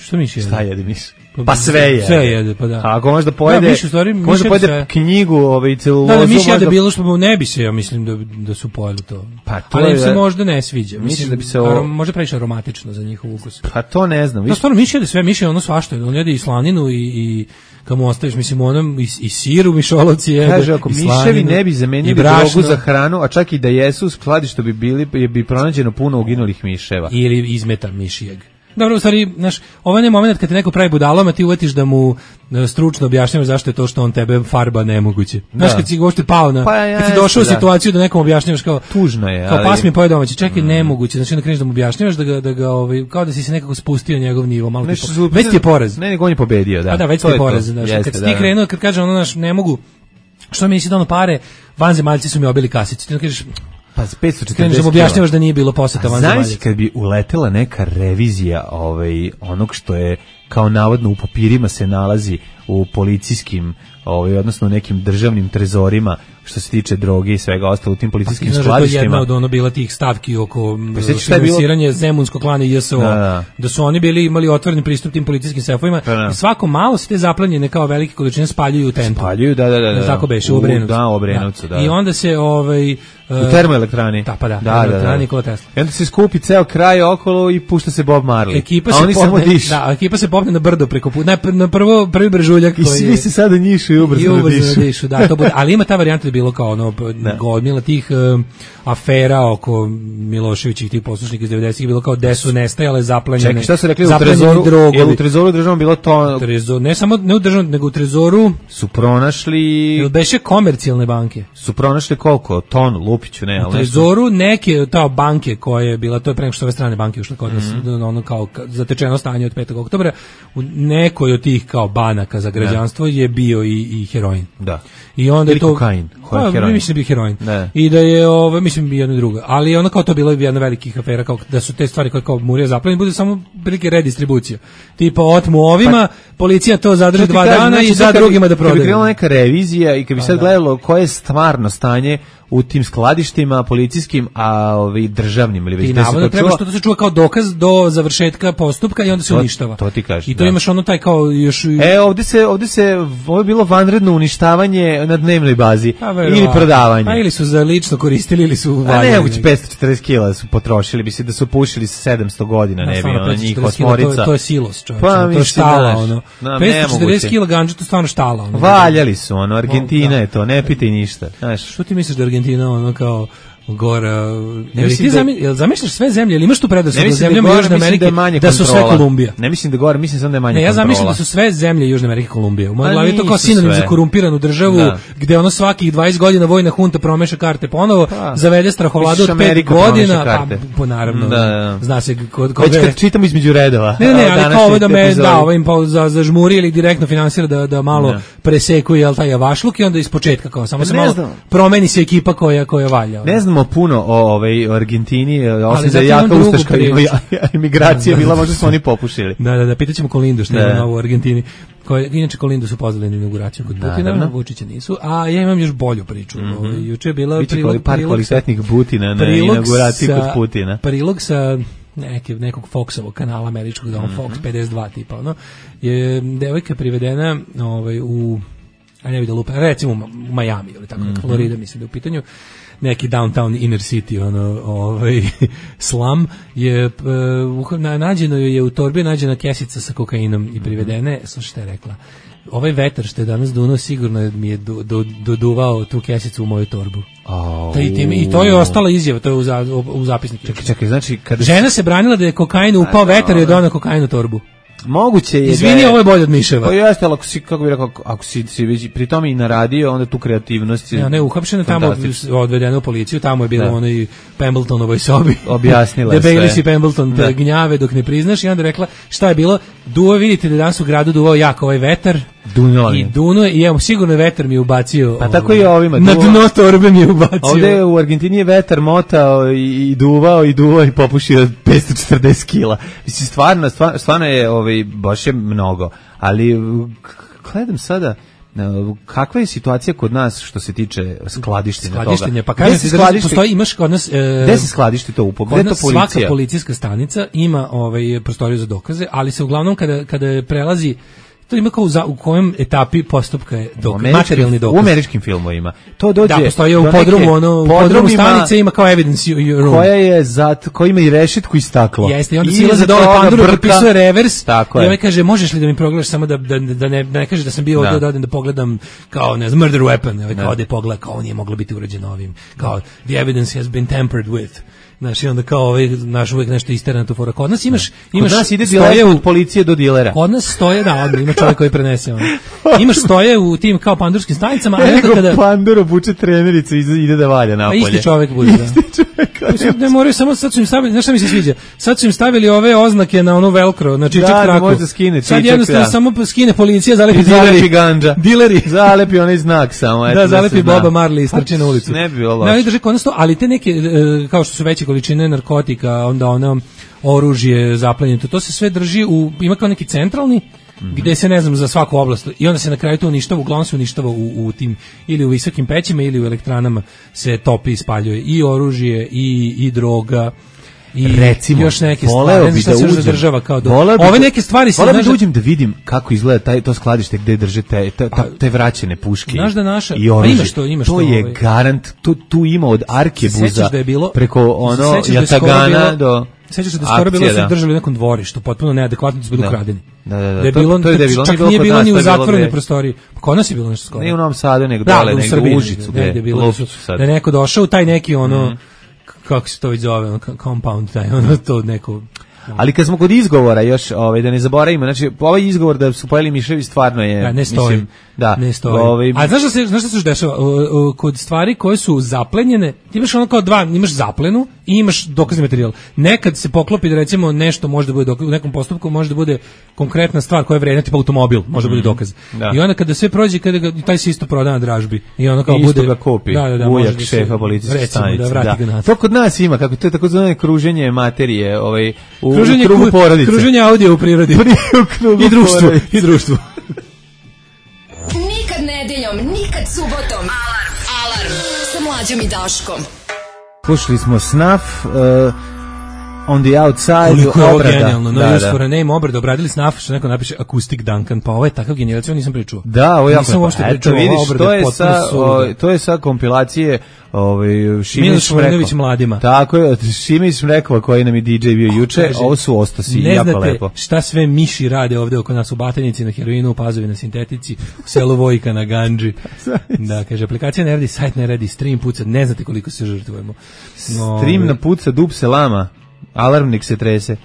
Šta miš jede? Šta jede miš? Pa sve jede. Sve jede, pa da. A ako možda pojede, možda pojede knjigu, celulozu. Da, miš jede bilo što ne bi se, ja mislim da su pojeli to. Pa to ali im se možda ne sviđa. Mislim da bi se možda previše aromatično za njihov ukus. Pa to ne znam. Da, stvarno miš jede sve, miš je ono svašta, on jede i slaninu i kad mu ostaviš, mislim, onom i siru mišolovci jede. Kaže, ako miševi ne bi zamenili drogu za hranu, a čak i da jesu, skladi što bi bili, bi pronađeno puno uginulih miševa. Ili izmeta mišijeg. Dobro, u stvari, znaš, ovaj ne moment kad te neko pravi budalom, a ti uvetiš da mu stručno objašnjavaš zašto je to što on tebe farba nemoguće. Znaš, kad si uopšte pao na, kad si došao u situaciju da nekom objašnjavaš kao, tužno je, kao pas mi poje domaći, čekaj, nemoguće, znači onda kreneš da mu objašnjavaš da ga kao da si se nekako spustio njegov nivo, malo tipo, već ti je poraz. Ne, nego on je pobedio, da. A da, već ti je poraz, znaš, kad si ti krenuo, kad kaže ono, znaš, ne mogu, što mi si dano pare, vanzemaljci su mi obili kasicu, ti onda kažeš, pa 540 kreneš da mu objašnjavaš da nije bilo poseta vanzemaljaca. Znaš kad bi uletela neka revizija onog što je kao navodno u papirima se nalazi u policijskim, odnosno nekim državnim trezorima što se tiče droge i svega ostalo u tim policijskim skladištima. Jedna od ono bila tih stavki oko finansiranja Zemunskog klana i JSO, da su oni imali otvoreni pristup tim policijskim sefovima i svako malo se te zaplanjene kao velike količine spaljuju u tentu. Spaljuju, da. Tako beše, u Obrenovcu. Da, u Obrenovcu, da. I onda se u termoelektrani. Da, elektrani Nikola Tesla. I onda se skupi ceo kraj okolo i pušta se Bob Marley. A oni samo dišu. Da, ekipa se popne na brdo preko puta. Na prvi brežuljak koji je... I svi se sada njišu i ubrzano dišu. Da, to bude. Ali ima ta varijanta da je bilo kao ono godmila tih afera oko Miloševićih tih poslušnika iz 90-ih, bilo kao gde su nestajale zaplanjene. Čekaj, šta su rekli u trezoru? Je u trezoru državnom bilo to... Ne samo ne u državnom, nego u trezoru su pronašli... Beše komercijalne banke. Su pronašli koliko? Ton, Lupiću, ne? U trezoru neke banke koje je bila, to je pre nego što ove strane banke ušle kod nas, ono kao zatečeno stanje od 5. oktobra, u nekoj od tih kao banaka za građanstvo je bio i heroin. Da. I onda ili kokain. Mislim da bi heroin. I da je, mislim bi jedno drugo. Ali ono kao to bilo jedna velikih afera, kao da su te stvari koje kao Murija zaplanjene, bude samo prilike redistribucija. Tipa otmu ovima, policija to zadrži 2 dana i za drugima da prodaju. Kad bi krenula neka revizija i kad bi sad gledalo koje je stvarno stanje u tim skladištima policijskim, a državnim ili već. I navodno treba što to se čuva kao dokaz do završetka postupka i onda se uništava. To ti kažeš. I to imaš ono taj kao još... Ovo je bilo vanredno uništavanje na dnevnoj bazi ili prodavanje. Pa ili su za lično koristili ili su valjali. A ne, 540 kila su potrošili, bi se da su pušili 700 godina, ne bi ono njih osmorica. To je silos, čovječe, to je štala, ono. 540 kila ganđa, to je stvarno štala. Valjali su, ono, Argentina je to, ne pitaj ništa. Što ti misliš da Argentina ono kao gora, jel zamišljaš sve zemlje, ili imaš tu predrasud da zemljama Južne Amerike da su sve Kolumbija? Ne mislim da gore, mislim samo da je manje kontrola. Ja zamišljam da su sve zemlje Južne Amerike Kolumbija. U mojoj glavi je to kao sinonim za korumpiranu državu, gde ono svakih 20 godina vojna hunta promeša karte ponovo, zavede strahovladu od 5 godina, pa naravno, zna se već kad čitamo između redova. Ne, ali kao ovo da me ovim zažmuri ili direktno finansira da malo presekuje, jel taj javašluk i onda ispočetka kao, samo se malo promeni se ekipa koja valja. Ne znamo puno o Argentini, osim da je jaka ustaška imigracija bila, možda su oni popušili. Da, pitaćemo Kolindu što je novo u Argentini. Inače Kolindu su pozvali na inauguraciju kod Putina, Vučića nisu, a ja imam još bolju priču. Juče je bila par kvalitetnih Butina na inauguraciji kod Putina. Prilog sa nekog Foxovog kanala američkog, da on Fox 52 tipa, ono, je devojka privedena u, ne vidim da lupa, recimo u Miami ili tako, Florida mislim da je u pitanju, neki downtown inner city, slum, je nađeno je u torbi nađena kesica sa kokainom i privedene, slušaj šta je rekla, ovaj vetar što je danas duno sigurno mi je doduvao tu kesicu u moju torbu. I to je ostala izjava, to je u zapisniku. Čekaj, znači žena se branila da je kokain upao vetar i je donao kokain u torbu. Moguće je. Izvini, ovo je bolje od miševa. Pa jeste, ali ako si već pri tome i naradio, onda tu kreativnost je... Ne, uhapšena tamo, odvedena u policiju, tamo je bilo ono i Pembletonovoj sobi. Objasnila sve. Debeli si Pembleton, gnjave dok ne priznaš i onda rekla šta je bilo, vidite da danas u gradu duvao jak ovaj vetar. Duno i evo, sigurno je vetar mi je ubacio. Pa tako i ovima. Na dno torbe mi je ubacio. Ovde u Argentini je vetar motao i duvao i popušio 540 kila. Mislim, stvarno je baš je mnogo. Ali gledam sada, kakva je situacija kod nas što se tiče skladištenja toga? Pa kažem ti da postoji, imaš kod nas... Gde se skladišti to upo? Gde to policija? Svaka policijska stanica ima prostoriju za dokaze, ali se uglavnom kada prelazi to ima kao u kojem etapi postupka je materijalni dokaz. U američkim filmovima. To dođe. Da, postoji u podrumu stanice ima kao evidence room. Koja ima i rešetku i staklo. Jeste, i onda silazi dole panduru, potpisuje revers. I ovaj kaže, možeš li da mi progledaš samo da ne kaže da sam bio ovdje da odem da pogledam kao, ne znam, murder weapon. Ovaj kao da pogleda, kao nije moglo biti urađeno ovim. Kao, the evidence has been tampered with. Znaš, i onda kao naš uvijek nešto isterano tu fora. Kod nas imaš kod nas ide diler od policije do dilera. Kod nas stoje, odmah, ima čovjek koji prenese ono. Imaš stoje u tim kao pandurskim stanicama, a nego kada pandur obuče trenericu i ide da valja napolje. Isti čovjek bude, ne moraju, samo sad su im stavili, znaš šta mi se sviđa? Sad su im stavili ove oznake na onu velcro, na čičak traku. Da, može skine čičak. Sad jednostavno samo skine policija, zalepi zalepi gandža. Dileri. Zalepi onaj znak samo. Da, zalepi Boba Marley i strči na ulicu. Ne bi bilo loše. Ne, drže kod nas to, ali te neke, kao što su veće količine narkotika, onda ono oružje zaplenjeno, to se sve drži ima kao neki centralni, gde se ne znam za svaku oblast i onda se na kraju to uništava, uglavnom se uništava u tim ili u visokim pećima ili u elektranama se topi i spaljuje i oružje i droga i recimo, još neke stvari, šta se zadržava kao ove neke stvari se da uđem da vidim kako izgleda to skladište gde drže te vraćene puške. Znaš da naša, i imaš to je garant, tu ima od Arkebuza preko ono Jatagana do sećaš se da skoro bilo su držali u nekom dvorištu, potpuno neadekvatno su bili ukradeni. Da. To je bilo, čak nije bilo ni u zatvorenoj prostoriji. Kod nas je bilo nešto skoro. Nije u Novom Sadu, nego dole, nego u Užicu. Da je bilo, da je neko došao u taj neki ono, kako se to već zove, compound, taj, ono to neko... Ali kad smo kod izgovora još, da ne zaboravimo, znači ovaj izgovor da su pojeli miševi stvarno je, da, ne stoji. Ne stoji. A znaš šta se još dešava? Kod stvari koje su zaplenjene, imaš ono kao imaš zaplenu i imaš dokazni materijal. Nekad se poklopi da recimo nešto može da bude u nekom postupku, može da bude konkretna stvar koja je vredna, tipa automobil, može da bude dokaz. Da. I onda kada sve prođe, taj se isto proda na dražbi. I ono kao isto ga kupi. Ujak šefa policijske stanice. To kod nas ima, kako to je tako zvano kruženje materije, u krugu porodice. Kruženje audio u prirodi. I društvu. Nikad nedeljom, nikad subotom. Alarm sa Mlađom i Daškom. Slušali smo Snuff, On the Outside, koliko je ovo genijalno, no use for a name, obrada, obradili Snuff, što neko napiše Acoustic Duncan, pa ovo je takav genijalac, nisam pričuo. Da, ovo je jako, eto vidiš, to je sa kompilacije Šimić Šmrković mladima. Tako je, Šimić Šmrkova koji nam je DJ bio juče, ovo su ostosi, jako lepo. Ne znate šta sve miši rade ovde oko nas u Batajnici, na heroinu, u Pazovi na sintetici, u selu Vojka na Ganđi. Da, kaže, aplikacija ne radi, sajt ne radi, stream puca, ne znate koliko se žrtvujemo. Stream na puca, dub se lama, alarmnik se trese.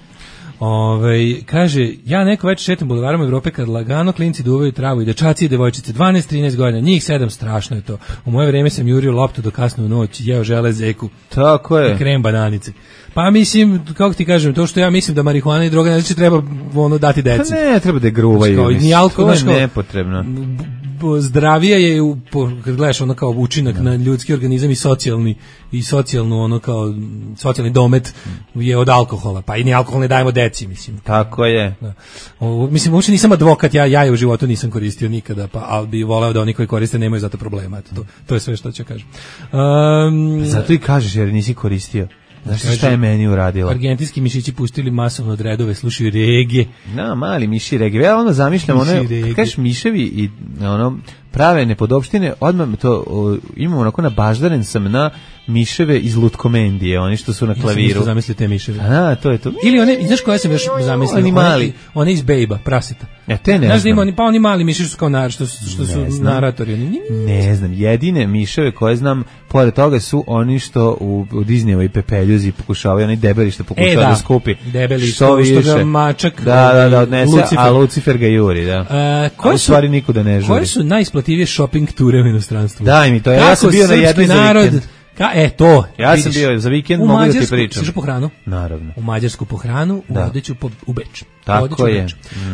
Kaže, ja neko večer šetam bulevarom Evrope kad lagano klinci duvaju travu i dečaci i devojčice, 12-13 godina, njih 7, strašno je to. U moje vreme sam jurio loptu do kasno u noć, jeo žele zeku. Tako je. I krem bananice. Pa mislim, kako ti kažem, to što ja mislim da marihuana i droga znači treba dati deci. Pa ne, treba da gruvaju. To je nepotrebno. Zdravije je kad gledaš ono kao učinak na ljudski organizam i socijalnu ono kao socijalni domet je od alkohola, pa i ni alkohol ne dajemo deci, mislim. Tako je. Da. Mislim, uopšte nisam advokat, ja je u životu nisam koristio nikada, pa ali bi voleo da oni koji koriste nemaju zato problema. To je sve što ću kažem. Zato i kažeš jer nisi koristio. Znaš šta je meni uradila? Argentinski mišići pustili masovno od redove, slušaju regije. No, mali miši regije. Ja ono zamišljam, kažeš miševi i prave nepodopštine, odmah to imam onako nabaždaren sam na miševe iz Lutkomendije, oni što su na klaviru. Ja sam zamislio te miševe. A, to je to. Ili one, znaš koje sam još zamislio? Oni mali. One iz Bejba, praseta. Ja te ne znam. Znaš da ima, pa oni mali miši su kao što su naratori. Ne znam, jedine miševe koje znam, pored toga su oni što u Disneyevoj pepeljuzi pokušavaju, oni debeli što pokušavaju da skupi. Debeli što ga mačak da odnese, a Lucifer ga juri, da. U stvari nikuda ne žuri. Koje su najisplativije shopping ture u inostranstvu? Daj mi to, ja sam bio na jednoj za vikend. To. Ja sam bio za vikend, mogu da ti pričam. Siš po hranu? Naravno. U Mađarsku po hranu, odeću u Beč. Tako je.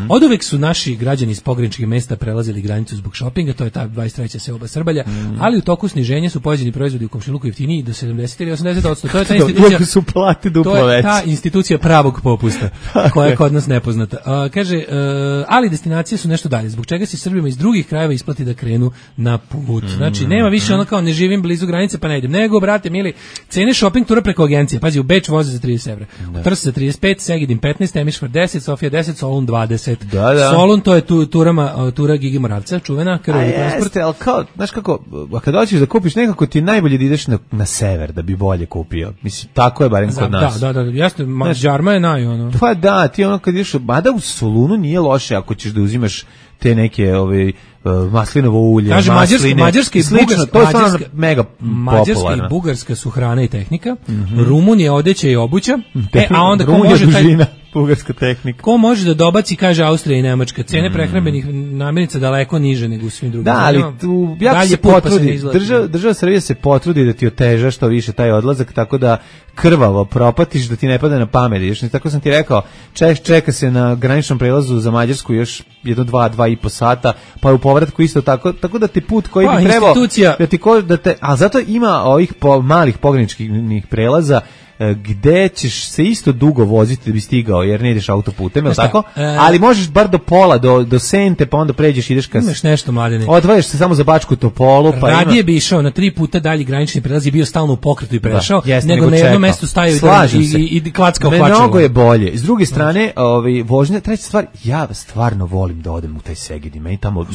Od uvek su naši građani iz pograničnih mesta prelazili granicu zbog šopinga, to je ta 23. seoba Srbalja, ali u toku sniženja su pojeđeni proizvodi u komšiluku jeftiniji do 70 ili 80%. To je ta institucija. Su plati duplo veće. To je ta institucija pravog popusta, koja je kod nas nepoznata. Kaže, ali destinacije su nešto dalje, zbog čega se Srbima iz drugih krajeva isplati da krenu na put. Znači, nema više ono kao ne živim blizu granice pa ne idem, nego, brate, mili, cene shopping tura preko agencije. Pazi, u Beč voze za 30 evra, u Trst za 35, Segedin 15, Temišvar 10, Sofija 10, Solun 20. Da. Solun to je tura Gigi Moravca, čuvena, krvovi transport. Jeste, ali kao, znaš kako, kad hoćeš da kupiš nekako ti je najbolje da ideš na sever da bi bolje kupio. Mislim, tako je barem kod nas. Da, jeste, Đarma je ono. Pa da, ti ono kad ideš, mada u Solunu nije loše ako ćeš da uzimaš te neke maslinovo ulje, kaže, Mađarska i slično, to je stvarno mega popularno. Mađarska i Bugarska su hrana i tehnika, Rumunija odeća i obuća, a onda ko Rumunija može dužina, bugarska tehnika. Ko može da dobaci, kaže Austrija i Nemačka, cene prehrambenih namirnica daleko niže nego u svim drugim. Da, ali tu jako se potrudi, država Srbija se potrudi da ti oteža što više taj odlazak, tako da krvavo propatiš, da ti ne pada na pamet. Još tako sam ti rekao, čeka se na graničnom prelazu za Mađarsku još 2,5 sata, pa u povratku isto tako da ti put koji bi trebao a zato ima ovih malih pograničnih prelaza gde ćeš se isto dugo voziti da bi stigao, jer ne ideš autoputem, je li tako? Ali možeš bar do pola, do Sente, pa onda pređeš, ideš imaš nešto, Mladene. Odvajaš se samo za Bačku Topolu, pa radije bi išao na 3 puta dalji granični prelaz i bio stalno u pokretu i prešao, nego na jednom mestu stajao i klackao plačao. Mnogo je bolje. S druge strane, vožnja, treća stvar, ja stvarno volim da odem u taj Segedin, meni tamo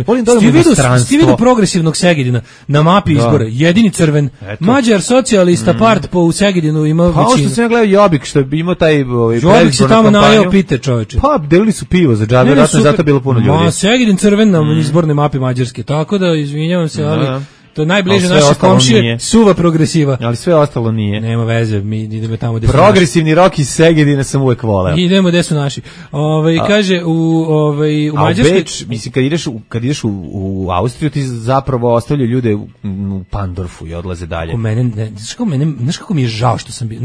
volim da odem u inostranstvo. Ti vidio progresivnog Segedina na mapi izbora, jedini crven, Mađar socijalista part po Segedinu. Pa ovo što sam ja gledao Jobbik, što bi imao taj Jobbik se tamo najeo pite, čoveče. Pa, delili su pivo za džabe, vjerojatno je zato bilo puno ljudi. Segedin crven na izbornoj mapi Mađarske, tako da izvinjavam se, ali to je najbliže naše komšije, suva progresiva. Ali sve ostalo nije. Nema veze, mi idemo tamo gde su progresivni rock iz Segedina sam uvek voleo. Idemo gde su naši. Kaže, u Mađarskoj... Mislim, kad ideš u Austriju, ti zapravo ostavljaju ljude u Pandorfu i odlaze dalje. Znaš kako mi je žao što sam bio?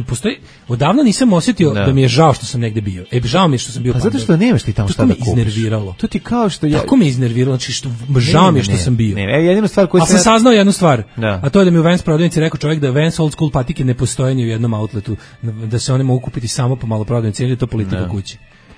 Odavno nisam osjetio da mi je žao što sam negde bio. Žao mi je što sam bio u Pandorfu. Pa zato što nemaš ti tamo šta da kupiš. To me iznerviralo. To ti kao što ja... Tako me iznerviralo, znači žao mi je što sam bio. Jedina stvar koju sam saznao jednu stvar, a to je da mi u Vans prodavnici rekao čovjek da Vans old school patike ne postoje ni u jednom outletu, da se one mogu kupiti samo po maloprodajnici, ili je to politika kuće.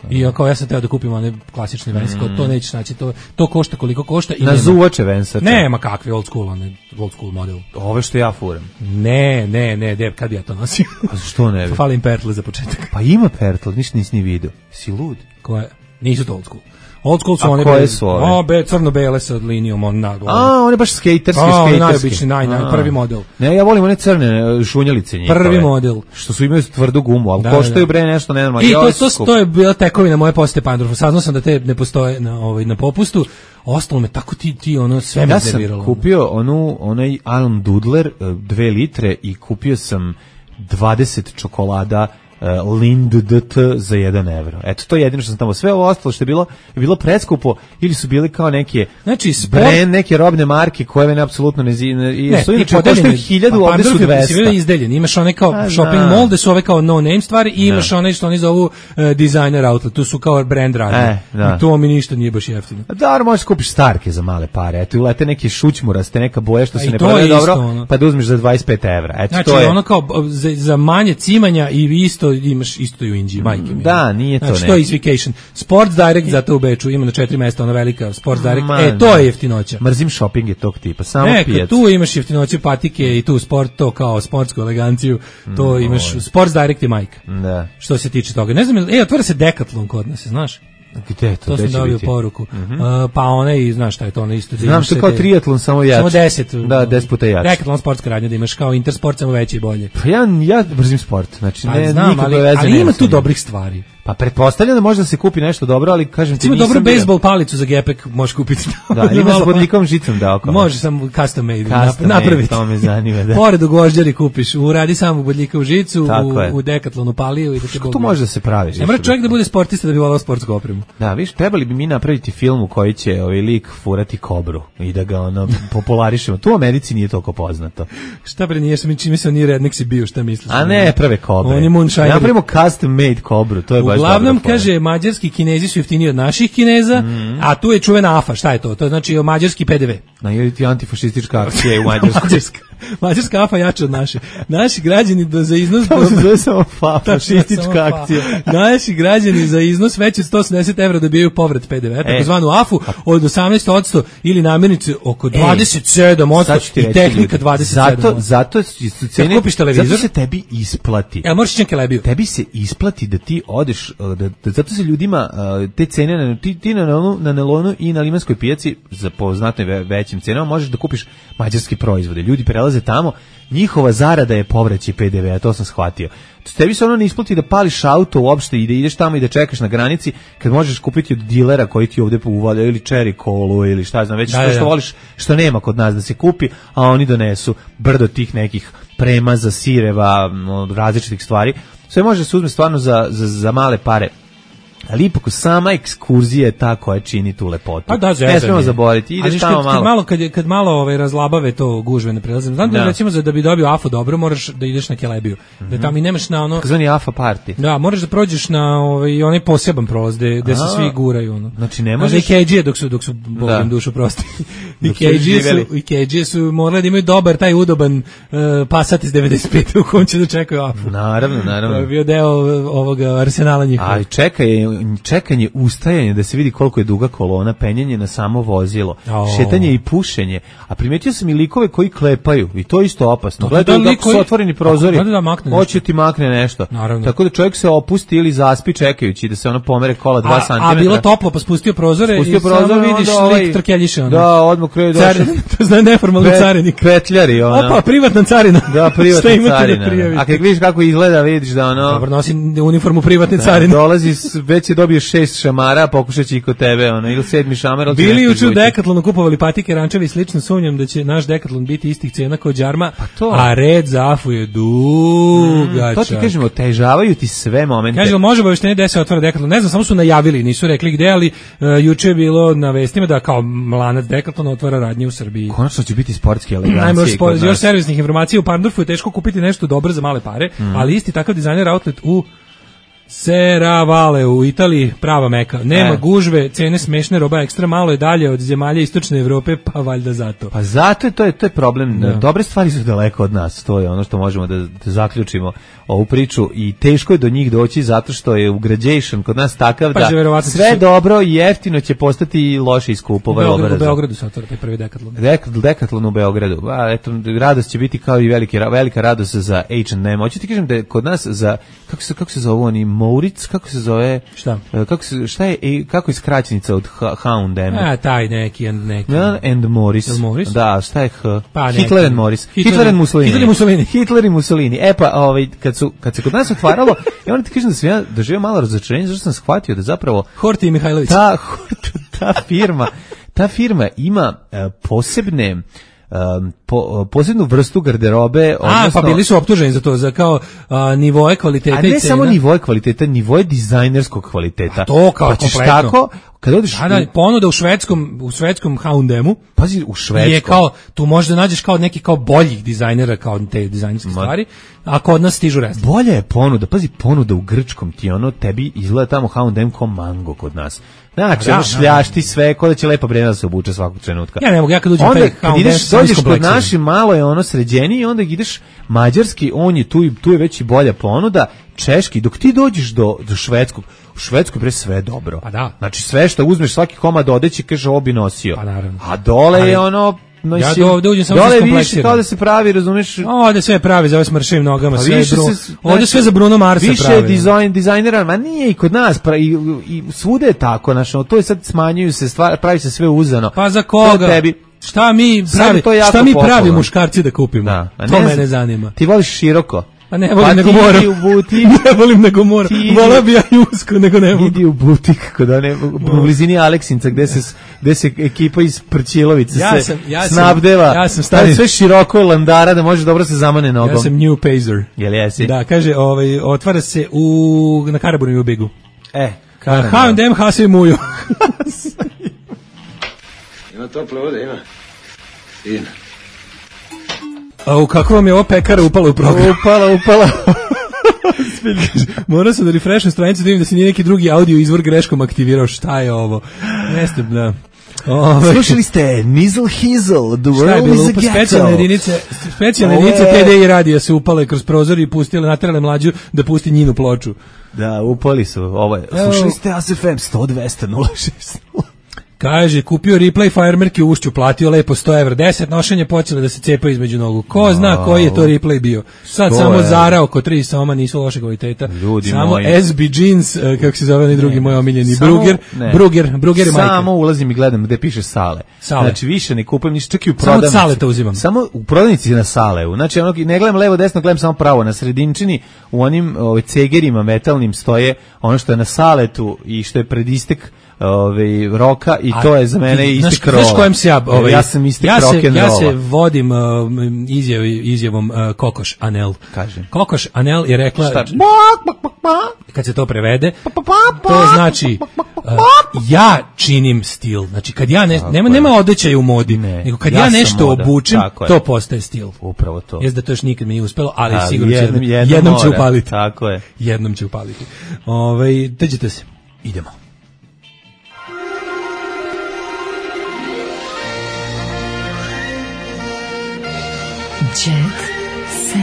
I ja sam teo da kupim one klasične Vans, to nećeš naći, to košta koliko košta. Na zuvače Vansa. Nema kakvi old school model. Ove što ja furam. Ne, kad bi ja to nosio? A što ne bi? Falim pertle za početak. Pa ima pertle, ništa nisi ni vidio. Si lud? Koje? Nisu to old school. Old school su one koje su ove? Crno-bele sa linijom one baš skaterski. Najobični, prvi model. Ne, ja volim one crne šunjalice njihove. Prvi model. Što su imaju tvrdu gumu, ali koštaju bre nešto nenormalno. I to je bila tekovina moje posete Pandorfu. Saznao sam da te ne postoje na popustu. Ostalo me tako ti ono sve me iznerviralo. Ja sam kupio onaj Alm Dudler 2 litre i kupio sam 20 čokolada Lind DT za 1 evro. Eto, to je jedino što sam tamo. Sve ovo ostalo što je bilo preskupo ili su bili kao neke brand, neke robne marke koje mene apsolutno ne su inače koštaju 1000, ovde su 200. Si bili izdeljeni. Imaš one kao shopping mall, gde su ove kao no name stvari i imaš one što oni zovu designer outlet. Tu su kao brand radnje. I to mi ništa nije baš jeftino. Dobro, možeš kupiš Starke za male pare. Eto, ulete neke šućmuraste, neka boja što se ne prodaje dobro, pa da uzmeš za 25 evra. Eto, znači, ono kao za manje cimanja i isto imaš isto i u Indiji, majke mi. Da, nije to. Znači, to je Vacation. Sports Direct zato u Beču, ima na 4 mesta, ona velika Sports Direct. To je jeftinoća. Mrzim shopping je tog tipa, samo pijac. Tu imaš jeftinoće patike i tu sport, to kao sportsku eleganciju, to imaš, Sports Direct je majka. Da. Što se tiče toga. Ne znam, otvara se Decathlon kod nas, znaš? Gde to? To sam dobio poruku. Pa one, znaš šta je to, one isto. Znam što je kao triatlon, samo jače. Samo 10. Da, 10 puta jače. Decathlon sportska radnja, da imaš kao Intersport, samo veće i bolje. Pa ja brzim sport, znači ali ima tu dobrih stvari. Pa pretpostavljam da može da se kupi nešto dobro, ali kažem ti nisam dobro bejsbol palicu za gepek možeš kupiti. Da, ima s bodljikavom žicom da oko. Može samo custom made napraviti. To me zanima, da. Pored u gvožđari kupiš, uradi samo bodljikavu žicu, u Decathlonu paliju i da te Kako to može da se pravi? Ne mora čovjek da bude sportista da bi voleo sportsku opremu. Da, viš, trebali bi mi napraviti film u koji će ovaj lik furati kobru i da ga popularišemo. Tu u Americi nije toliko poznato. Šta bre, nije čime se oni redneksi bio, šta misliš? A ne, prave kobre. On je moonshiner. Napravimo custom made kobru, to je baš dobro. Uglavnom, kaže, mađarski Kinezi su jeftiniji od naših Kineza, a tu je čuvena AFA, šta je to? To znači mađarski PDV. Ili ti antifašistička akcija u Mađarskoj. Mađarska AFA jača od naše. Naši građani za iznos... To se zove samo fašistička akcija. Naši građani za iznos veći od 180 evra dobijaju povrat PDV, takozvanu AFU od 18% ili namirnice oko 27% i tehnika 27%. Zato se tebi isplati. Možeš činke lebiju. Tebi se isplati da ti odeš kupiš, zato se ljudima te cene, ti na nelonu i na limanskoj pijaci za po znatno većim cenama možeš da kupiš mađarske proizvode. Ljudi prelaze tamo, njihova zarada je povraćaj PDV-a, to sam shvatio. Tebi se ono ne isplati da pališ auto uopšte i da ideš tamo i da čekaš na granici kad možeš kupiti od dilera koji ti ovde uvaljaju ili cherry kolu ili šta znam, već što voliš, što nema kod nas da se kupi, a oni donesu brdo tih nekih premaza, sireva, različitih stvari. Sve može se uzme stvarno za male pare. Ali ipak sama ekskurzija je ta koja čini tu lepotu. Pa da, ne smemo zaboraviti. Ideš tamo malo. Kad malo razlabave to gužve ne prelazim. Znam da recimo da bi dobio AFO dobro, moraš da ideš na Kelebiju. Da tamo i nemaš na ono... Zvani AFA party. Da, moraš da prođeš na onaj poseban prolaz gde se svi guraju. Ono. Znači ne možeš... I KG dok su Bogom dušu prosti. I KG su morali da imaju dobar, taj udoban Passat iz 95. u kom će da čekaju AFO. Naravno. To je bio deo ovog arsenala njihova. Ali čekanje, ustajanje da se vidi koliko je duga kolona, penjanje na samo vozilo, šetanje i pušenje. A primetio sam i likove koji klepaju i to je isto opasno. Gledaju kako su otvoreni prozori, hoće ti makne nešto. Naravno. Tako da čovjek se opusti ili zaspi čekajući da se ono pomere kola 2 cm. A bilo toplo, pa spustio prozore i samo vidiš lik trkeljiše. Da, odmah kraju došao. To zna neformalni carinik. Petljari, ono. Opa, privatna carina. Da, privatna carina. A kad vidiš kako izgleda, vidiš da ono... Dobro, nosi uniformu privatne carine. Dolazi, već je dobio 6 šamara, pokušat će i kod tebe, ono, ili 7. šamar. Bili juče u Decathlonu kupovali patike, rančevi i slično, sumnjam da će naš Decathlon biti istih cena kao Đarma, a red za AFU je dugačak. To ti kažemo, otežavaju ti sve momente. Kažemo, može obaveštenje gde se otvara Decathlon, ne znam, samo su najavili, nisu rekli gde, ali juče je bilo na vestima da kao lanac Decathlona otvara radnje u Srbiji. Konačno će biti sportski elegancije. Još servisnih informacija, u Parndorfu je teško kupiti nešto dobro za male pare, ali isti takav dizajner outlet u Serravalle u Italiji, prava meka. Nema gužve, cene smešne, roba ekstra malo je dalje od zemalja istočne Evrope, pa valjda zato. Pa zato to je problem. Da. Dobre stvari su daleko od nas, to je ono što možemo da zaključimo ovu priču i teško je do njih doći zato što je ugrađation kod nas takav da sve dobro i jeftino će postati loše i skupo. U Beogradu se otvara taj prvi Decathlon. Decathlon u Beogradu. Eto, radost će biti kao i velika radost za H&M. Hoću ti kažem da je kod nas za, kako se zove oni, Moritz, kako se zove? Šta? Kako je skraćenica od H&M? Taj neki. And Morris. Da, šta je H? Pa Hitler and Morris. Hitler and Mussolini. Hitler i Mussolini. Pa, kad se kod nas otvaralo, ja moram ti kažem da sam ja doživio malo razočarenje, zašto sam shvatio da zapravo Horti i Mihajlović. Ta firma ima posebnu vrstu garderobe. Pa bili su optuženi za to, za kao nivoe kvaliteta i cena. A ne samo nivoe kvaliteta, nivoe dizajnerskog kvaliteta. To kao kompletno. Tako, kad odeš ponuda u švedskom H&M-u. Pazi, u švedskom. Je kao, tu možeš da nađeš kao neki kao boljih dizajnera, kao te dizajnerske stvari, a kod nas stižu rest. Bolja je ponuda, pazi, ponuda u grčkom ti ono, tebi izgleda tamo H&M kao mango kod nas. Znači, šljašti sve, ko da će lepa Brena da se obuče svakog trenutka. Ja ne mogu, ja kad uđem taj H&M dođeš kod naši, malo je ono sređeniji i onda ideš mađarski, on je tu je već i bolja ponuda, češki, dok ti dođeš do švedskog, u Švedskoj bre sve dobro. Pa da. Znači sve što uzmeš, svaki komad odeći, kaže ovo bi nosio. Pa naravno. A dole je ono... Ja ovde uđem samo dole više kao da se pravi, razumeš? Ovde sve pravi za ove smršivim nogama, sve ovde sve za Bruno Marsa pravi. Više dizajnera, ma nije i kod nas, i svude je tako, znači, to je sad smanjuju se, pravi se sve uzano. Pa za koga? Šta mi pravi muškarci da kupimo? To mene zanima. Ti voliš široko? Pa ne volim nego moram. Ne volim nego moram. Volao bi ja i usko nego ne mogu. Idi u butik u blizini Aleksinca gde se ekipa iz Prčilovice se snabdeva. Ja sam stari. Sve široko je landara da može dobro se zamane nogom. Ja sam New Pazer. Jel jesi? Da, kaže, otvara se na Karaburnu i u Bigu. H&M Hasa i Mujo. Ima tople vode, ima. Fina. A kako vam je ova pekara upala u program? Upala. Morao sam da refresham stranicu da vidim da se nije neki drugi audio izvor greškom aktivirao. Šta je ovo? Jeste, da. Slušali ste Nizzle Hizzle, The World is a Ghetto. Specijalne jedinice TDI radija se upale kroz prozor i pustile, naterale mlađu da pusti njinu ploču. Da, upali su. Slušali ste ASFM 100-200-060. Kaže, kupio replay firemerke u Ušću, platio lepo 100 evra, 10 nošenje počele da se cepaju između nogu. Ko zna koji je to replay bio? Sad samo Zara oko 3 soma, nisu loše kvaliteta. Ljudi samo moji. SB Jeans, kako se zove onaj drugi moj omiljeni, Bruger je majka. Samo ulazim i gledam gde piše Sale. Znači više ne kupujem ništa, čak i u prodavnici. Samo od Saleta uzimam. Samo u prodavnici na Saleu. Znači ne gledam levo desno, gledam samo pravo. Na sredinčini u onim cegerima metalnim stoje ono što je na Saletu i što je pred istek roka i to je za mene istek rola. Znaš kojem se ja sam istek rock'n'rolla. Ja se vodim izjavom Kokoš Anel. Kažem. Kokoš Anel je rekla, kad se to prevede, to znači ja činim stil. Znači kad ja nema odećaja u modi, nego kad ja nešto obučem, to postaje stil. Upravo to. Jeste da to još nikad mi nije uspelo, ali sigurno jednom će upaliti. Tako je. Jednom će upaliti. Dođite se. Idemo. Jet set.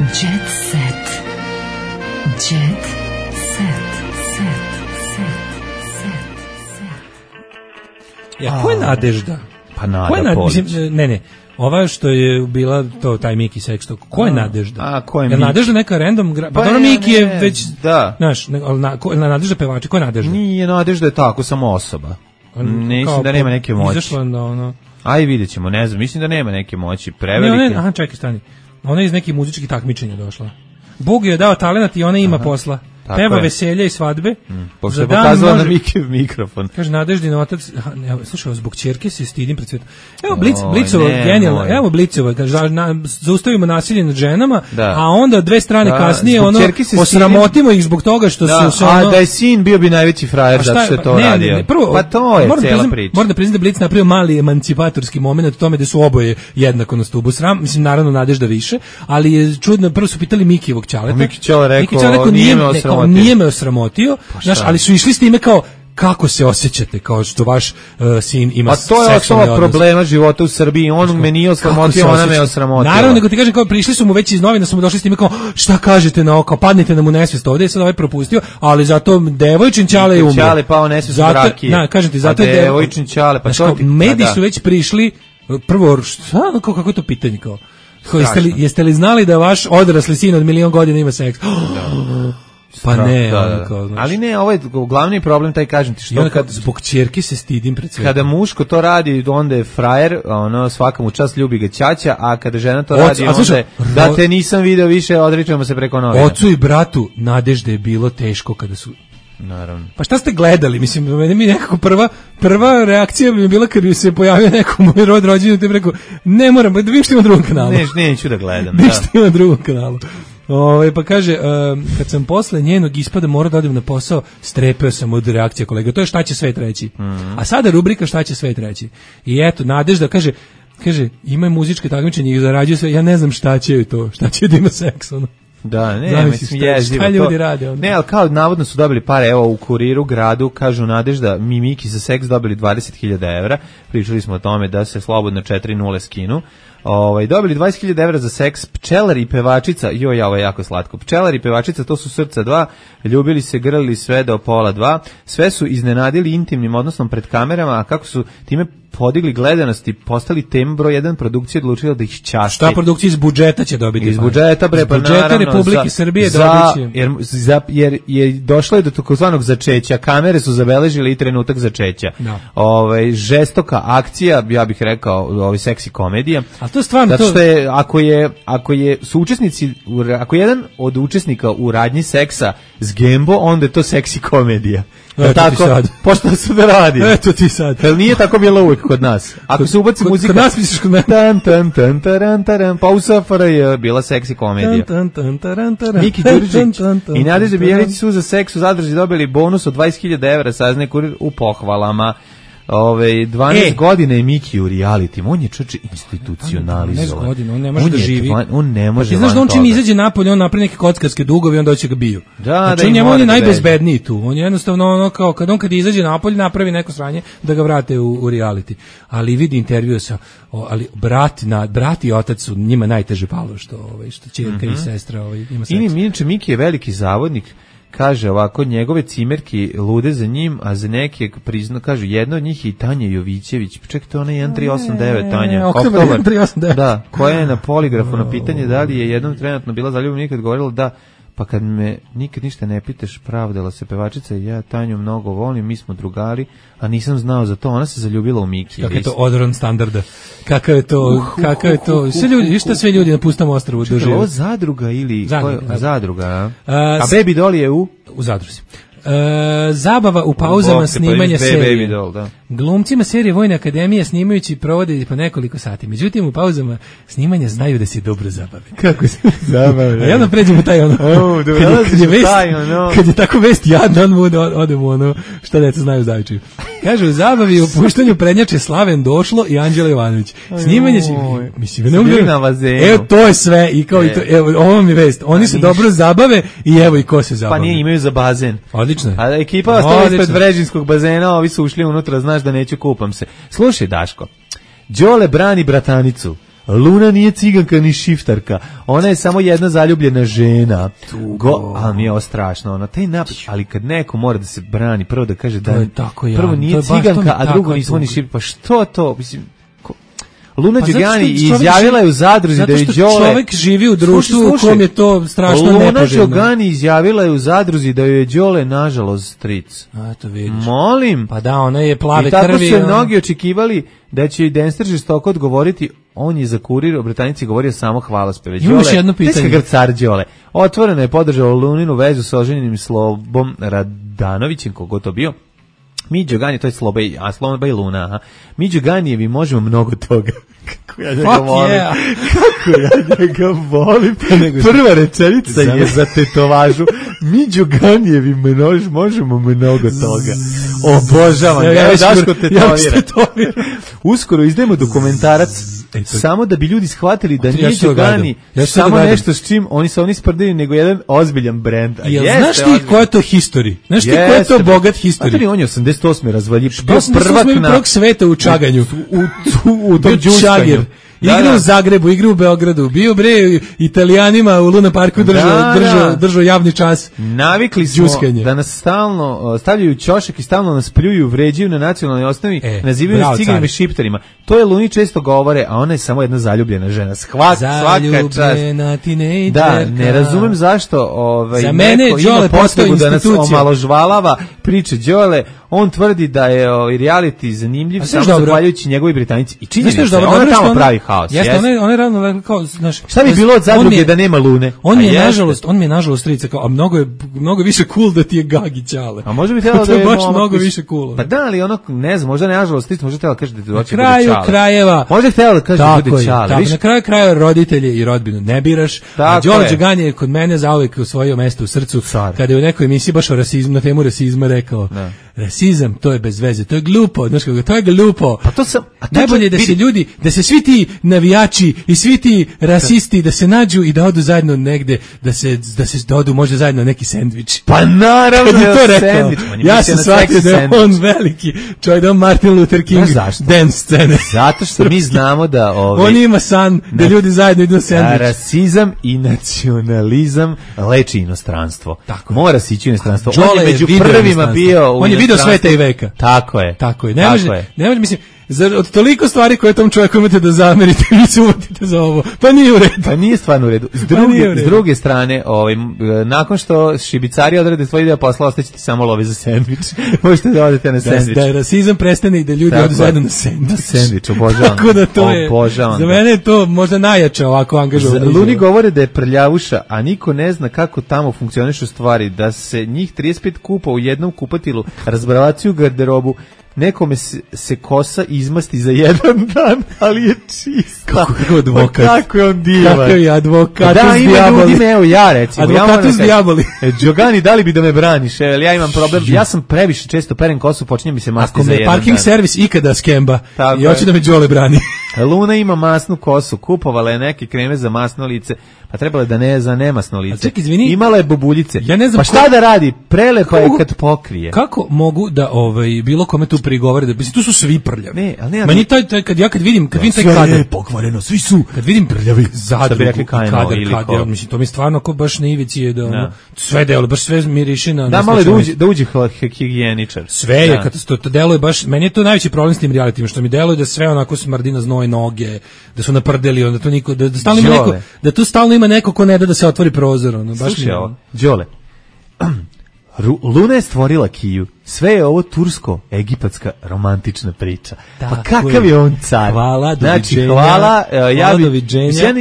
Jet set. Jet set. Ja, ko je Nadežda? Pa Nada Polić. Ne. Ova što je bila taj Miki Sexto, ko je Nadežda? A, ko je Miki? Nadežda neka random... Pa dobro, Miki je već... Da. Znaš, Nadežda pevači, ko je Nadežda? Nije, Nadežda je tako, samo osoba. Mislim da nema neke moći. Izašla na ono... Aj, vidjet ćemo, ne znam, mislim da nema neke moći, prevelike. Aha, čekaj, stani. Ona je iz nekih muzičkih takmičenja došla. Bog je dao talenat i ona ima posla. Peva veselje i svadbe. Pošto je pokazala na mikrofon. Kaže, Nadeždin otac, slušaj, zbog ćerke se stidim pred svetom. Evo Blicova, genijalno, evo Blicova, kaže, zaustavimo nasilje nad ženama, a onda dve strane kasnije, osramotimo ih zbog toga što su... A da je sin, bio bi najveći frajer zato što je to radio. Pa to je cijela priča. Moram da priznam da Blic napravio mali emancipatorski moment u tome da su oboje jednako na stubu. Mislim, naravno Nadežda više, ali je čudno, prvo su pitali Mikijevog ćaleta. Miki ćale rekao, nije me osramotio, znaš, ali su išli s time kao kako se osjećate kao što vaš sin ima seksualni odnos. A to je osnova problema života u Srbiji, on me nije osramotio, ona me osramotila. Naravno, nego ti kažem, kao prišli su mu već iz novina, su mu došli s time kao šta kažete na oko, padnite na mu nesvest, ovdje je sad ovaj propustio, ali zato devojčin ćale je umro. Ćale pao nesvest u rakije. Kažem ti, zato je devojčin ćale, pa to ti... Mediji su već prišli, prvo, kako je to pitanje kao? Jeste li znali da vaš odrasli sin od 1.000.000 godina ima seks? Pa ne, ali ne, ovo je glavni problem, taj kažem ti što kad zbog ćerke se stidim pred svetom. Kada muško to radi, onda je frajer, svaka mu čast, ljubi ga ćaća, a kada žena to radi, onda je da te nisam video više, odričemo se preko novina. Ocu i bratu Nadežde je bilo teško kada su... Naravno. Pa šta ste gledali? Mislim, meni mi nekako prva reakcija bi bila kad bi se pojavio neko moj rođendan, te bi rekao, ne moram, da vidim što ima na drugom kanalu. Neću da gledam. Vidim što ima na drugom kanalu. Pa kaže, kad sam posle njenog ispada morao da odem na posao, strepeo sam od reakcije kolega. To je šta će svet reći. A sada rubrika šta će svet reći. I eto, Nadežda kaže, ima muzičke takmičenje i zarađuje sve, ja ne znam šta će to, šta će da ima seks, ono. Da, ne, mislim jezivo. Šta ljudi rade onda? Ne, ali kao navodno su dobili pare, evo u Kuriru gradu, kažu Nadežda, Miki za seks dobili 20.000 evra, pričali smo o tome da se slobodno 4-0 skinu. Dobili 20.000 evra za seks, pčelar i pevačica, ovo je jako slatko, pčelar i pevačica, to su srca 2, ljubili se, grlili sve do 1:30, sve su iznenadili intimnim odnosom pred kamerama, a kako su time podigli gledanost i postali tema broj 1 produkcije, odlučila da ih časti. Šta produkcija iz budžeta će dobiti? Iz budžeta, bre, pa naravno. Republike Srbije dobit će. Jer je došlo je do takozvanog začeća, kamere su zabeležile i trenutak začeća. Žestoka akcija, ja bih rekao, seksi komedija. A to stvarno zato što je, ako je jedan od učesnika u radnji seksa s Gembo, onda je to seksi komedija. Tako, pošto se da radi. Eto ti sad. Jel nije tako bilo uvijek kod nas? Ako se ubaci muzika... Kod nas misliš kod nas? Pa u SFRJ je bila seksi komedija. Miki Đuriđić i Nadežda Bijelić su za seks u Zadrži dobili bonus od 20.000 evra, saznaje Kurir u pohvalama. 12 godina je Miki u realitima, on je čoče institucionalizovan. 12 godina, on ne može da živi. On ne može. Ti znaš da on čim izađe napolje, on napravi neke kockarske dugovi, onda hoće ga biju. Znači on je najbezbedniji tu. On je jednostavno ono kao kad izađe napolje, napravi neko sranje da ga vrate u reality. Ali vidi intervju sa brat i otac su njima najteže palo što ćerka i sestra ima seks. Inače Miki je veliki zavodnik. kaže ovako, njegove cimerki lude za njim, a za neke kaže, jedna od njih je i Tanja Jovićević. Čekaj, to ona je 1389 Tanja. Oktobar 1389. Da, koja je na poligrafu na pitanje da li je jednom trenutno bila zaljubljena, nikad govorila da, pa kad me nikad ništa ne pitaš, pravdala se pevačica, ja Tanju mnogo volim, mi smo drugari, a nisam znao za to, ona se zaljubila u Miki. Kakav je to odoran standarda? Kakav je to? Sve ljudi, šta sve ljudi na pustom ostrvu dožive? Ovo zadruga ili zadruga, a Baby Doll je u zadruzi. Zabava u pauzama snimanja serije. Glumcima serije Vojne akademije snimajući provode po nekoliko sati. Međutim, u pauzama snimanja znaju da se dobro zabave. Kako se zabave? A ja nam pređemo taj kad je tako vest jadna, odemo šta deca znaju zavčaju. Kaže, u zabavi u puštanju prednjače Slaven Došlo i Anđela Jovanović. Snimanje će... Mislim, evo, to je sve. I kao evo, ovo mi je vest. Oni se dobro zabave i evo i ko se zabave. Pa nije, imaju za bazen. Odlično. A ekipa ostala ispred Vrežinskog bazena, ovi su ušli unutra, znaš da neću, kupam se. Slušaj, Daško, Đole brani bratanicu. Luna nije ciganka ni šiftarka. Ona je samo jedna zaljubljena žena. Ali mi je ovo strašno. Taj napad, ali kad neko mora da se brani, prvo da kaže da prvo nije ciganka, a drugo nismo ni šiftarka. Pa što to? Mislim, Luna Đugani izjavila je u zadruzi da je Đole... Zato što čovjek živi u društvu u kom je to strašno nepoželjno. Luna Đugani izjavila je u zadruzi da je Đole nažalost stric. A, to vidiš. Molim. Pa da, ona je plave krvi. I tako su mnogi očekivali da će i Denster žestoko odgovoriti. On je za Kurir o Britanici govorio samo hvalospeve. Imaš jedno pitanje. Grcar Đole. Otvoreno je podržao Luninu vezu sa oženjenim Slobom Radanovićem, kogo to bio. Mi Đugani, to je Sloba i Luna, aha. Mi Đuganijevi možemo mnogo toga. Kako ja njega volim. Yeah. Kako ja njega volim. Prva rečenica je za tetovažu. Mi Đuganijevi možemo mnogo toga. Obožavam. Ja Daško tetovira. Uskoro izdajemo dokumentarac samo da bi ljudi shvatili da nije Đugani samo nešto s čim oni sprdaju, nego jedan ozbiljan brend. Znaš ti ko je to history? Znaš ti ko je to bogat history? On je 88. razvaljiv. Prvak sveta u čaganju. U tom Đuškanju. Igra u Zagrebu, igra u Beogradu, bio bre Italijanima u Luna Parku držao javni čas. Navikli smo da nas stalno stavljaju ćošak i stalno nas pljuju, vređaju na nacionalnoj osnovi, nazivaju nas ciganima i šiptarima. To je Luni često govore, a ona je samo jedna zaljubljena žena. Svaka čast. Da, ne razumem zašto za mene Đole potrebu da nas omaložvalava priče Đole. On tvrdi da je reality zanimljiv samo zahvaljujući njegovoj Britanici. I činjenica, ona tamo pravi haos. Ona je ravno kao, znaš, šta bi bilo od zadruge da nema Lune? On mi je nažalost strica, kao, a mnogo više cool da ti je Gagi Ćale. A može bi trebalo da je baš mnogo više cool. Pa da, ali ono, ne znam, možda ne nažalost strica, možda trebalo da kaže da ti doći bude Ćale. Na kraju krajeva. Možda htjela da kaže da bude Ćale. Na kraju krajeva roditelje i rodbinu ne biraš. A Đole Đugani je kod mene zauvek osvojio mesto u srcu. Kada je u nekoj emisiji baš o rasizmu, na temu rasizma rekao, rasizam, to je bez veze, to je glupo, znaš kako, to je glupo. Pa to sam, najbolje je da se ljudi, da se svi ti navijači i svi ti rasisti da se nađu i da odu zajedno negde, da odu možda zajedno neki sendvič. Pa naravno kad je to rekao, ja sam shvatio da je on veliki čovjek, da on Martin Luther King dance scene. Zato što mi znamo da on ima san da ljudi zajedno idu na sendvič. Rasizam i nacionalizam leči inostranstvo. Mora se ići u inostranstvo. On je među prvima bio u on je video sveta i veka. Tako je. Ne može, mislim, od toliko stvari koje tom čovjeku imate da zamerite, vi se uvatite za ovo. Pa nije u redu. Pa nije stvarno u redu. S druge strane, nakon što šibicari odrade svoj deo posla, ostaće ti samo love za sendvič. Možete da odete na sendvič. Da rasizam prestane i da ljudi odu zajedno na sendvič. Na sendvič, obožavam. Tako da to je, za mene je to možda najjače ovako angažovano. Luni govore da je prljavuša, a niko ne zna kako tamo funkcionišu stvari, da se njih 35 kupa u jednom kupatilu razbravaciju garderobu. Nekome se kosa izmasti za jedan dan, ali je čista. Kako je advokat. Kako je on divan. Kako je advokatus da, diaboli. Da, evo ja recimo. Advokatus diaboli. Đogani, da li bi da me braniš? Ja imam problem. Ja sam previše često perem kosu, počinje mi se masti za jedan dan. Ako me parking servis ikada skemba i hoće da me Đole brani. Luna ima masnu kosu, kupovala je neke kreme za masno lice, pa trebalo je da ne za nemasno lice. Ček, izvini, imala je bubuljice. Ja ne znam pa šta da radi? Prelepa je kad pokrije. Kako mogu da bilo kome tu prigovore da tu su svi prljavi. Ne, ali ne. Meni kad vidim taj kadar, sve je pokvareno, svi su kad vidim prljavi. Zadrugu, kadar, mislim to mi stvarno kao baš na ivici je da sve delo, baš sve miriši na. Da malo da uđe higijeničar. Sve je katastrofa, to deluje baš, meni je to najveći problem s tim realitima, što mi deluje da sve onako smrdi na znoj noge, da su naprdeli, onda to niko, da stalno ima neko, da tu stalno ima neko ko ne da se otvori prozor, ono, baš mi. Đole. Luna je stvorila Kiju. Sve je ovo tursko-egipatska romantična priča. Tako pa kakav je on car? Hvala, doviđenja. Hvala,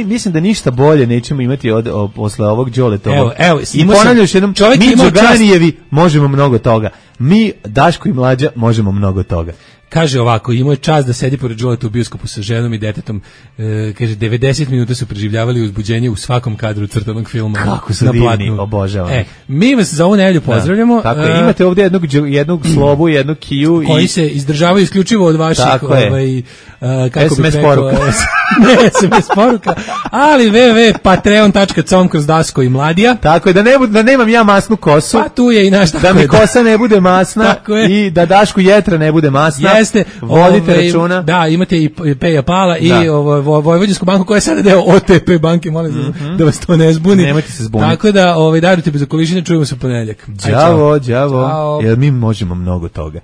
mislim da ništa bolje nećemo imati posle ovog Đoletovog. I ponavljam još jednom, mi Đoganijevi možemo mnogo toga. Mi, Daško i Mlađa, možemo mnogo toga. Kaže ovako, imao je čast da sedi pored Đoleta u bioskopu sa ženom i detetom. Kaže, 90 minuta su preživljavali uzbuđenje u svakom kadru crtanog filma. Kako su divni, obožavam. Mi vas za ovu nedelju pozdravljamo. Tako je, imate ovdje jednog slobu, jednu Kiju. Koji se izdržavaju isključivo od vaših kako SMS poruka. Ne, SMS poruka, ali www.patreon.com/Daško i Mladija. Tako je, da nemam ja masnu kosu. Pa tu je i naš. Da mi kosa ne bude masna i da Dašku jetra ne bude masna. Jeste, vodite računa. Da, imate i Peja Pala i Vojvođansku banku koja je sada deo OTP banke, molim da vas to ne zbuni. Nemojte se zbuniti. Tako da darujte bez okolišine, čujemo se u ponedeljak. Đavo, jer mi možemo mnogo toga.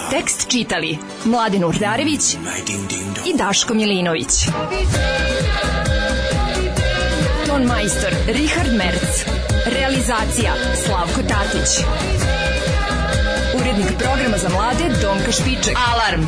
Tekst čitali Mladen Urdarević i Daško Milinović. Ton majstor Richard Merc. Realizacija Slavko Tatić. Urednik programa za mlade Donka Špiček. Alarm!